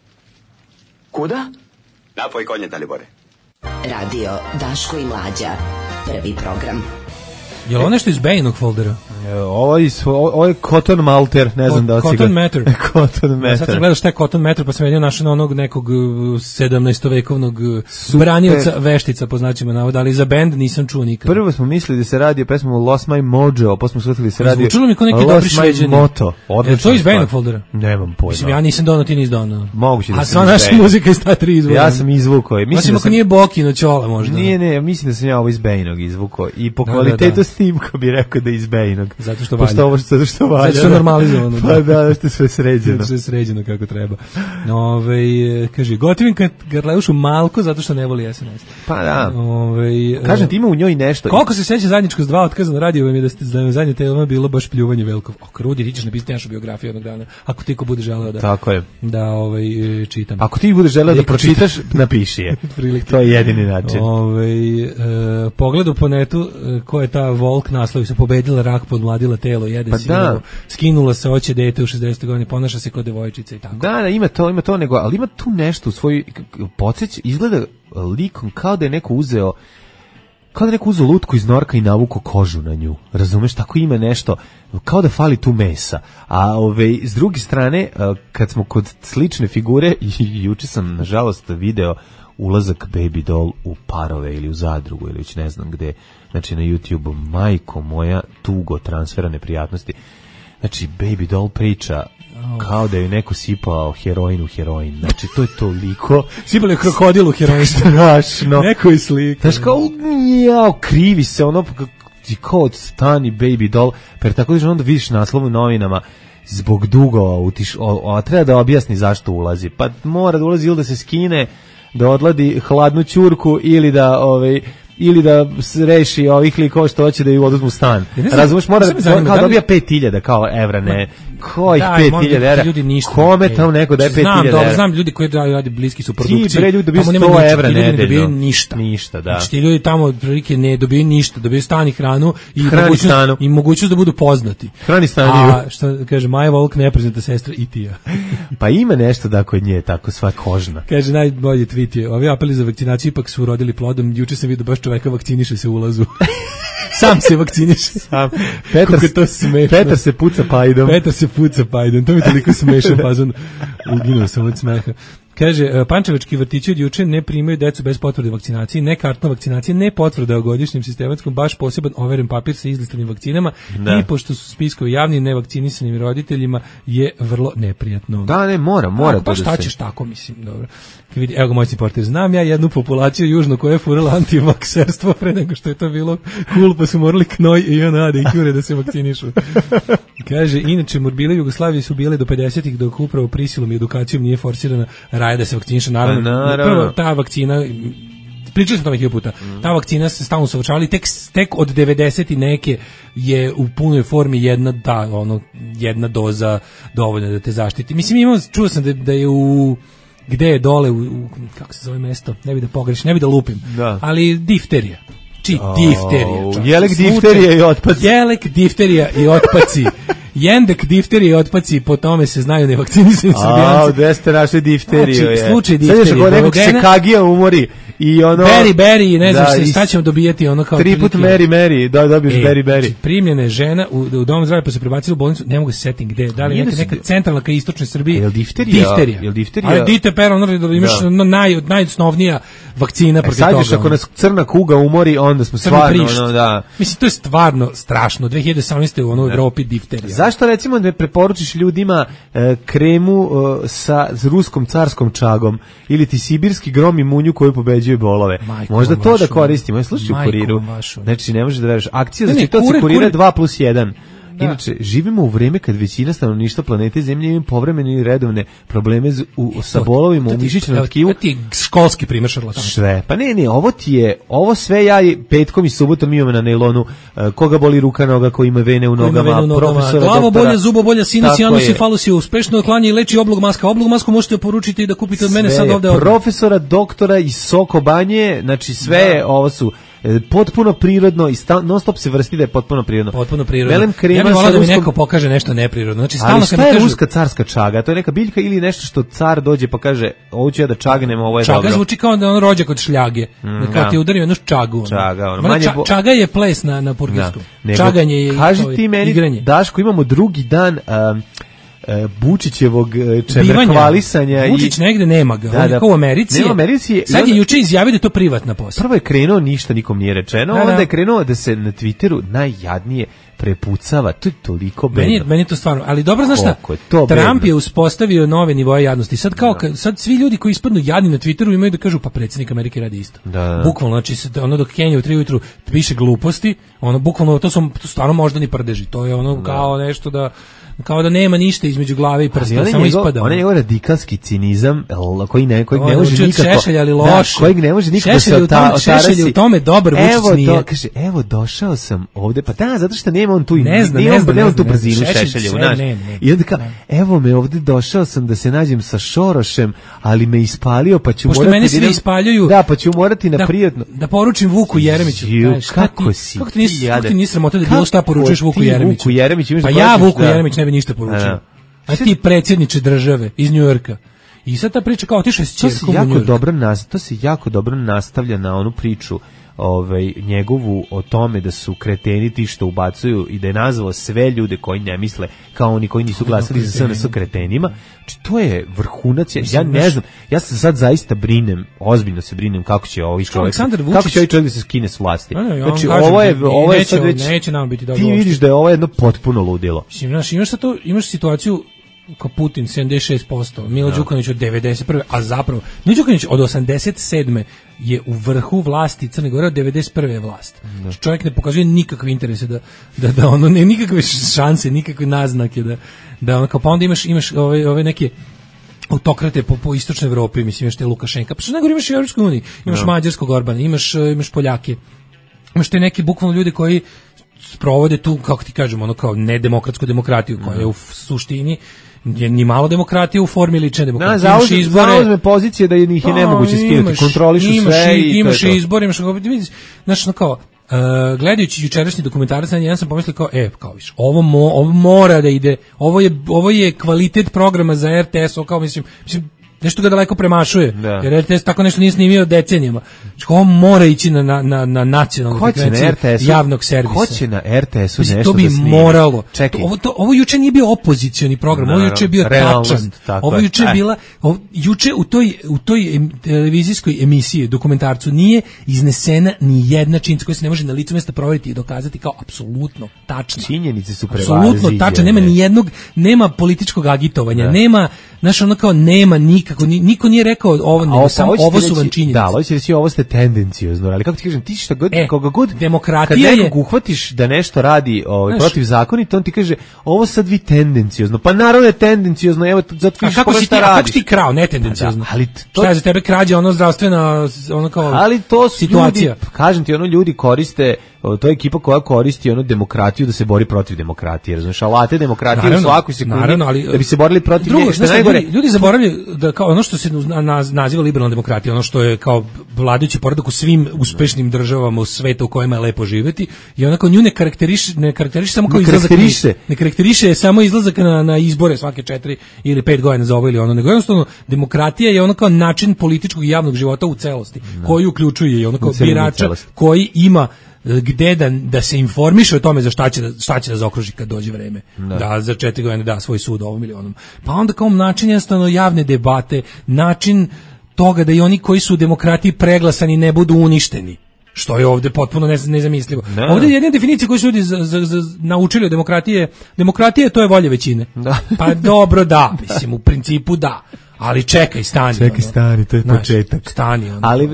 Kuda? Napoj konje, Dalibore. Radio Daško i Mlađa. Prvi program. Je li ovo nešto iz Bejinog foldera? Ovo je, ovo je Cotton Malter, ne znam da li si ga... Cotton Matter. Cotton Matter. Ja sad sam gledao šta je Cotton Matter, pa sam vidio našao onog nekog sedamnaestovekovnog branioca veštica, po značima navoda, ali za bend nisam čuo nikad. Prvo smo mislili da se radi o pesmu Lost My Mojo, pa smo shvatili da se radi Zvučilo mi kao neki dobri Šveđani. Moto. Je to iz Bejinog foldera? Nemam pojma. Mislim, ja nisam donao, ti nisi donao. Moguće da A sam sva naša muzika iz ta tri izvora. Ja sam izvukao. Osim ako nije Bokino Ćola možda. Nije, ne, mislim da sam ja ovo iz Bejinog izvukao. I po kvalitetu snimka bi rekao da je iz Bejinog. Zato što valja. Zato što, što valja. Zato što je normalizovano. Pa da, da što je sve sređeno. Sve sređeno kako treba. Ove, kaže, gotivim Garleušu Malko zato što ne voli es en es. Pa da. Ove, kažem ti ima u njoj nešto. Koliko se seća zajedničko s dva otkaza na radiju, vam je da ste da je zadnje tema bilo baš pljuvanje Velkov. O, Krudi, ti ćeš napisati našu biografiju jednog dana. Ako ti ko bude želeo da, tako je. Da ovaj, čitam. Ako ti budeš želeo da pročitaš, napiši je. To je jedini način. Ove, e, pogledu po netu, ko je ta Volk naslovi se pobedila rak, podmladila telo, jede pa sirovo, da. Skinula se, hoće dete u šezdesetoj godini, ponaša se kao devojčica i tako. Da, da, ima to, ima to, nego, ali ima tu nešto u svoj podsjeć, izgleda likom kao da je neko uzeo kao da je neko uzeo lutku iz norka i navuko kožu na nju. Razumeš, tako ima nešto, kao da fali tu mesa. A ove, s druge strane, kad smo kod slične figure, i juče sam, nažalost, video ulazak Baby Doll u Parove ili u Zadrugu ili već ne znam gde, znači na YouTube, majko moja, tugo transfera neprijatnosti. Znači, Baby Doll priča kao da je neko sipao heroin u heroin. Znači, to je toliko... Sipali je krokodil u heroin. Strašno. Neko je slika. Znači, kao, jao, krivi se, ono, kao od stani Baby Doll, per tako da onda vidiš naslov u novinama, zbog dugova, utiš, o, a treba da objasni zašto ulazi. Pa mora da ulazi ili da se skine, da odladi hladnu ćurku ili da... Ovaj, ili da reši ovih likova što hoće da ju oduzmu stan. Razumeš, mora da, zanima, kao dobija pet hiljada kao evra, ne. Kojih pet hiljada evra? Kome tamo neko daje pet hiljada evra? Znam, znam ljudi koji radi bliski su produkciji. Ti bre ljudi dobiju sto evra nedeljno. Ne dobiju ništa. Ništa, da. Znači ti ljudi tamo prilike ne dobiju ništa, dobiju stan i hranu i mogućnost, i mogućnost da budu poznati. Hrani stan. A što kaže Maja Volk, nepoznata sestra i ti ja. Pa ima nešto da kod nje tako sva kožna. Kaže najbolji tweet je: ovi apeli za vakcinaciju ipak su urodili plodom. Juče sam vidio baš čoveka vakciniše se u ulazu. Sam se vakciniše. Sam. Petar, to Petar se puca pajdom. Petar se puca pajdom. To mi toliko smešan fazon. Uginuo sam od smeha. Kaže, pančevački vrtići od juče ne primaju decu bez potvrde vakcinacije, ne kartna vakcinacije, ne potvrda o godišnjem sistematskom, baš poseban overen papir sa izlistanim vakcinama da. I pošto su spiskovi javni nevakcinisanim roditeljima je vrlo neprijatno. Da, ne, mora, mora. Pa šta ćeš tako, mislim, dobro. Vidi, evo ga moj portir, znam ja jednu populaciju južno koja je furala antivakserstvo pre nego što je to bilo cool, pa su morali knoj i ona da i kure da se vakcinišu. Kaže, inače, morbile Jugoslavije su bile do pedesetih dok upravo prisilom i edukacijom nije forsirana raje da se vakciniše, naravno. naravno. Prvo, ta vakcina, pričali smo tome hiljadu puta, mm. ta vakcina se stalno usavršavala, tek, tek od devedeset i neke je u punoj formi jedna, da, ono, jedna doza dovoljna da te zaštiti. Mislim, imamo, čuo sam da, da je u gde je dole, u, u, kako se zove mesto, ne bi da pogrešim, ne bi da lupim, da. Ali difterija. Či, oh, difterija. Jelek, difterija i otpaci. Jelek, difterija i otpaci. Jendek, difterije i otpaci, po tome se znaju nevakcinisani Srbijanci. A, gde ste našli difteriju? Znači, slučaj difterije. Sad još ako nekog se kagija umori i ono... Beri, beri, ne znaš, da, sad ćemo dobijeti ono kao... Tri put Meri, Meri, da dobiješ e, Beri, Beri. Znači, primljene žena u, u dom zdravlja pa se prebacili u bolnicu, ne mogu se setim gde, da li neka, neka centralna ka istočnoj Srbiji. Je li difterija? Difterija. Je li difterija? Ali dite per, ono da imaš da. Naj, najosnovnija vakcina protiv toga. E, sad još ako nas crna kuga umori, onda smo stvarno... Ono, da. Mislim, to je stvarno strašno. dve hiljade osamnaeste u onoj Evropi difterija. Zašto recimo ne preporučiš ljudima e, kremu e, sa ruskom carskom čagom ili ti sibirski grom i munju koju pobeđuje bolove? Majko možda to mašu, da koristimo. Slušaj u Kuriru. Mašu. Znači, ne možeš da veriš. Akcija za čitaoce Kurira dva plus jedan. Da. Inače, živimo u vreme kad većina stanovništva planete Zemlje ima povremene i redovne probleme z, u, sa bolovima u mišićnom tkivu. To ti je školski primer šarlatana. Sve. Pa ne, ne, ovo ti je, ovo sve ja petkom i subotom imam na nailonu, uh, koga boli ruka, noga, ko ima vene u nogama, vene u nogama. profesora, glavo doktora. bolje, zubo bolje, sinus, janus i falus je uspešno oklanja i leči oblog maska. Oblog masku možete poručiti i da kupite od mene sad ovde. Profesora, doktora i Soko Banje, znači sve, da. Ovo su potpuno prirodno i non stop se vrsti da je potpuno prirodno. Potpuno prirodno. Melem krema, ja bih volao da mi ruskom... neko pokaže nešto neprirodno. Znači stalno kad mi kažu ruska carska čaga, to je neka biljka ili nešto što car dođe pa kaže ovo ću ja da čagnem, ovo je čaga dobro. Čaga zvuči kao da on rođak od šljage. Mm, da kao ti udario jednu čagu. Čaga, ono. Manje ča, bo... Čaga je ples na na purgirskom. Da. Čaganje je kaži ti meni, igranje. Daško, imamo drugi dan um, Bučićevog čemerhvalisanja i Vučić negde nema ga, da, on je kao u Americi. Nema Americi. Sad je juče izjavio da je to privatna posla. Prvo je krenuo, ništa nikom nije rečeno, da, onda da. je krenuo da se na Twitteru najjadnije prepucava, to je toliko bedno. Meni, meni to stvarno, ali dobro, znaš šta, je Trump bedno. je uspostavio nove nivoje jadnosti. Sad kao, da. sad svi ljudi koji ispadnu jadni na Twitteru imaju da kažu, pa predsjednik Amerike radi isto. Da, da. Bukvalno, znači, ono dok Kenja u tri ujutru piše gluposti, ono, bukvalno, to su to stvarno moždani prdeži, to je ono da. kao nešto da kao da nema ništa između glave i prsta, samo njegov, ispada. On je njegov radikalski cinizam, koji ne, kojeg ne može nikako... Šešelj, ali loš. Da, kojeg ne može nikako se otarasi. Šešelj u tome dobar, Vučić nije. Evo, kaže, evo, došao sam ovde, pa da, zato što nema on tu, ne zna, ne, ne zna, nema tu brzinu Šešeljevu, znaš. I onda kao, evo me ovde, došao sam da se nađem sa Šorošem, ali me ispalio, pa ću morati... Pošto mene svi ispaljuju... Da, pa ću morati na prijatno... Da poručim Vuku Jeremiću. Kako si? Kako ti nisi sramota da bilo šta poručuješ Vuku Jeremiću? Pa ja Vuku Jeremić ne bi ništa poručio. A ti predsjedniče države iz Njujorka. I sad ta priča kao otišao s ćerkom u Njujork. To se jako dobro nastavlja na onu priču ovaj, njegovu o tome da su kreteni ti što ubacuju i da je nazvao sve ljude koji ne misle kao oni koji nisu glasali za S N S kretenima. Znači, to je vrhunac. Ja, ja ne znam, ja se sad zaista brinem, ozbiljno se brinem kako će ovaj čovjek, kako će ovaj čovjek da se skine s vlasti. Znači, ovo je, ovo je sad već, neće nam biti dobro. Ti vidiš da je ovo jedno potpuno ludilo. Znaš, imaš, to, imaš situaciju kao Putin sedamdeset šest posto, Milo Đukanović od devedeset prve, a zapravo Milo Đukanović od osamdeset sedme je u vrhu vlasti Crne Gore, od devedeset prve je vlast. Da. Čovjek ne pokazuje nikakve interese da da da ono ne nikakve šanse, nikakve naznake da da ono kao pa onda imaš imaš ove ove neke autokrate po, po istočnoj Evropi, mislim imaš te Lukašenka, pa što nego imaš i u Evropskoj uniji, imaš da. Mađarskog Orbana, imaš imaš Poljake. Imaš te neki bukvalno ljudi koji sprovode tu, kako ti kažemo, ono kao nedemokratsku demokratiju koja je u suštini je ni malo demokratije u formi lične demokratije. Da, zauzme, zauzme pozicije da ih je nemoguće skinuti, kontrolišu imaš, sve i imaš to je to. Izbor, imaš izbor, znaš, no kao, uh, gledajući jučerašnji dokumentarac, ja sam pomislio kao, e, kao viš, ovo, mo, ovo mora da ide, ovo je, ovo je kvalitet programa za R T S, kao mislim, mislim, nešto ga daleko premašuje, da. Jer R T S tako nešto nije snimio decenijama. Znači, ovo mora ići na, na, na, na nacionalnu frekvenciju javnog servisa. Ko će na R T S-u nešto to bi da snimi? Moralo. Čekaj. Ovo, to, ovo juče nije bio opozicioni program, ovo juče je bio tačan. Ovo juče je bila, ovo, juče u toj, u toj em, televizijskoj emisiji, dokumentarcu, nije iznesena ni jedna činjenica koja se ne može na licu mesta proveriti i dokazati kao apsolutno tačna. Činjenice su prevaziđene. Apsolutno tačna, nema ni jednog, nema političkog agitovanja, da. Nema, znaš, ono kao nema nikako, niko nije rekao ovo, nego ovo, samo ovo su vam činjenice. Da, ovo će reći ovo ste tendenciozno, ali kako ti kažem, ti šta god, e, koga god, demokratija kad nekog je, uhvatiš da nešto radi ovaj, protiv zakonita, on ti kaže, ovo sad vi tendenciozno, pa naravno je tendenciozno, evo, zato viš kako si ti, a kako si ti krao, ne tendenciozno? Da, ali to, šta je za tebe krađa, ono zdravstvena, ono kao ali to su situacija. Ljudi, kažem ti, ono ljudi koriste, to je ekipa koja koristi ono demokratiju da se bori protiv demokratije, razumiješ, alate demokratije naravno, u svakoj sekundi, naravno, ali, da bi se borili protiv drugo, nje, što najgore. Ljudi, ljudi zaboravljaju da kao ono što se naziva liberalna demokratija, ono što je kao vladajući poredak u svim uspešnim državama u svetu u kojima je lepo živeti, i onako nju ne karakteriše, ne karakteriše samo kao izlazak, karakteriše. ne karakteriše samo izlazak na, na izbore svake četiri ili pet godina za ovo ili ono, nego jednostavno demokratija je ono kao način političkog i javnog života u celosti, no. koji uključuje i ono kao birača koji ima gde da, da se informiše o tome za šta će da, šta će da zaokruži kad dođe vreme, da, da za četiri godine da svoj sud ovom ili onom. Pa onda kao način jednostavno javne debate, način toga da i oni koji su u demokratiji preglasani ne budu uništeni, što je ovde potpuno nezamislivo. Ne. Ovde je jedna definicija koju su ljudi za, za, za, naučili o demokratije, demokratije to je volja većine. Da. Pa dobro da, mislim, u principu da. Ali čekaj, stani. Čekaj, stani, to je znaš, početak. Stani. Ono. Ali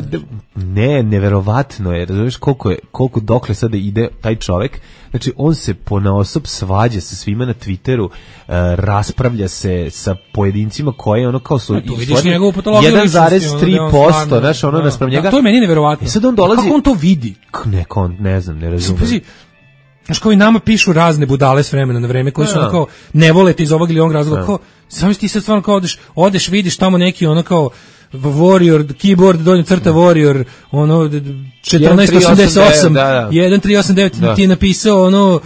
ne, neverovatno je, razumiješ koliko je, koliko dokle sada ide taj čovek. Znači, on se ponaosob svađa sa svima na Twitteru, uh, raspravlja se sa pojedincima koje ono kao su... Tu vidiš njegovu patologiju jedan zarez tri posto, znaš, ono naspram njega. Da, to je meni neverovatno. I sad on dolazi... Kako on to vidi? Neko, on, ne znam, ne razumijem. Znaš, kao i nama pišu razne budale s vremena na vreme, koji su ono kao, ne volete iz ovog ili onog razloga, kao, samo ti sad stvarno kao odeš, odeš, vidiš tamo neki ono kao, Warrior, keyboard, donja crta Warrior, ono, četrnaest osamdeset osam, jedan tri osam devet ti je napisao, ono,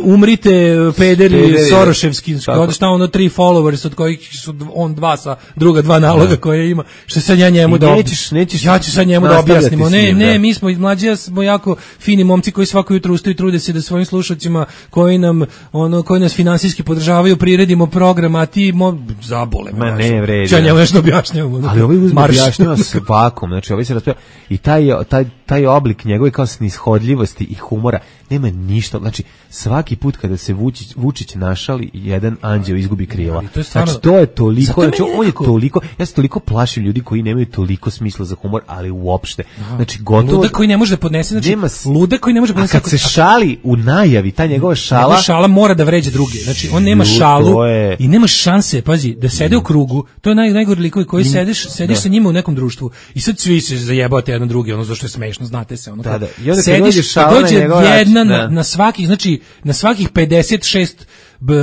umrite, pederi, Soroševski, odeš tamo, ono, tri followers, od kojih su on dva sa druga dva naloga koje ima, što sad ja njemu da nećeš, nećeš ja ću sad njemu da objasnimo, ne, ne, mi smo, mlađi ja smo jako fini momci koji svako jutro ustaju i trude se da svojim slušacima, koji nam, ono, koji nas finansijski podržavaju, priredimo program, a ti, mo, zabole, ma ne, vredi. Ja njemu nešto objašnjavam, ali ovaj uzme objašnjava svakom, znači ovaj se raspravlja i taj, taj, taj oblik njegove kao snishodljivosti i humora nema ništa, znači svaki put kada se Vučić, Vučić našali, jedan anđeo izgubi krila. To stvarno, znači to je toliko, znači on je toliko, ja se toliko plašim ljudi koji nemaju toliko smisla za humor, ali uopšte. Znači gotovo ludak koji ne može da podnese, znači nema, ludak koji ne može da podnese. A kad se šali u najavi, ta njegova šala, njegova šala mora da vređa druge. Znači on nema šalu je... i nema šanse, pazi, da sede u krugu. To je naj najgori likovi koji sedeš, sediš sa njima u nekom društvu i sad svi se zajebavate jedan drugi, ono zašto je smešno, znate se, ono. Da, da. I onda sediš, dođe jedna na, na svakih, znači na svakih pedeset šest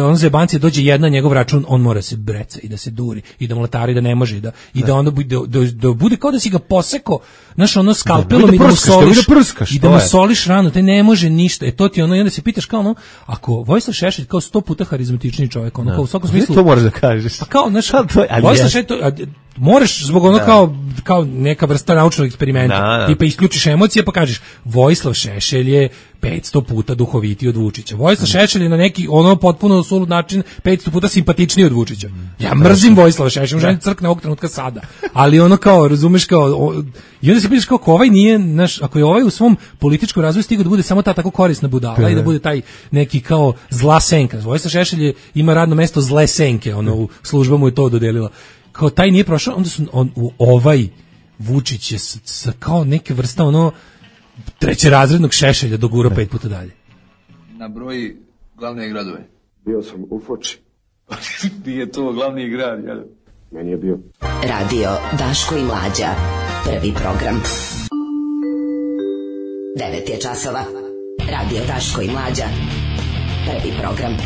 on zebanci dođe jedna njegov račun, on mora se breca i da se duri i da mlatari da ne može i da i da onda bude da, da bude kao da si ga poseko, znaš, ono skalpelom da, i da mu soliš da prskaš, i da mu soliš ranu, te ne može ništa. E to ti ono, i onda se pitaš kao ono, ako Vojislav Šešelj kao sto puta harizmatičniji čovjek, ono kao u svakom smislu. To moraš da kažeš. Pa kao, znaš, Vojislav Šešelj, moraš zbog ono da. kao kao neka vrsta naučnog eksperimenta, da, da. Tipa isključiš emocije pa kažeš Vojislav Šešelj je petsto puta duhovitiji od Vučića. Vojislav Šešelj je na neki ono potpuno sulud način petsto puta simpatičniji od Vučića. Ja mrzim Vojislava Šešelja, želim crkne ovog trenutka sada. Ali ono kao, razumeš kao, o, i onda se pitaš kao, ako ovaj nije, naš, ako je ovaj u svom političkom razvoju stigao da bude samo ta tako korisna budala P. i da bude taj neki kao zla senka. Vojislav Šešelj je, ima radno mesto zle senke, ono u služba mu je to dodelila. Kao taj nije prošao, onda su on, u ovaj Vučić je s, s, kao neke vrsta ono trećerazrednog Šešelja dogura pet puta dalje. Na broji glavne gradove. Bio sam u Foči. Nije to glavni grad, jel? Meni je bio. Radio Daško i Mlađa. Prvi program. Devet je časova. Radio Daško i Mlađa. Prvi program.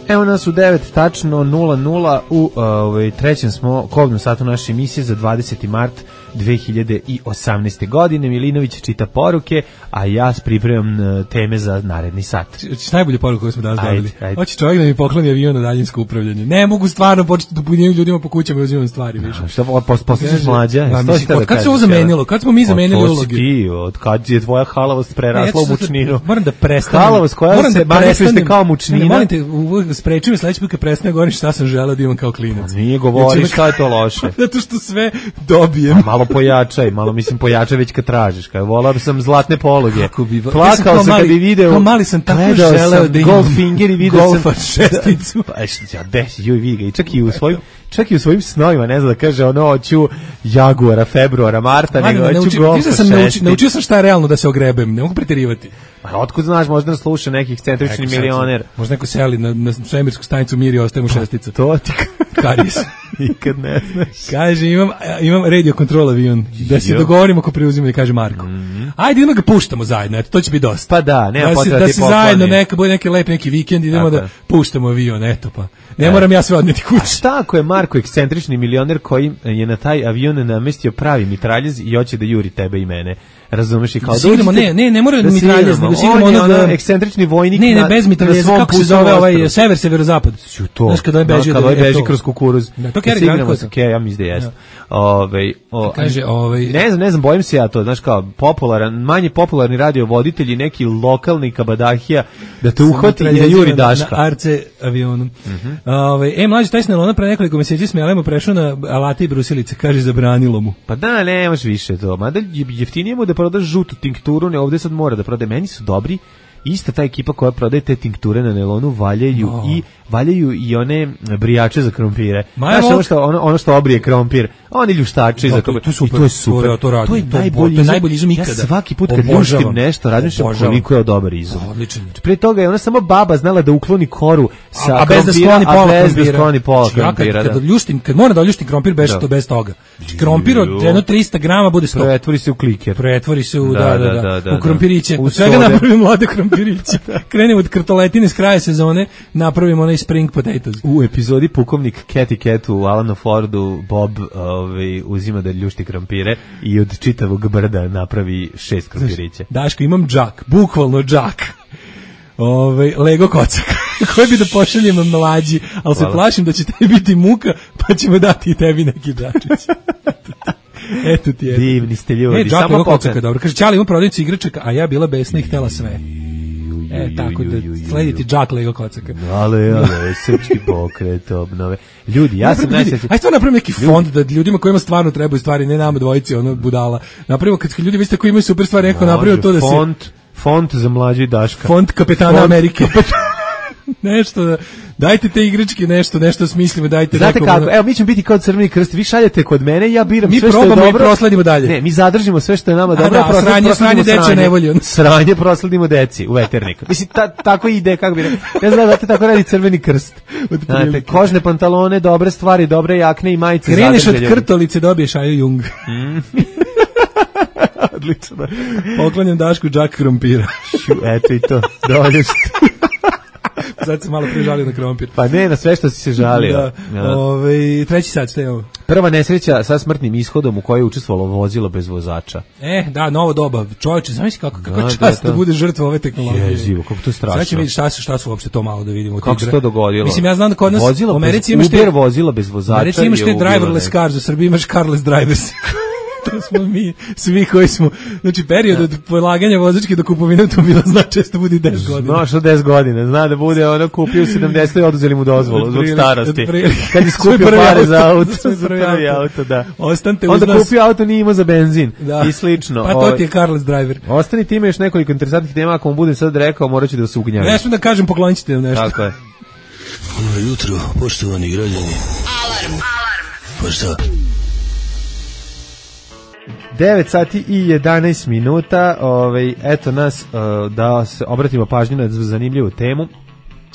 Evo nas u devet tačno nula nula u ovaj trećem smo kobnom satu naše emisije za dvadeseti mart dve hiljade osamnaeste. godine. Milinović čita poruke, a ja pripremam teme za naredni sat. Hoćeš najbolje poruke koje smo danas dobili? Hoće čovjek da mi pokloni avion na daljinsko upravljanje. Ne mogu stvarno početi da punjim ljudima po kućama i uzimam stvari više. Šta postižeš Mlađa? Od kad se ovo zamenilo? Kad smo mi zamenili uloge? Ti, od kad je tvoja halavost prerasla u mučninu? Moram da prestanem. Halavost koja se manifestuje kao mučnina. Molim te, spreči me sledeći put kad prestane govorim šta sam želeo da imam kao klinac. Nije govoriš šta je to loše. Zato što sve dobijem. Malo pojačaj, malo mislim pojačaj već kad tražiš. Kaj volao sam zlatne pologe. Plakao ja sam kad bi video. Kao mali sam tako želeo da imam Goldfinger i video sam Golfa šesticu. Pa ja desi, joj vidi ga i čak i u svojim čak i u svojim snovima, ne znam da kaže ono hoću Jaguara, februara, marta, nego hoću Golfa šesticu. Naučio sam šta je realno da se ogrebem, ne mogu preterivati. Pa otkud znaš, možda nas sluša neki ekscentrični milioner. Možda neko seli na, na svemirsku stanicu Mir i ostaje mu šestica. To ti karijes. Nikad ne znaš. Kaže, imam, imam radio control avion, da se dogovorimo ko preuzima i kaže Marko. Mm-hmm. Ajde, idemo ga puštamo zajedno, eto, to će biti dosta. Pa da, nema da potreba da ti se zajedno, neka, bude neki lep neki vikend, idemo Tako. da puštamo avion, eto pa. Ne e. moram ja sve odneti kući. A šta ako je Marko ekscentrični milioner koji je na taj avion namestio pravi mitraljez i hoće da juri tebe i mene? Razumeš i kao da igramo, ne, ne, ne mora da mitraljez, nego se igramo onog ono ekscentrični vojnik. Ne, ne, bez mitraljeza, kako se zove ovaj sever, severozapad. Znaš kada on beži, kada on beži kroz kukuruz. Da, to Kerry Granko. Okay, ja mislim da jeste. Ovaj, kaže, ovaj, ne znam, ne znam, bojim se ja to, znaš kao popularan, manje popularni radio voditelji, neki lokalni kabadahija da te uhvati i da juri Daška. Na Arce avionu. Ovaj, e mlađi taj Snelona pre nekoliko meseci smelemo prešao na alate i brusilice, kaže zabranilo mu. Pa da, nemaš više to. Mada jeftinije mu da prodaš žutu tinkturu, ne ovde sad mora da prodaje. Meni su dobri ista ta ekipa koja prodaje te tinkture na nelonu valjaju oh. i valjaju i one brijače za krompire. Znaš, ono što, ono, ono što obrije krompir, oni ljuštači za krompir. To, to, I to je super. To, to, radi, to je to najbolji, to je najbolji izum ikada. Ja svaki put kad ljuštim nešto, razmišljam koliko je dobar izum. Odličan. Pre toga je ona samo baba znala da ukloni koru sa a, a bez da skloni pola krompira. bez da skloni pola krompira. Ja kad, kad ljuštim, kad moram da ljuštim krompir, beše to bez toga. Krompir od jedno trista grama bude sto. Pretvori se u kliker. Pretvori se u, da, da, da, da, da u krompiriće. U svega napravimo mlade krompiriće. Krenemo od krtoletine s kraja sezone, napravimo onaj spring potatoes. U epizodi pukovnik Cathy Cat u Alanu Fordu Bob ovaj, uzima da ljušti krompire i od čitavog brda napravi šest krompirića. Daško, imam džak, bukvalno džak. Ove, Lego kocak koji bi da pošaljemo mlađi, ali se plašim da će tebi biti muka, pa ćemo dati i tebi neki džačić. Eto ti je. Divni ste ljudi. E, džak Lego kocaka, dobro. Kaže, Ćali ima prodavnicu igračaka, a ja bila besna i htela sve. E, tako da slediti džak Lego kocaka. Ale, ale, srpski pokret obnove. Ljudi, ja sam najsrećniji. Ajde, stvarno napravimo neki fond da ljudima kojima stvarno trebaju stvari, ne nama dvojici, ono budala. Napravimo, kad ljudi vidite koji imaju super stvari, neko napravio to da se... Font, font za mlađu i Daška. Font kapetana font Amerike. Nešto da, dajte te igračke, nešto, nešto smislimo, dajte. Znate nekom, kako, evo mi ćemo biti kao Crveni krst, vi šaljete kod mene, ja biram mi sve što je dobro. Mi probamo i prosledimo dalje. Ne, mi zadržimo sve što je nama dobro, a da, prosled, sranje, sranje deče ne volju. Sranje prosledimo deci u veternik. Mislim, ta, tako ide, kako bi rekao, ne znam da te tako radi Crveni krst. Znate, kožne pantalone, dobre stvari, dobre jakne i majice. Kreneš od krtolice, dobiješ Aju Jung. Mm. Odlično. Poklanjam Dašku džak krompira. Eto i to, dovoljno ste. Sad se malo prižalio na krompir. Pa ne, na sve što si se žalio. Da. Ja. Ove, treći sad, šta je ovo? Prva nesreća sa smrtnim ishodom u kojoj je učestvovalo vozilo bez vozača. E, da, novo doba. Čovječe, znaš kako, kako da, čast da, da bude žrtva ove tehnologije. Jezivo, kako to je strašno. Sad će vidjeti šta su, šta su uopšte to malo da vidimo. Kako se to dogodilo? Mislim, ja znam da kod nas vozilo u Americi bez, imaš te... Uber vozilo bez vozača. U Americi imaš te driverless cars, u Srbiji imaš carless drivers. To smo mi, svi koji smo, znači period od polaganja vozačke do kupovine automobila zna često bude deset godina. Zna što deset godina, zna da bude ono kupio sedamdeset i oduzeli mu dozvolu zbog starosti. Kad je skupio pare za auto, prvi auto, da. Ostanite uz nas. Onda kupio auto, nije imao za benzin da. I slično. Pa to ti je carless driver. Ostani ti, ima još nekoliko interesantnih tema, ako mu budem sad rekao, morat ću da se ugnjavim. Ne smijem da kažem, poklonit ćete nešto. Tako je. Ono jutro, poštovani građani. Alarm, alarm. Pa šta? devet sati i jedanaest minuta, ovaj, eto nas uh, da se obratimo pažnju na zanimljivu temu.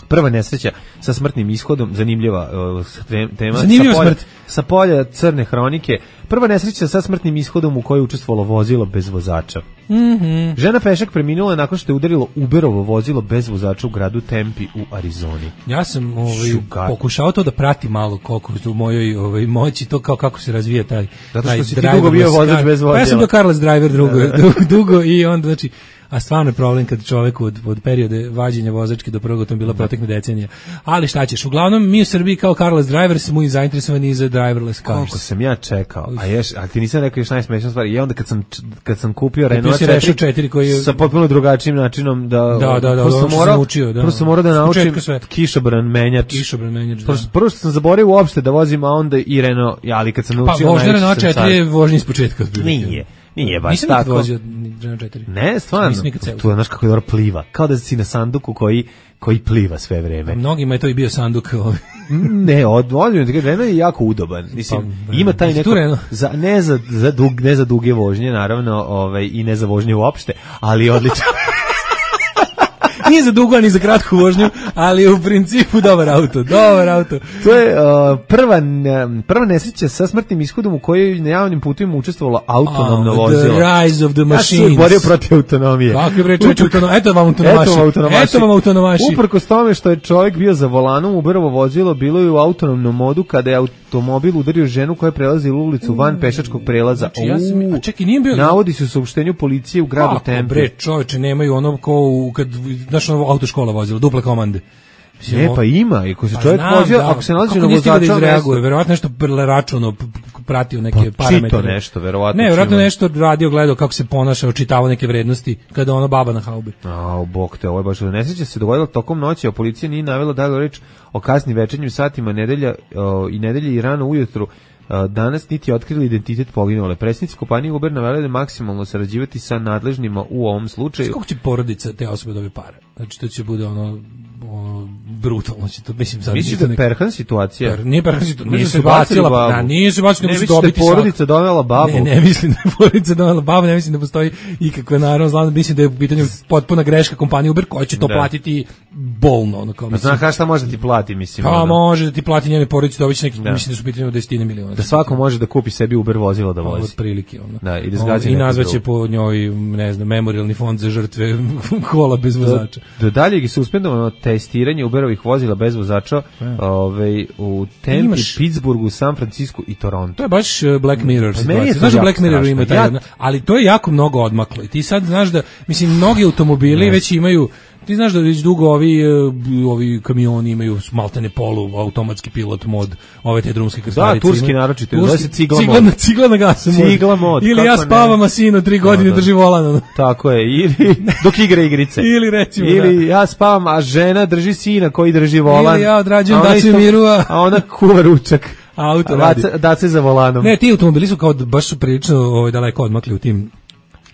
Prva nesreća sa smrtnim ishodom, zanimljiva uh, tema. Zanimljiva sa polja, smrt. Sa polja crne hronike. Prva nesreća sa smrtnim ishodom u kojoj je učestvovalo vozilo bez vozača. Mm-hmm. Žena pešak preminula nakon što je udarilo Uberovo vozilo bez vozača u gradu Tempe u Arizoni. Ja sam ovaj, pokušao to da pratim malo koliko u mojoj ovaj, moći, to kao kako se razvija taj Zato što si ti dugo bio vozač bez vozila. Pa ja sam bio carless driver drugo, dugo i onda znači a stvarno je problem kad čovjek od, od periode vađenja vozačke do prvog automobila protekne decenija. Ali šta ćeš, uglavnom mi u Srbiji kao carless driver smo i zainteresovani za driverless cars. Koliko sam ja čekao, a, ješ, a ti nisam rekao još najsmešnija stvar, i onda kad sam, kad sam kupio Renault četiri, četiri koji je... sa potpuno drugačijim načinom da... Da, da, da, prvo sam morao, naučio, da. Prvo sam morao da naučim kišobran menjač. Kišobran menjač, da. Prvo što sam zaboravio uopšte da vozim, a onda i Renault, ali kad sam naučio... Pa vožnja Renault četiri je vožnji iz početka. Nije. Nije baš nisam tako. Nisam vozio Renault četiri. Ne, stvarno. To je znaš kako je dobro pliva. Kao da si na sanduku koji, koji pliva sve vreme. A mnogima je to i bio sanduk. Ne, od, od, Renault je jako udoban. Mislim, pa, ima taj neko... Za, ne, za, za dug, ne za duge vožnje, naravno, ovaj, i ne za vožnje uopšte, ali odlično. Nije za dugo, ni za kratku vožnju, ali u principu dobar auto, dobar auto. To je uh, prva, prva nesreća sa smrtnim ishodom u kojoj na javnim putovima učestvovalo autonomno oh, vozilo. The rise of the machines. Ja sam borio protiv autonomije. Kako je reći autonomije? Eto vam autonomaši. Eto vam autonomaši. Eto vam autonomaši. Uprkos tome što je čovjek bio za volanom, Uberovo vozilo bilo je u autonomnom modu kada je automobil udario ženu koja je prelazila ulicu van pešačkog prelaza. Znači, ja sam, a čekaj, nije bio... Navodi se u saopštenju policije u gradu Kako, Tempe. Bre, čovječe, nemaju ono kao kad... Znaš, ono autoškola vozila, duple komande. Ne, pa ima, i ako se čovjek vozio, ako se nalazi na vozača, da izreaguje, verovatno nešto računo, pratio neke pa, parametre. Čito nešto, verovatno. Ne, verovatno nešto radio, gledao kako se ponaša, očitavao neke vrednosti, kada ono baba na haubi. A, bog te, ovo je baš nesreća se dogodila tokom noći, a policija nije navela da je reč o kasnim večernjim satima nedelja o, i nedelje i rano ujutru. danas niti otkrili identitet poginule. Predsjednici kompanije Uber naveli da maksimalno sarađivati sa nadležnima u ovom slučaju. Kako će porodica te osobe dobiti pare? Znači to će bude ono, ono brutalno će to, mislim sad. Misliš da je perhan situacija? Per, nije perhan situacija, nije se bacila babu. Da, nije se bacila, nego će dobiti svako. Ne, porodica donela babu. Ne, ne mislim da je porodica donela babu, ne mislim da postoji ikakve naravno zlano, mislim da je u pitanju potpuna greška kompanije Uber koja će to da. platiti bolno. Ono, kao, mislim. Znaš šta može da ti plati, mislim. Pa može da ti plati njene porodice, dobiće neki, da. mislim da su u pitanju desetine miliona. Da svako može da kupi sebi Uber vozilo da vozi. Od prilike. Ono. Da, i da zgađa. I nazvaće po njoj, ne znam, memorialni fond za žrtve kola bez vozača. Do daljeg je suspendovano testiranje Uberovih vozila bez vozača ovaj, u Tempi, imaš... Pittsburghu, San Francisco i Toronto. To je baš Black Mirror situacija. Znaš da Black Mirror ima taj ja... ali to je jako mnogo odmaklo. I ti sad znaš da, mislim, mnogi automobili yes. već imaju. Ti znaš da već dugo ovi, ovi kamioni imaju maltene polu, automatski pilot mod, ove te drumske krstarice. Da, turski naročito, zove se cigla, cigla mod. Cigla na gasu mod. Cigla mod. Ili ja spavam, a sinu tri godine no, drži volan. Tako je, ili dok igra igrice. Ili recimo, ili da. ja spavam, a žena drži sina koji drži volan. Ili ja odrađujem Daciu Miru, a... a ona kuva ručak. Auto radi. Dace za volanom. Ne, ti automobili su kao baš su prilično ovaj, daleko odmakli u tim.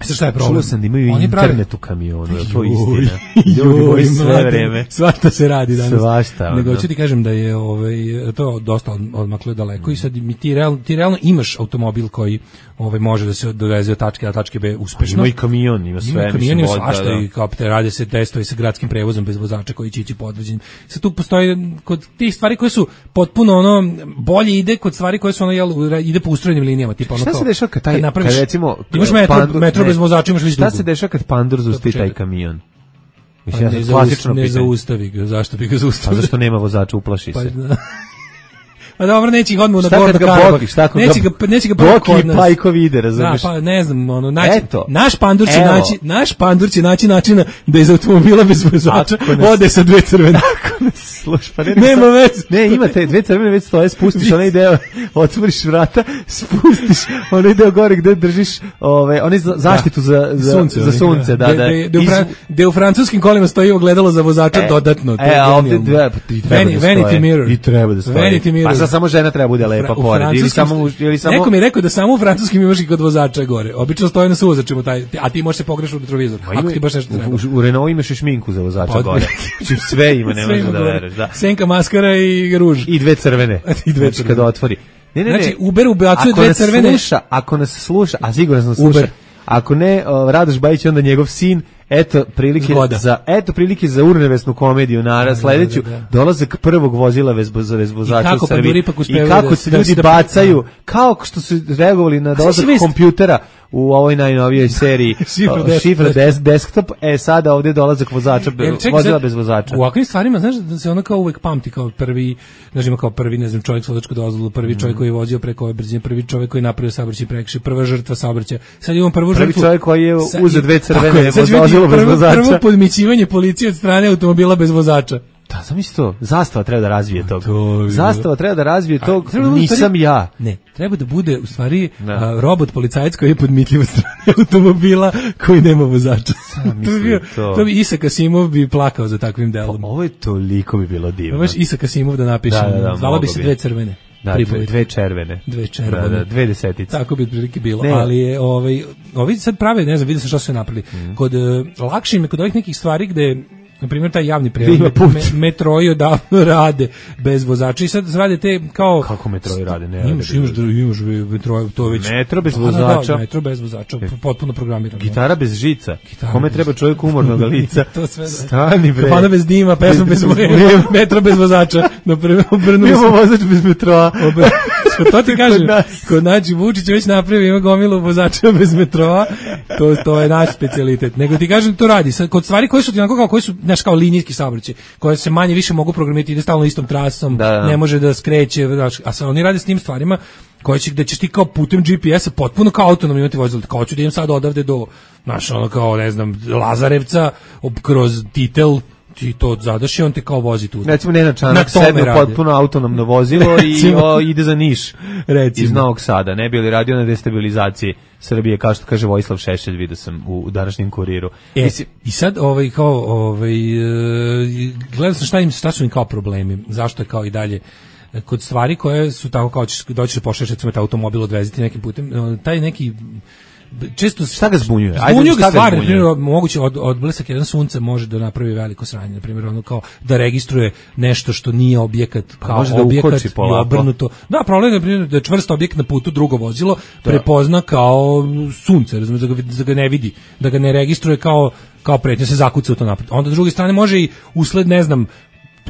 Sve šta je problem? Čuo sam da imaju Oni internet pravi... u kamionu, je to istina? Ljudi moji sve vreme. Svašta se radi danas. Svašta. Nego ću ti kažem da je ovaj, to dosta odmaklo daleko mm. i sad mi ti, real, ti realno imaš automobil koji ovaj, može da se doveze od tačke A do tačke B uspešno. Ima i kamion, ima sve. Ima kamion, ima svašta da. I kao te rade se testovi sa gradskim prevozom bez vozača koji će ići podvođenjem. Sad tu postoji kod tih stvari koje su potpuno ono bolje ide kod stvari koje su ono jel, ide po ustrojenim linijama. Tipa ono šta kao, se dešava kad taj, kad kad recimo... Imaš metro, pandur, metro bez vozača, imaš već šta se dešava kad pandur zusti taj kamion? Mislim, pa ja ne, klasično ne zaustavi ga, zašto bi ga zaustavio? A zašto nema vozača, uplaši pa, se. Da. Pa dobro, neće ih odmah na Gorda Karabak. Neće ga, neće ga Boki i Pajkovi ide, razumiješ? Da, pa ne znam, ono, naći, Eto, naš pandur će naći, naš pandur će naći načina da iz automobila bez vozača ode sa dve crvene. Sluš, pa ne, nema veze. Ne, ima te dve crvene već stoje, spustiš onaj deo, otvoriš vrata, spustiš onaj deo gore gde držiš ove, onaj zaštitu za, za sunce, za sunce da, da. Gde u francuskim kolima stoji ogledalo za vozača dodatno. E, a ovde dve, Vanity mirror. I treba da stoji. Pa samo žena treba bude lepa pored ili samo ili samo neko mi je rekao da samo u francuskim imaš i kod vozača gore. Obično stoji na suvozačima taj, a ti možeš se pogrešiti u retrovizor. Ako ti baš nešto treba. U, u Renault imaš i šminku za vozača pa, gore. Znači sve ima, ne možeš da veruješ, da. Senka, maskara i ruž. I dve crvene. I dve crvene kad otvori. Ne, ne, ne. Znači Uber ubacuje dve crvene. Sluša, ako nas sluša, a sigurno nas sluša. Ako ne, Radoš Bajić onda njegov sin. Eto prilike Zgoda. za eto prilike za urnevesnu komediju na sledeću da, da, da. dolazak prvog vozila bez bez vozača u Srbiji i kako da, se ljudi da, bacaju da, kao što su reagovali na dolazak kompjutera u ovoj najnovijoj seriji Šifra des, desktop, e sada ovdje dolazak vozača be, ček, vozila bez vozača. U ovakvim stvarima znaš da se ona kao uvek pamti kao prvi, znači kao prvi ne znam čovjek s vozačkom dozvolom, prvi čovjek koji je vozio preko ove brzine, prvi čovjek koji je napravio saobraćaj prekršaj, prva žrtva saobraćaja. Sad imamo prvu žrtvu. Prvi čovjek koji je uzeo dve crvene Prvo, prvo podmićivanje policije od strane automobila bez vozača. Da, zamisli to. Zastava treba da razvije tog. To Zastava treba da razvije tog. Da nisam stvari, ja. Ne, treba da bude u stvari a, robot policajac koji je podmitljiv od strane automobila koji nema vozača. to, bi bio, to. to bi Isak Asimov bi plakao za takvim delom. Pa, ovo je toliko bi bilo divno. Baš Isak Asimov da napiše. Da, da, da, zvala bi se dve crvene. Da, dve, dve červene. Dve červene. Da, da, dve desetice. Tako bi otprilike bilo. Ne. Ali je, ovaj, ovi sad prave, ne znam, vidio sam što su napravili. Mm. Kod, uh, lakše im je kod ovih nekih stvari gde, na primjer, taj javni prevoz, me, metroji odavno rade bez vozača i sad rade te kao... Kako metroji rade? Ne, imaš, imaš, imaš metroji, to već... Metro bez vozača. Da, metro bez vozača, potpuno programirano. Gitara bez žica. Gitara Kome bez... treba čovjek umornog lica? To sve da. Stani bre. Kafana bez dima, pesma bez vremena, metro bez vozača. Na prvom obrnu Imamo vozač bez metroa. To ti kažem, kod naći Vučić već napravio, ima gomilu vozača bez metroa, to, to je naš specijalitet. Nego ti kažem, to radi. Sad, kod stvari koje su ti onako kao, koje su, znaš, kao linijski saobraćaj, koje se manje više mogu programirati, ide stalno istom trasom, da, da. ne može da skreće, znaš, a sad oni rade s tim stvarima koje će, gde ćeš ti kao putem G P S-a potpuno kao autonomno imati vozilo, kao ću da idem sad odavde do, znaš, ono kao, ne znam, Lazarevca, kroz Titel, ti to zadaš i on te kao vozi tu. Recimo Nenad Čanak sedne potpuno autonomno vozilo i o, ide za Niš recimo. Iz Novog Sada. Ne bi li radio na destabilizaciji Srbije, kao što kaže Vojislav Šešelj, vidio sam u današnjem Kuriru. E, Mislim, i sad ovaj, kao, ovaj, gledao sam šta, im, šta su im kao problemi, zašto je kao i dalje kod stvari koje su tako kao ćeš doći da pošalješ recimo taj automobil odveziti nekim putem, taj neki često šta ga zbunjuje? Zbunjuje ga stvari, na primjer, moguće od, od blisak jedan sunce može da napravi veliko sranje, na primjer, ono kao da registruje nešto što nije objekat, kao može da objekat i polako. obrnuto. Da, problem je, na primjer, da je čvrst objekt na putu, drugo vozilo da. prepozna kao sunce, razumiješ, da ga, da ga ne vidi, da ga ne registruje kao, kao pretnje, se zakuca u to napred. Onda, s druge strane, može i usled, ne znam,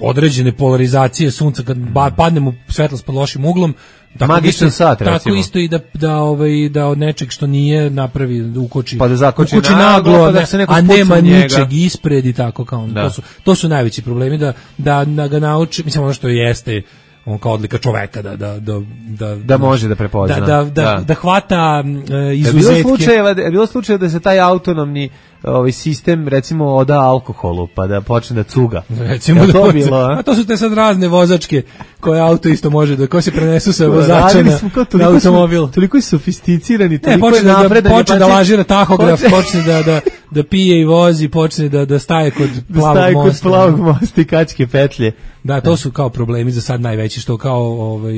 određene polarizacije sunca, kad padne mu svetlost pod lošim uglom, tako magičan isto, sat, recimo. Tako isto i da, da, ovaj, da od nečeg što nije napravi, da ukoči, pa da zakoči ukoči naglo, naglo, pa da ne, se neko a nema njega. ničeg ispred i tako kao. Da. To, su, to su najveći problemi, da, da, da ga nauči, mislim ono što jeste on kao odlika čoveka da da da da da može da prepozna da da da, da. da hvata uh, izuzetke. Je bilo slučajeva, je bilo slučajeva da se taj autonomni ovaj sistem recimo oda alkoholu pa da počne da cuga. Recimo da to bilo, a? a to su te sad razne vozačke koje auto isto može da ko se prenesu sa vozača na, na automobil. Toliko je sofisticirani, toliko ne, je napredan, da počne da lažira tahograf, počne da da da pije i vozi, počne da da staje kod plavog staje mosta. Kod plavog mosta i kačke petlje. Da, to su kao problemi za sad najveći, što kao ovaj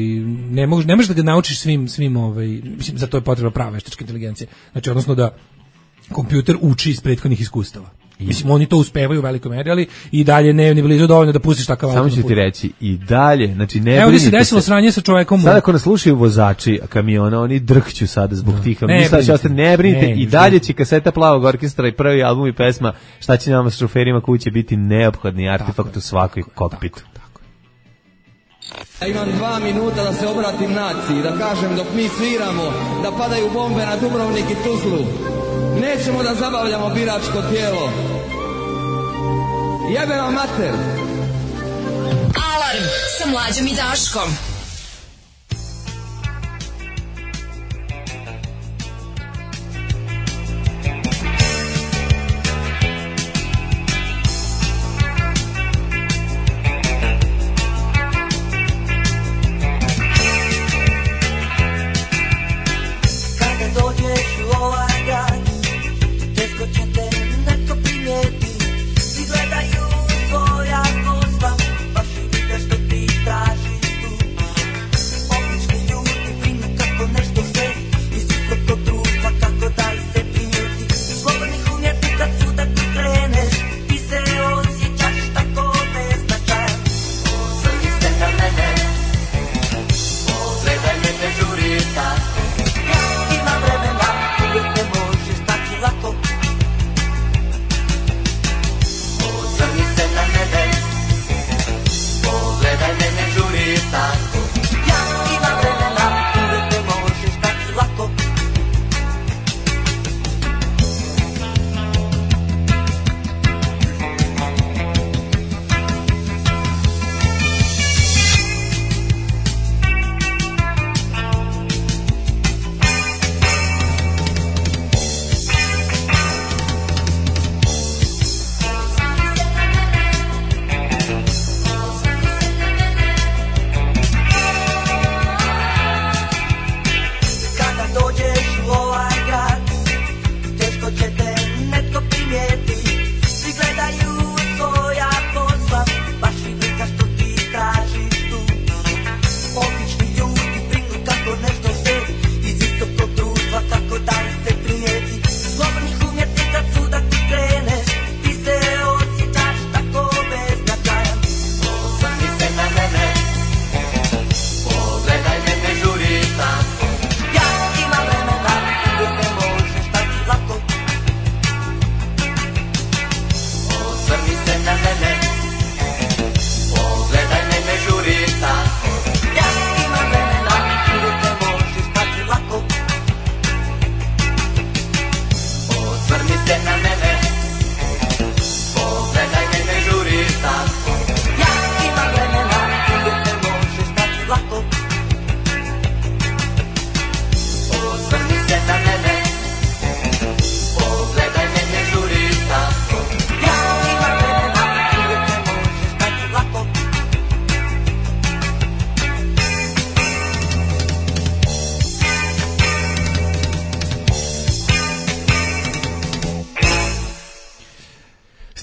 ne možeš ne možeš da ga naučiš svim svim ovaj mislim za to je potrebna prava veštačka inteligencija. Znači odnosno da kompjuter uči iz prethodnih iskustava. I. Mislim, oni to uspevaju u velikoj meri, ali i dalje ne ni blizu dovoljno da pustiš takav auto. Samo ću ti reći, i dalje, znači ne Evo se desilo sranje sa čovekom. Sada ako nas slušaju vozači kamiona, oni drhću sada zbog tih. Misle da će ne brinite, i dalje će kaseta Plavog orkestra i prvi album i pesma Šta će nama s šoferima kuće biti neophodni artefakt u svakoj kokpitu. Ja imam dva minuta da se obratim naciji, da kažem dok mi sviramo, da padaju bombe na Dubrovnik i Tuzlu. Nećemo da zabavljamo biračko tijelo. Jebe vam mater! Alarm sa Mlađom i Daškom. Gledaju tvoja kostva, baš i vide što ti tražiš tu.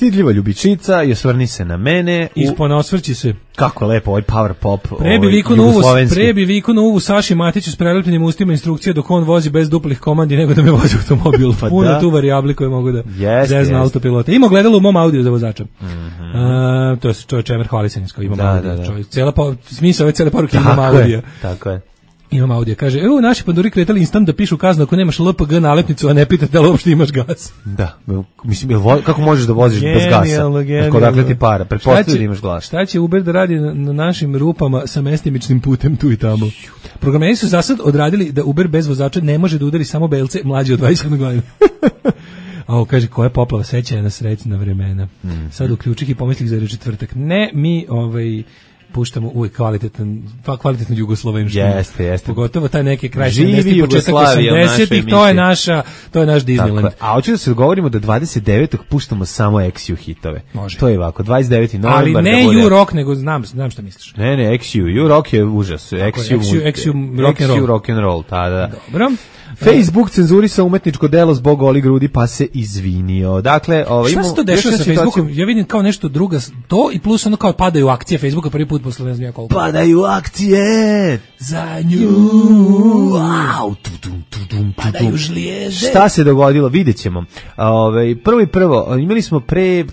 Stidljiva ljubičica i osvrni se na mene. Ispona osvrći se. Kako lepo, ovaj power pop. Prebi viku na uvu, prebi viku na uvu Saši Matiću s prelepljenim ustima instrukcije dok on vozi bez duplih komandi nego da me vozi automobil. Pa puno da. Tu varijabli koje mogu da yes, zeznu yes. autopilota. Ima gledalo u mom audio za vozača. Mm-hmm. Uh, to je čovjek Čemer Hvalisenjsko, imam da, audio. Da, da. Čovjek, cijela pa, smisao ove cijele poruke imam audio. Tako je. Imam audio, kaže, evo naši panduri kretali instant da pišu kaznu ako nemaš L P G nalepnicu, a ne pitate da li uopšte imaš gas. Da, mislim, kako možeš da voziš bez gasa? Ako dakle ti para, pretpostavljaju da imaš glas. Šta će Uber da radi na, na našim rupama sa mestimičnim putem tu i tamo? Programeri su zasad odradili da Uber bez vozača ne može da udari samo belce mlađe od dvadeset sedam godina. A ovo kaže, koja je poplava sećanja na srećna vremena. Mm. Sad uključih i pomislih za četvrtak. Ne, mi ovaj... puštamo uvijek kvalitetan, pa kvalitetnu jugoslovenštinu. Jeste, jeste. Pogotovo taj neki kraj sedamdesetih, početak osamdesetih, to je naša, to je naš Disneyland. A hoću da se dogovorimo da dvadeset devetog puštamo samo X U hitove. Može. To je ovako, dvadeset deveti novembar. Ali ne U rock, nego znam, znam šta misliš. Ne, ne, X U, U rock je užas. X U rock and roll, ta da. Dobro. Facebook cenzurisa umetničko delo zbog goli grudi pa se izvinio. Dakle, ovaj šta se to dešava sa Facebookom? Ja vidim kao nešto drugo, to i plus ono kao padaju akcije Facebooka prvi put posle ne znam ja koliko. Padaju akcije za nju. Wow, tudum, tudum, padaju žlijede. Šta se dogodilo? Videćemo. Ovaj prvo i prvo, imali smo pre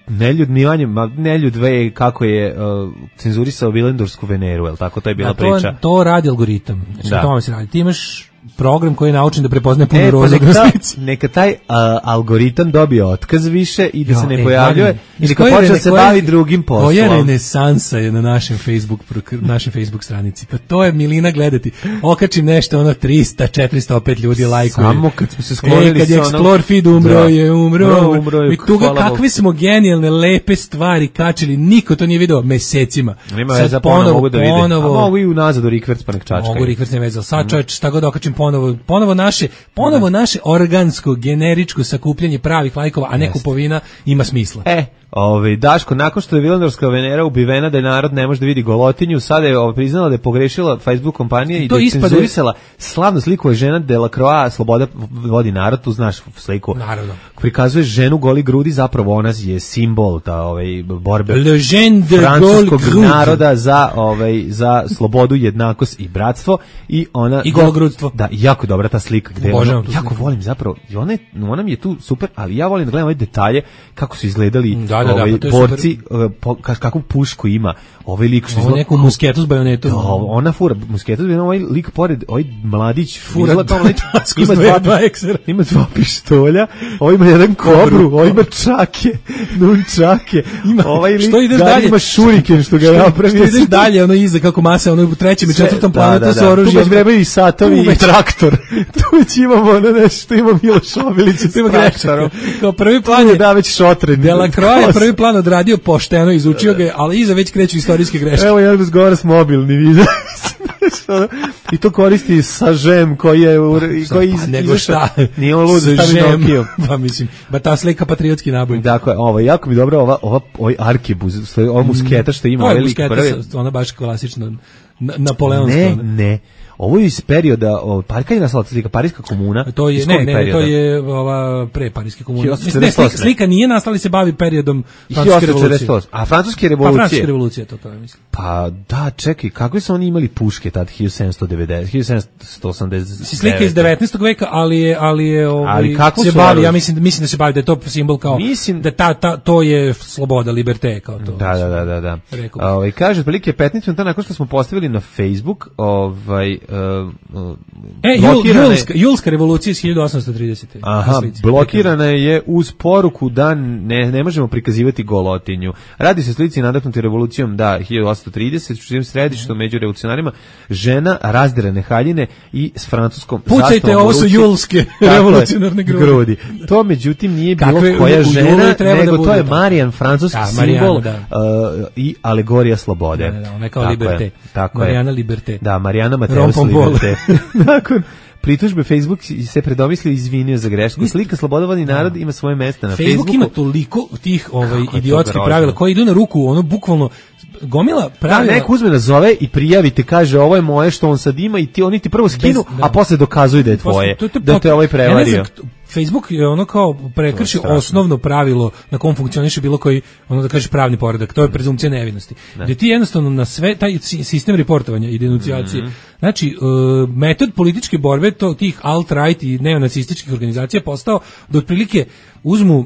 neljudnivanje, neljud dve kako je uh, cenzurisao Vilendorsku Veneru, el tako to je bila A to, priča. To radi algoritam. Znači da. To se radi. Ti imaš program koji je naučen da prepoznaje puno e, roza pa neka, neka taj uh, algoritam dobije otkaz više i da jo, se ne e, pojavljuje i neka počne da se bavi drugim poslom. Koja renesansa je na našem Facebook našem Facebook stranici. Pa to je milina gledati. Okačim nešto, ono trista, četiristo opet ljudi lajkuje. Samo kad smo se sklonili e, kad je Explore feed umro da. je, umro. umro, umro je, I tuga kakve smo genijalne, lepe stvari kačili. Niko to nije video mesecima. Nema veze, ponovo mogu da vide. Ponovo, a mogu i unazad u Rikverc pa nek čačkaju. Mogu Rikverc ne vezal. Sad čovječ, šta god okačim ponovo, ponovo naše, ponovo naše organsko, generičko sakupljanje pravih lajkova, a ne Jest. kupovina ima smisla. E, ovaj Daško, nakon što je Vilandorska Venera ubivena da je narod ne može da vidi golotinju, sada je ovaj priznala da je pogrešila Facebook kompanija i, i da je cenzurisala slavnu sliku je žena Delacroix, Sloboda vodi narod, tu znaš sliku. Naravno. Prikazuje ženu goli grudi, zapravo ona je simbol ta ovaj borbe francuskog naroda za ovaj za slobodu, jednakost i bratstvo i ona i gologrudstvo. Da, jako dobra ta slika gde ona, jako sliku. Volim zapravo. Ona je, ona mi je tu super, ali ja volim da gledam ove detalje kako su izgledali da, da, ovaj da, borci, po, kakvu pušku ima. Ovaj lik što izgleda neku musketu s bajonetom. Da, ona fura musketu, ovaj lik pored, ovaj mladić fura tamo lik ima dva, dva ima dva pištolja, ovaj ima jedan kobru, ovaj ima čake, nunčake. Ima ovaj lik što ide dalje, ima šuriken što ga ja napravio. Što ide dalje, ono iza kako masa, ono u trećem i četvrtom planu to su oružje. Tu već i satovi i traktor. Tu već imamo ono nešto, ima Miloš Obilić, tu ima traktorom. Kao prvi plan je da već šotren. Delacroix je prvi plan odradio pošteno, izučio ga, ali iza već kreću istorijske greške. Evo jedan razgovara s mobilni video. I to koristi sa žem koji je koji iz, nego šta nije on lud stavi Nokiju. Pa mislim, ba ta slika patriotski naboj. Dakle, ovo jako mi dobro ova ova ovaj arkebuz, ova musketa što ima velik prvi. Ona baš klasično napoleonska. Ne, ne. Ovo je iz perioda, pa kad je nastala slika, Parijska komuna? To je, ne, ne, to je ova pre Parijske komune. Ne, slika, slika nije nastala, se bavi periodom Francuske revolucije. A Francuske revolucije? Pa Francuske revolucije, to to je mislim. Pa da, čekaj, kakve su oni imali puške tad, hiljadu sedamsto devedeset, hiljadu sedamsto osamdeset devet? Slika iz devetnaestog veka, ali je, ali je, ovaj, ali kako se bavi, ja mislim, mislim da se bavi, da je to simbol kao, mislim, da ta, ta, to je sloboda, liberté, kao to. Da, da, da, da, da. Ovaj, kaže, otprilike petnaest minuta nakon što smo postavili na Facebook, ovaj, Uh, uh, e, julska, julska revolucija iz hiljadu osamsto tridesete. Aha, blokirana je uz poruku da ne, ne možemo prikazivati golotinju. Radi se slici nadahnuti revolucijom da hiljadu osamsto trideset, što je središte među revolucionarima, žena razderane haljine i s francuskom zastavom. Pucajte, ovo su julske revolucionarne grudi. grudi. To međutim nije bilo Kakve, koja u, žena, u nego da to je Marijan, francuski da, simbol da. uh, i alegorija slobode. Da, da, ona je kao liberté. Marijana Liberté. Da, Marijana Mateus Liberté. Nakon pritužbe Facebook se predomislio i izvinio za grešku. Slika Slobodovani narod ima svoje mjesto na Facebooku. Facebook ima toliko tih ovaj idiotskih pravila koji idu na ruku, ono bukvalno gomila pravila. Da, neko uzme nazove i prijavite, kaže ovo je moje što on sad ima i ti oni ti prvo skinu, Bez, da. a posle dokazuju da je tvoje, to, to, to, da te ovaj prevario. Facebook je ono kao prekrši osnovno pravilo na kom funkcioniše bilo koji, ono da kažeš pravni poredak, to je prezumpcija nevinosti. Ne. Gde ti jednostavno na sve taj sistem reportovanja i denuncijacije, mm-hmm. znači uh, metod političke borbe to, tih alt-right i neonacističkih organizacija je postao da otprilike uzmu uh,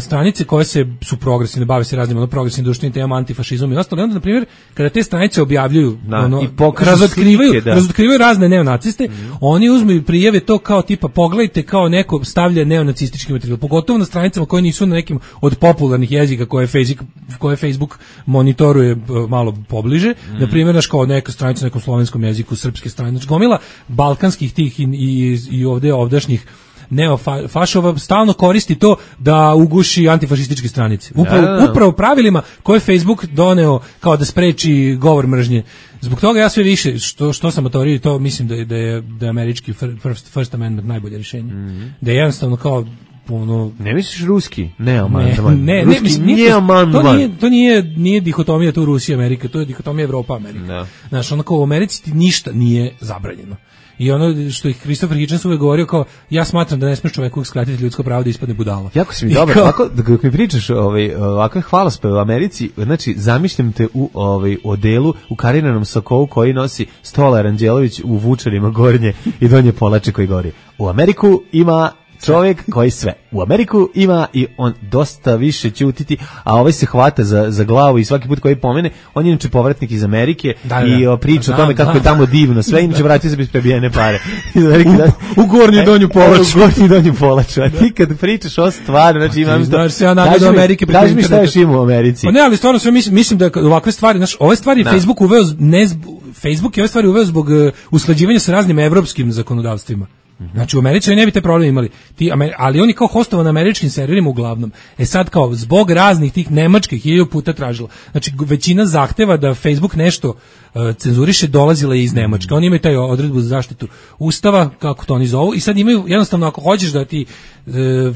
stranice koje se su progresivne, bave se raznim ono progresivnim društvenim temama, antifašizmom i ostalo. I onda, na primjer, kada te stranice objavljuju, da, ono, i razotkrivaju, slike, da. razotkrivaju razne neonaciste, mm. oni uzmu i prijave to kao tipa, pogledajte, kao neko stavlja neonacistički materijal, pogotovo na stranicama koje nisu na nekim od popularnih jezika koje Facebook, koje Facebook monitoruje malo pobliže. Mm. Na primjer, naš kao neka stranica na nekom slovenskom jeziku, srpske stranice, gomila balkanskih tih i, i, i ovde ovdašnjih neofašova stalno koristi to da uguši antifašističke stranice. Upravo, ja, ja. upravo pravilima koje Facebook doneo kao da spreči govor mržnje. Zbog toga ja sve više, što, što sam o teoriji, to mislim da je, da je, da je američki first, first amendment najbolje rješenje. Mm-hmm. Da je jednostavno kao ono, ne misliš ruski? Ne, aman, ne, aman. ne, ruski, ne, mislim, nije, aman, to nije, to nije, nije dihotomija tu Rusija Amerika, to je dihotomija Evropa Amerika. No. Znaš, onako u Americi ti ništa nije zabranjeno. I ono što ih Christopher Hitchens uvek govorio kao, ja smatram da ne smiješ čoveku skratiti ljudsko pravo da ispadne budala. Jako si mi dobar, kao, ovako, dok mi pričaš ovaj, ovakve hvalospeve u Americi, znači, zamišljam te u ovaj, odelu, u kariranom sakovu koji nosi Stolar Anđelović u vučarima gornje i donje polače koji gori. U Ameriku ima čovjek koji sve. U Ameriku ima i on dosta više ćutiti, a ovaj se hvata za, za glavu i svaki put koji pomene, on je inače povratnik iz Amerike da, i da, priča da, o tome kako da, je tamo divno, sve inače vratio se bez prebijene pare. Da, u, u gornju donju polaču. U gornju donju polaču. A ti kad pričaš o stvari, znači imam... Znaš se ja nadu do Amerike. Kaži mi šta još ima u Americi. Pa ne, ali stvarno sve mislim, mislim da ovakve stvari, znaš, ove stvari da. Facebook uveo, ne, Facebook je ove stvari uveo zbog uh, usklađivanja sa raznim evropskim zakonodavstvima. Znači u Americi ne bi te probleme imali, ti, ali oni kao hostovo na američkim serverima uglavnom. E sad kao zbog raznih tih nemačkih hiljadu puta tražilo. Znači većina zahteva da Facebook nešto uh, cenzuriše dolazila je iz Nemačke. Oni imaju taj odredbu za zaštitu Ustava, kako to oni zovu, i sad imaju jednostavno ako hoćeš da ti uh,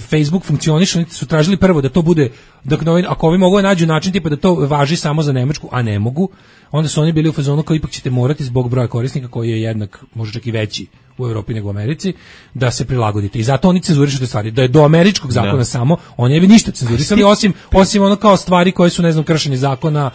Facebook funkcioniše, oni su tražili prvo da to bude, da, ako ovi mogu nađu način tipa da to važi samo za Nemačku, a ne mogu, onda su oni bili u fazonu kao ipak ćete morati zbog broja korisnika koji je jednak, možda čak i veći u Evropi nego u Americi, da se prilagodite. I zato oni cenzurišu te stvari. Da je do američkog zakona da. samo, oni ne bi ništa cenzurisali, osim, osim ono kao stvari koje su, ne znam, kršenje zakona,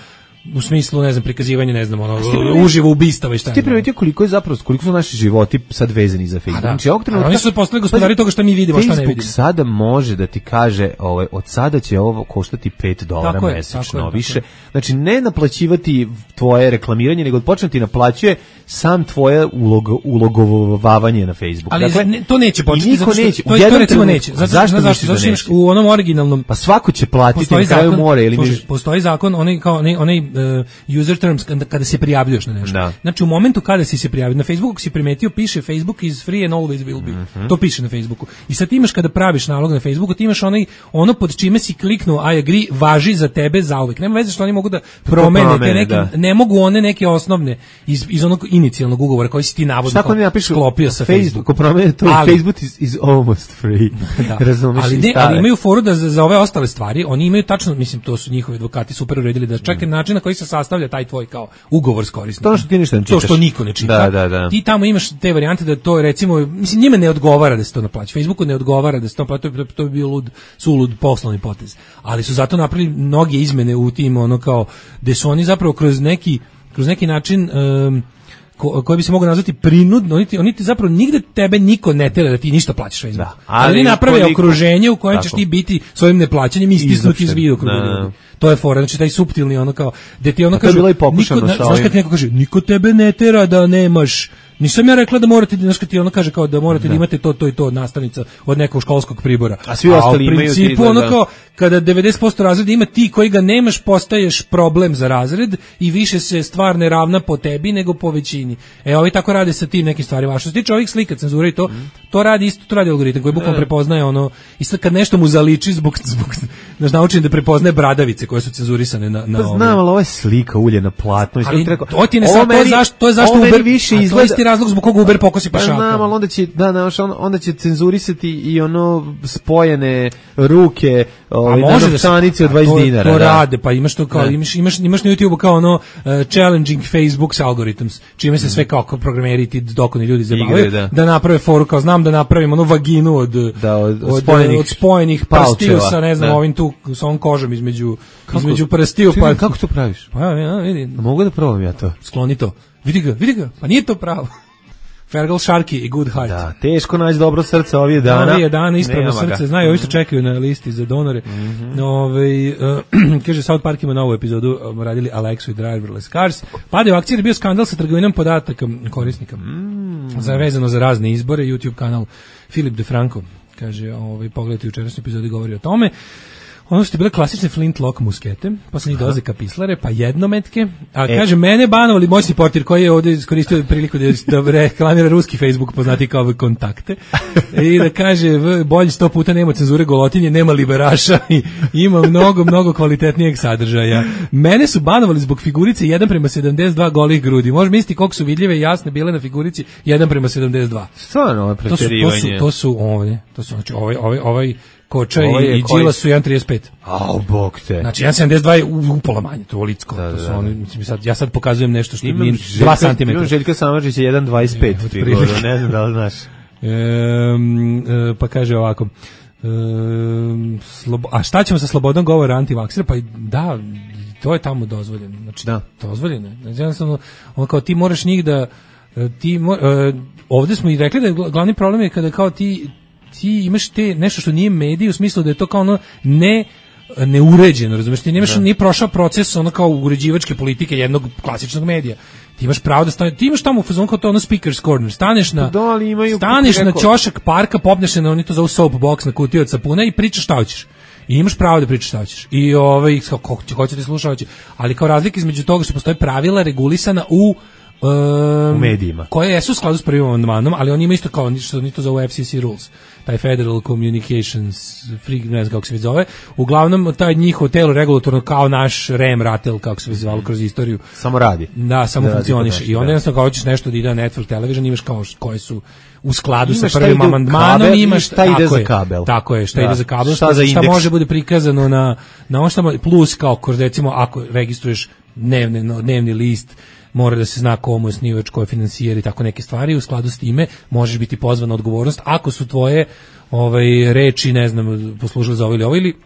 u smislu, ne znam, prikazivanje, ne znam, ono, uživo ubistava i šta. Ti primetio koliko je zapravo, koliko su naši životi sad vezani za Facebook. Da. Znači, trenutka, oni su postali gospodari toga što mi vidimo, šta ne vidimo. Facebook sada može da ti kaže, ovaj, od sada će ovo koštati pet dolara mesečno, više. Znači, ne naplaćivati tvoje reklamiranje, nego početi naplaćuje sam tvoje ulog, ulogovavanje na Facebook. Ali dakle, ne, to neće početi. Niko neće. To, to recimo neće. Zato, zašto zašto zašto neće? U onom originalnom, pa svako će platiti na kraju mora ili mi postoji zakon, onaj kao onaj onaj uh, user terms kada se prijavljuješ na nešto. Da. Znači u momentu kada si se prijavio na Facebooku, si primetio piše Facebook is free and always will be. Mm-hmm. To piše na Facebooku. I sad ti imaš kada praviš nalog na Facebooku, ti imaš onaj ono pod čime si kliknuo I agree, važi za tebe zauvek. Nema veze što oni mogu da promene te neke, da. Ne mogu one neke osnovne iz iz onog inicijalnog ugovora koji si ti navodno sklopio sa Facebookom. Ko promene to ali, Facebook is, is almost free. Da. Razumeš? Ali, ne, ali imaju foru da za, za ove ostale stvari, oni imaju tačno, mislim, to su njihovi advokati super uredili da čak i način na koji se sastavlja taj tvoj kao ugovor s korisnikom. To što ti ništa ne čitaš. To što niko ne čita. Da, da, da. Ti tamo imaš te varijante da to recimo, mislim, njima ne odgovara da se to naplaća. Facebooku ne odgovara da se to naplaća, to, to bi bio lud, sulud poslovni potez. Ali su zato napravili mnoge izmene u tim, ono kao, gde su oni zapravo kroz neki, kroz neki način um, Ko, koji bi se mogao nazvati prinudno, oni ti, oni ti zapravo nigde tebe niko ne tera da ti ništa plaćaš Facebook. Da, ali oni naprave koliko, okruženje u kojem tako. ćeš ti biti svojim neplaćanjem istisnuti iz vidokruga ljudi. To je fora, znači taj suptilni ono kao, gde ti ono kaže, niko, na, znaš kad ti neko kaže, niko tebe ne tera da nemaš, nisam ja rekla da morate, znaš kad ti ono kaže kao da morate da, da imate to, to i to od nastavnica, od nekog školskog pribora. A svi ostali imaju. A u principu ono kao, kada devedeset posto razreda ima ti koji ga nemaš, postaješ problem za razred i više se stvar ne ravna po tebi nego po većini. E, ovi tako rade sa tim nekim stvarima. A što se tiče ovih slika, cenzura i to, mm. to radi isto, to radi algoritam koji bukvalno prepoznaje ono, i sad kad nešto mu zaliči zbog, zbog znaš, naučen da prepoznaje bradavice koje su cenzurisane na, na pa znam, ali ovo je slika ulje na platno. Ali to ti ne sad, to je zašto, to je zašto Uber, više izgleda, to je isti razlog zbog koga Uber pokosi pešaka. Pa znam, ali onda će, da, da, onda će cenzurisati i ono spojene ruke ovaj na novčanici od dvadeset dinara. To rade, pa imaš to kao ne. imaš imaš imaš na YouTubeu kao ono uh, challenging Facebook's algorithms, čime se sve kao programeri ti dokoni ljudi zabavljaju da. da naprave foru kao znam da napravim onu vaginu od da, od, od, spojenih, od spojenih prstiju sa ne znam da. ovim tu sa ovom kožom između kako? između prstiju pa kako to praviš? Pa ja vidim. Mogu da probam ja to. Skloni to. Vidi ga, vidi ga. Pa nije to pravo. Fergal Sharkey i Good Heart. Da, teško naći dobro srce ovih dana. Ovih dana ispravno srce. Znaju, ovi što čekaju na listi za donore. Mm-hmm. Ove, uh, kaže, South Park ima novu epizodu, um, radili Alexu i Driverless Cars. Pada u akciji je bio skandal sa trgovinom podataka korisnika. Mm. Za, vezano za razne izbore. YouTube kanal Filip DeFranco. Kaže, ovaj, pogledajte jučerašnju epizodu govori o tome. Ono su ti bile klasične flintlock muskete, posle njih dolaze kapislare, pa jednometke, a e. kaže, mene banovali moćni portir koji je ovdje iskoristio priliku da, da reklamira ruski Facebook, poznati kao kontakte, i da kaže, bolje sto puta nema cenzure golotinje, nema liberaša i ima mnogo, mnogo kvalitetnijeg sadržaja. Mene su banovali zbog figurice jedan prema sedamdeset dva golih grudi. Može misliti koliko su vidljive i jasne bile na figurici jedan prema sedamdeset dva. Stvarno, ovo je pretjerivanje. To su, to su, ovdje, to su, znači, ovaj, ovaj, ovaj Koča i Đila su jedan trideset pet. Au, bog te. Znači, jedan sedamdeset dva je upola manje, to je licko. Da, to su da, oni, mislim, sad, ja sad pokazujem nešto što je dva centimetra. Imam Željka Samardžića jedan dvadeset pet, ne znam da li znaš. E, e, pa kaže ovako, e, slobo, a šta ćemo sa slobodom govora antivaksera? Pa da, to je tamo dozvoljeno. Znači, da. Dozvoljeno. Znači, jednostavno, on kao ti moraš njih da, ti, e, ovdje smo i rekli da je glavni problem je kada kao ti, ti imaš te nešto što nije medij u smislu da je to kao ono ne neuređeno, razumiješ, ti nemaš, nije prošao proces ono kao uređivačke politike jednog klasičnog medija. Ti imaš pravo da staneš, ti imaš tamo u fazonu kao to ono speaker's corner, staneš na da, ali imaju, staneš na ćošak parka, popneš se na oni to zove soapbox na kutiju od sapuna i pričaš šta hoćeš. I imaš pravo da pričaš šta hoćeš. I ovaj kako hoće ti slušati, ali kao razlika između toga što postoje pravila regulisana u Um, u medijima. Koje jesu u skladu s prvim amandmanom, ali oni imaju isto kao što ni to zove F C C rules. Taj Federal Communications Free, ne znam kako se zove. Uglavnom, taj njihov telo regulatorno kao naš R E M ratel, kako se zvalo kroz istoriju. Samo radi. Da, samo da funkcioniše. I onda jednostavno kao hoćeš nešto da ide na Network Television, imaš kao koje su u skladu imaš sa prvim amandmanom, imaš šta ide za kabel. Tako je, šta da. ide za kabel, šta, šta, šta može bude prikazano na, na ono šta plus kao kroz recimo ako registruješ dnevni, dnevni list, mora da se zna komu je osnivač, ko je finansijer i tako neke stvari. U skladu s time možeš biti pozvan na odgovornost ako su tvoje ovaj, reči, ne znam, poslužili za ovo ili ovo ili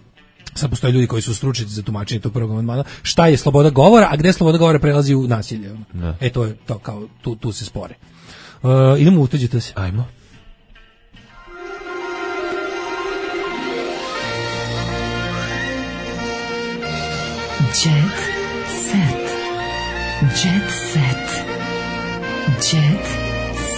sad postoje ljudi koji su stručnjaci za tumačenje tog prvog amandmana. Šta je sloboda govora, a gde sloboda govora prelazi u nasilje? Ne. E to je to kao tu, tu se spore. Uh, idemo uteđite se. Ajmo. Jet set. Jet set. Jet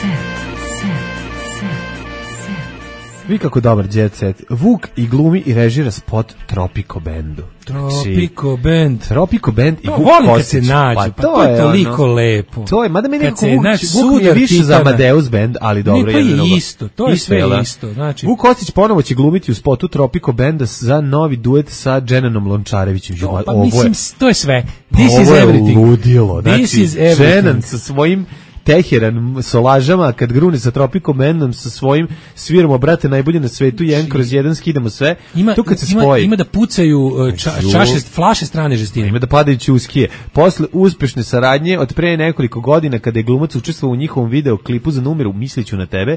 set. Set. Set. Set. Vi kako dobar jet set. Vuk i glumi i režira spot Tropico Bandu. Tropico Band. Tropico Band i to Vuk volim kad se nađu, pa, pa to je toliko ono, lepo. To je, mada meni nekako Vuk, Vuk je više za Amadeus Band, ali dobro. Ne, to je je isto, to je sve jela. Isto. Znači, Vuk Kostić ponovo će glumiti u spotu Tropico Banda za novi duet sa Dženanom Lončarevićem. To, pa mislim, to je sve. This pa is everything. Ovo je ludilo. Znači, This is everything. Dženan sa svojim Teheran solažama kad grune sa Tropico Bandom sa svojim sviramo brate najbolje na svetu jedan kroz jedan skidamo sve ima, tu kad se ima, spoji ima da pucaju ča, čaše flaše strane žestine, ima da padaju ćuskije posle uspešne saradnje od pre nekoliko godina kada je glumac učestvovao u njihovom video klipu za numeru Misliću na tebe,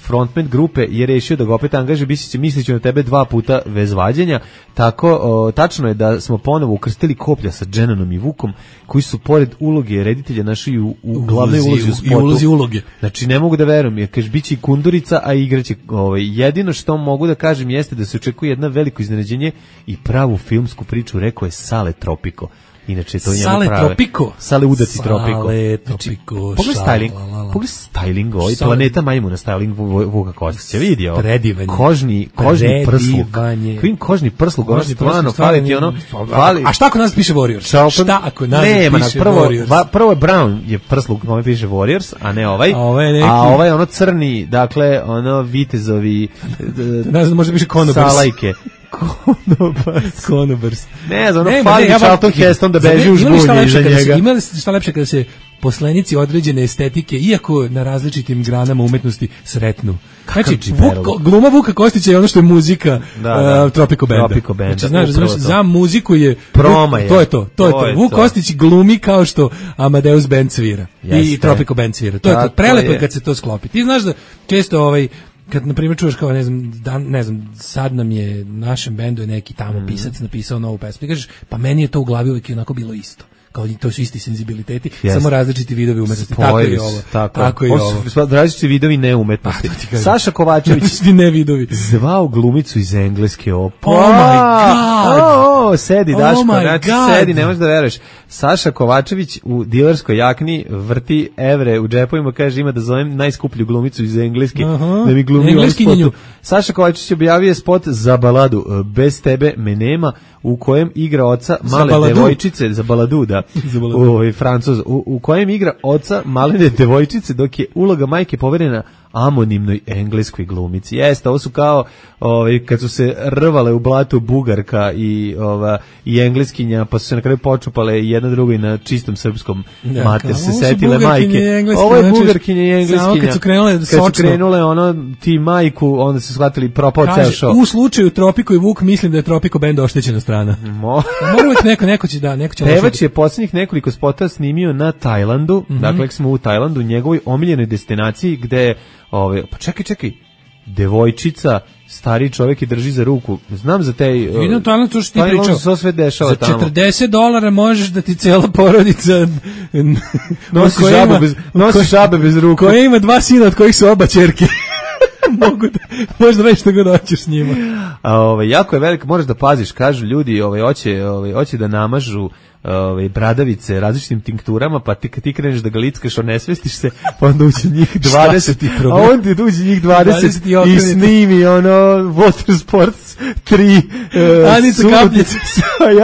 frontman grupe je rešio da ga opet angaže, Misliću na tebe dva puta bez vađenja. Tako o, tačno je da smo ponovo ukrstili koplja sa Dženanom i Vukom koji su pored uloge reditelja našli u, u glavnoj ulozi u spotu. Ulozi uloge. Znači ne mogu da verujem, jer kaže biće i Kundurica, a igraće ovaj jedino što mogu da kažem jeste da se očekuje jedno veliko iznenađenje i pravu filmsku priču, rekao je Sale Tropico. Inače to njemu Sale prave. Tropico. Sale udati Tropico. Sale Tropico. Pogledaj styling. Pogledaj styling, ovaj Planeta majmuna styling Vuka Kostića. Vidio. Predivanje. Kožni, kožni prsluk. Kvin kožni prsluk, ono stvarno fali ti ono. Fali. A šta ako nas piše Warriors? Šta ako nas Nema, piše prvo, Warriors? Va, prvo je Brown je prsluk, kome piše Warriors, a ne ovaj. A ovaj, neki... a ovaj ono crni, dakle, ono vitezovi. Ne znam, možda piše Conobers. Salajke. Konobars. Konobars. Ne znam, ono fali ja Charlton Heston da beži u žbunje iza njega. Ima li šta lepše kada se poslanici određene estetike, iako na različitim granama umetnosti, sretnu. Znači, Vuk, gluma Vuka Kostića je ono što je muzika da, da. Uh, Tropico Banda. Tropico Banda. Znači, znaš, znaš, za muziku je... Proma je. To je to, to je to. to. Vuk Kostić glumi kao što Amadeus Band svira. Jeste. I Tropico Band svira. To je to. Prelepo je kad se to sklopi. Ti znaš da često ovaj... Kad, na primjer, čuješ kao, ne znam, dan, ne znam, sad nam je, našem bendu je neki tamo pisac napisao novu pesmu. I kažeš, pa meni je to u glavi uvijek onako bilo isto. Kao to su isti senzibiliteti, yes. Samo različiti vidovi umetnosti. Tako je ovo. Tako, tako je ovo. Su različiti vidovi neumetnosti. Pa, Saša Kovačević ne vidovi. Zvao glumicu iz engleske opere. Oh my god. Oh, oh, sedi Daško, oh znači sedi, ne možeš da veruješ. Saša Kovačević u dilerskoj jakni vrti evre u džepovima, kaže ima da zovem najskuplju glumicu iz engleske. Aha. Da mi glumi u spotu. Saša Kovačević objavio spot za baladu Bez tebe me nema, u kojem igra oca male devojčice za baladu, da. U, Francuz, u, u kojem igra oca malene devojčice, dok je uloga majke poverena amonimnoj engleskoj glumici. Jeste, ovo su kao ovaj, kad su se rvale u blatu Bugarka i, ova, i engleskinja, pa su se na kraju počupale jedna drugoj na čistom srpskom ja, mater se setile majke. Ovo je Bugarkinja i engleskinja. Kad su krenule kad su krenule ono, ti majku, onda su shvatili propao ceo show. U slučaju Tropico i Vuk mislim da je Tropico Band oštećena strana. Mo. Moram neko, neko će da, neko će Pevač je posljednjih nekoliko spota snimio na Tajlandu, mm -hmm. dakle smo u Tajlandu, njegovoj omiljenoj destinaciji gde Ove, pa čekaj, čekaj, devojčica, stari čovjek je drži za ruku. Znam za te... Vidim to, to što ti pričao. Za sve dešava za tamo. četrdeset dolara možeš da ti cela porodica nosi žabe bez, nosi žabe bez ruku. Koja ima dva sina od kojih su oba ćerke. Mogu da, možda reći što god hoćeš s njima. A, ove, jako je veliko, moraš da paziš, kažu ljudi, ove, hoće, ove, hoće da namažu ove bradavice različitim tinkturama, pa ti kad ti kreneš da ga lickaš, onesvestiš se, pa onda uđe njih dvadeset, a on ti uđe njih dvadeset i snimi ono Water Sports tri uh, Anica Kapljica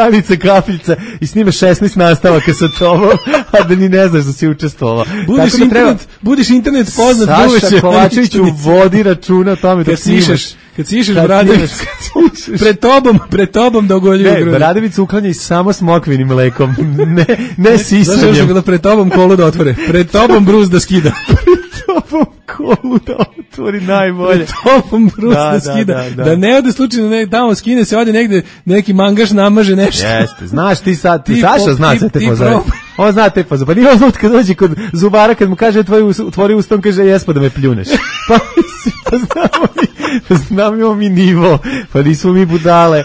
Anica Kapljica i snime šesnaest nastavaka sa tobom, a da ni ne znaš da si učestvovao. Budiš internet, treba, budiš internet poznat duveće. Saša Kovačević u vodi računa o tome dok snimaš. Kad sišeš Bradović, pred tobom, pred tobom da ogoljuju grudi. Ne, Bradović uklanja i samo smokvinim mlekom, ne, ne sisanjem. Znaš što da pred tobom kolu da otvore, pred tobom bruz da skida. Pred tobom kolu da otvori najbolje. Pred tobom bruz da, da skida. Da, da, da. da ne ode slučajno, ne, tamo skine se, ode negde, neki mangaš namaže nešto. Jeste, znaš ti sad, ti, ti Saša zna se te pozove. On zna te pozove. Pa nije on kad dođe kod zubara, kad mu kaže tvoj, tvori ustom, kaže jesmo da me pljuneš. Pa mislim, pa znamo mi, pa znamo mi nivo, pa nismo mi budale,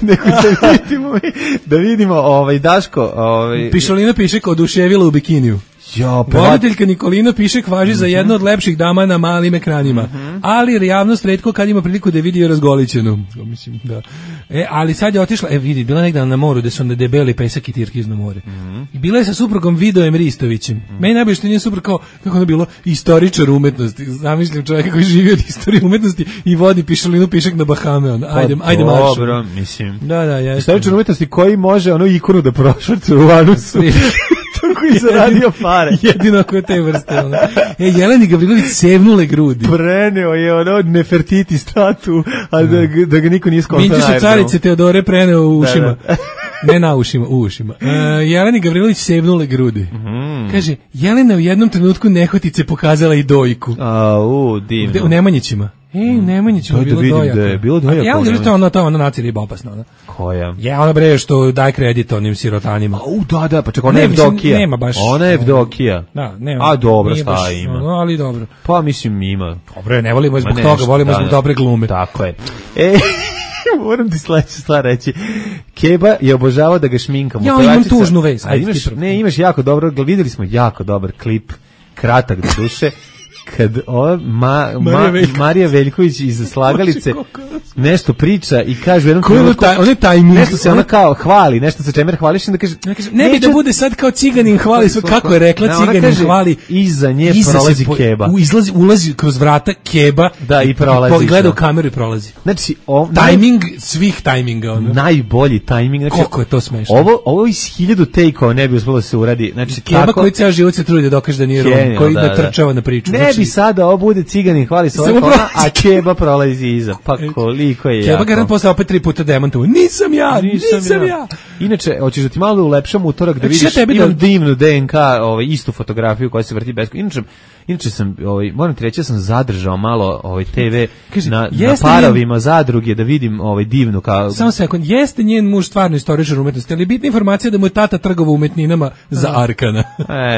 nego da vidimo, da vidimo ovaj, Daško. Ovaj... Pišolina piše kao oduševila u bikiniju. Jo, voditeljka Nikolina Pišek važi mm -hmm. za jednu od lepših dama na malim ekranima, mm -hmm. ali javnost retko kad ima priliku da vidi je razgolićenu. Mislim, da. E, ali sad je otišla, e vidi, bila negdje na moru gde su onda debeli pesak i tirkizno more. Mm -hmm. I bila je sa suprugom Vidojem Ristovićem. Mm -hmm. Meni najbolje što nije suprug kao, kako ono bilo, istoričar umetnosti. Zamišljam čovjeka koji živi od istorije umetnosti i vodi Pišolinu Pišek na Bahame. Onda. Ajde, pa, ajde marš. Dobro, mislim. Da, da, ja. Istoričar umetnosti koji može ono ikonu da prošvrcu u anusu. Koji zaradio pare. Jedino ako je te vrste. Ono. E, Jeleni Gavrilović sevnule grudi. Preneo je ono Nefertiti statu, a da, da ga niko nije skontao. Minčiša carice Teodore preneo u ušima. Da, da. Ne na ušima, u ušima. Uh, Jeleni Gavrilović sevnule grudi. Mm. Kaže, Jelena u jednom trenutku nehotice pokazala i dojku. A, u, divno. U Nemanjićima. Ej, Nemanjićima da, bilo da dojaka. Da je bilo dojaka. Ja onda to ono, to ono nacija riba opasna. Ona. Koja? Ja, ona bre što daj kredit onim sirotanima. A, u, da, da, pa čekaj, ona je Evdokija. Nema baš. Ona je Evdokija. Da, nema. A, dobro, šta baš, ima? No, ali dobro. Pa, mislim, ima. Dobro, ne volimo zbog toga, volimo da, zbog dobre glume. Tako je. E, moram ti sledeću stvar reći. Keba je obožavao da ga šminkamo. Ja imam tužnu vez. Ajde, imaš, ne, imaš jako dobro, videli smo jako dobar klip, kratak do duše, kad ova ma, ma, Marija Veljković iz Slagalice nešto priča i kaže jednom trenutku, on je tajming, nešto se ona kao hvali, nešto sa čemer hvališ, da kaže, ne, kaže, ne bi da bude sad kao ciganin hvali, sve kako je rekla, ne, ciganin kaže, hvali, iza nje iza prolazi po, Keba. U, izlazi, ulazi kroz vrata Keba, da, i prolazi. I gleda u kameru i prolazi. Znači, o, tajming svih tajminga. Ono. Najbolji tajming. Znači, koliko je to smešno. Ovo, ovo iz hiljadu take-ova ne bi uspelo da se uradi. Znači, Keba tako, koji ceo život se trudi da dokaže da nije Rom, koji da, natrčava na priču. Ne bi sada ovo bude ciganin hvali se a Keba prolazi iza. Pa koliko toliko je Keba garant posle opet tri puta demantovo. Nisam ja, nisam, nisam ja. ja. Inače, hoćeš da ti malo ulepšam utorak da vidiš, ja imam da... divnu D N K, ovaj, istu fotografiju koja se vrti besko. Inače, inače sam, ovaj, moram ti reći, ja sam zadržao malo ovaj, te ve Kaži, na, na parovima njen... zadruge da vidim ovaj, divnu. Kao... Samo sekund, jeste njen muž stvarno istoričar umetnosti, ali bitna informacija da mu je tata trgovao umetninama za Arkana.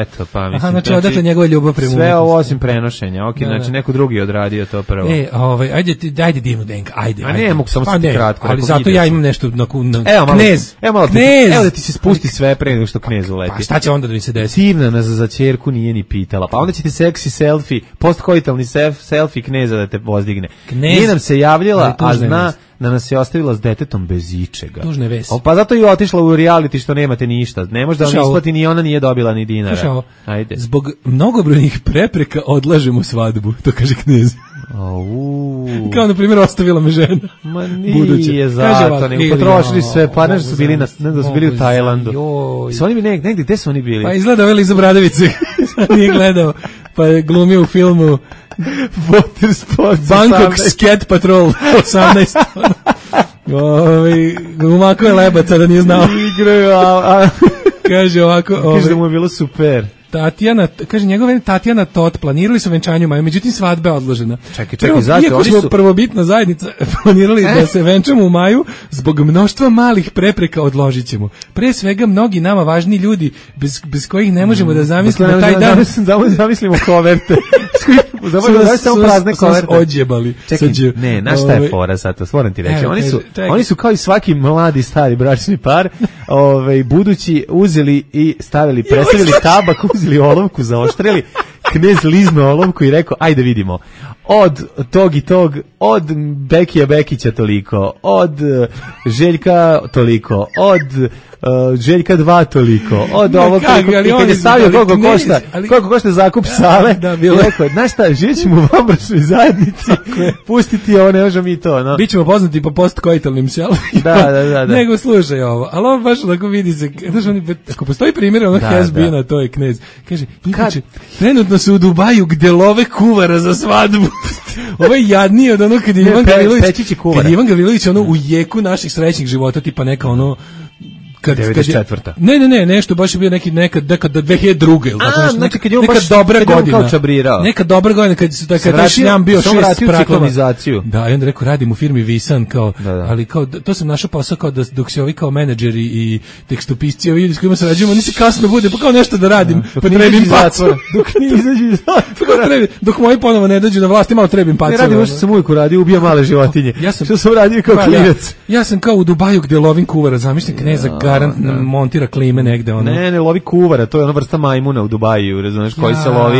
Eto, pa mislim. Aha, znači, znači odatle njegova ljubav prema umetnosti. Sve ovo osim prenošenja, ok, da, znači neko drugi odradio to prvo. E, ovaj, ajde, ti, ajde divnu denka, ajde. A ne, mogu samo pa, ne, kratko. Ali zato ja imam nešto na, na evo, malo, knez. Evo, malo, knez. Evo da ti se spusti sve pre nego što knez uleti. Pa šta će onda da mi se desi? Divna nas za ćerku nije ni pitala. Pa onda će ti seksi selfie, postkoitalni selfie kneza da te pozdigne. Nije nam se javljala, a zna da nas je ostavila s detetom bez ičega. Tužne vesi. Pa zato je otišla u reality što nemate ništa. Ne može da vam isplati ni ona nije dobila ni dinara. Ajde. Zbog mnogobrojnih prepreka odlažemo svadbu, to kaže knez. Au. Kao na primjer ostavila me žena. Ma nije zato, nego potrošili sve, pa nešto su bili, na, ne da su bili u Tajlandu. Su oni negdje, negdje, gde su oni bili? Pa izgleda ovaj Liza Bradovice, nije gledao, pa je glumio u filmu Water Sports Bangkok Scat Patrol osamnaest. Ovi, umako je lebaca da nije znao. Igraju, a... Kaže ovako... Kaže da mu je bilo super. Tatjana, kaže njegove Tatjana Tot planirali su venčanje u maju, međutim svadba je odložena. Čekaj, čekaj, zašto? Iako smo su... prvobitna zajednica planirali eh? da se venčamo u maju, zbog mnoštva malih prepreka odložit ćemo. Pre svega mnogi nama važni ljudi bez, bez kojih ne možemo da zamislimo mm, taj ne, dan. Zamislimo, zamislimo koverte. Zaboravimo da samo prazne koverte. Odjebali. Čekaj, ne, znaš šta je fora sad, to moram ti reći. Oni su, oni su kao i svaki mladi stari bračni par, ovaj budući uzeli i stavili, presavili tabak, uzeli olovku, zaoštrili, knez liznuo olovku i rekao, ajde vidimo, od tog i tog, od Bekija Bekića toliko, od Željka toliko, od uh, Željka dva toliko, od ovog toliko, i kad je stavio koliko košta, koliko košta zakup sale, da, da, rekao, znaš šta, živjet ćemo u vanbračnoj zajednici, pustiti ovo, ne možemo mi to, no. Bićemo poznati po postkoitalnim selfijima, da, da, da, da. nego slušaj ovo, ali ovo baš onako vidi se, znaš, oni, ako postoji primjer, ono has been, to je knez, kaže, inače, trenutno su u Dubaju gde love kuvara za svadbu. Ovo je jadnije od ono kad je Ivan Gavrilović, kad je Ivan Gavrilović ono u jeku naših srećnih života, tipa neka ono kad devedeset četvrta Ne, ne, ne, nešto baš je bio neki nekad nekad do dve hiljade druge ili tako nešto. Znači kad je on neka baš dobra kad godina. Kao čabrirao. Neka dobra godina kad su tako taj šljam bio šest sprakova. Da, i onda rekao radim u firmi Visan kao, da, da. ali kao to sam našao posao kao da dok se ovi kao menadžeri i tekstopisci ovi ljudi s kojima sarađujemo, oni se kasno bude, pa kao nešto da radim, da, pa trebim pacu. Dok ne izađu iz zatvora. Dok moji ponovo ne dođu na vlast, malo trebim pacu. Ne radim ono što sam uvijek uradio, ubija male životinje. Ja sam što sam radio kao klinac. Ja sam kao u Dubaju gde lovim kuvara, zamišljam kneza garant montira klime negde ono. Ne, ne lovi kuvara, to je ona vrsta majmuna u Dubaju, razumeš, koji se lovi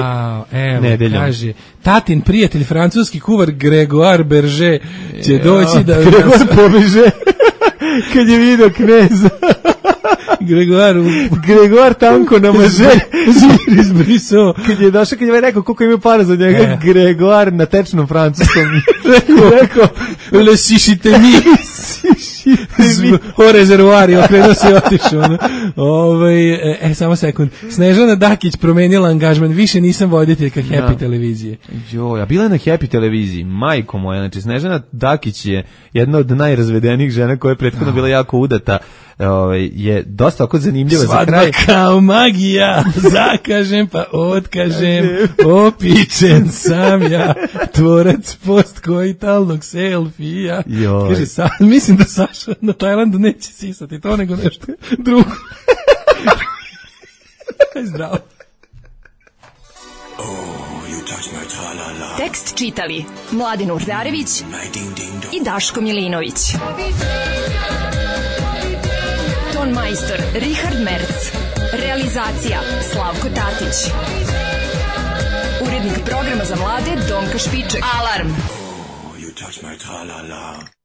evo, nedeljom. Kaže, tatin prijatelj, francuski kuvar Gregoire Berger će doći da... Gregoire pobeže kad je vidio kneza. Gregoire Gregoire tanko namaže zir izbrisao. Kad je došao, kad je rekao koliko ima para za njega, e. Gregoire na tečnom francuskom rekao le sišite mi o rezervoari, okrenuo se i otišao. Ono. Ove, e, e, samo sekund. Snežana Dakić promenila angažman, više nisam voditeljka Happy ja. televizije. Jo, ja bila je na Happy televiziji, majko moja, znači Snežana Dakić je jedna od najrazvedenijih žena koja je prethodno bila jako udata. Ove, je dosta oko zanimljiva za kraj. Svadba kao magija, zakažem pa otkažem, opičen sam ja, tvorac postkoitalnog selfija. Kaže, sa, mislim da Saša na Tajlandu neće sisati to nego nešto drugo. Zdravo. Tekst čitali Mladen Urdarević i Daško Milinović. Ton majstor Richard Merc. Realizacija Slavko Tatić. Urednik programa za mlade Donka Špiček. Alarm! Oh, you touch my tra-la-la.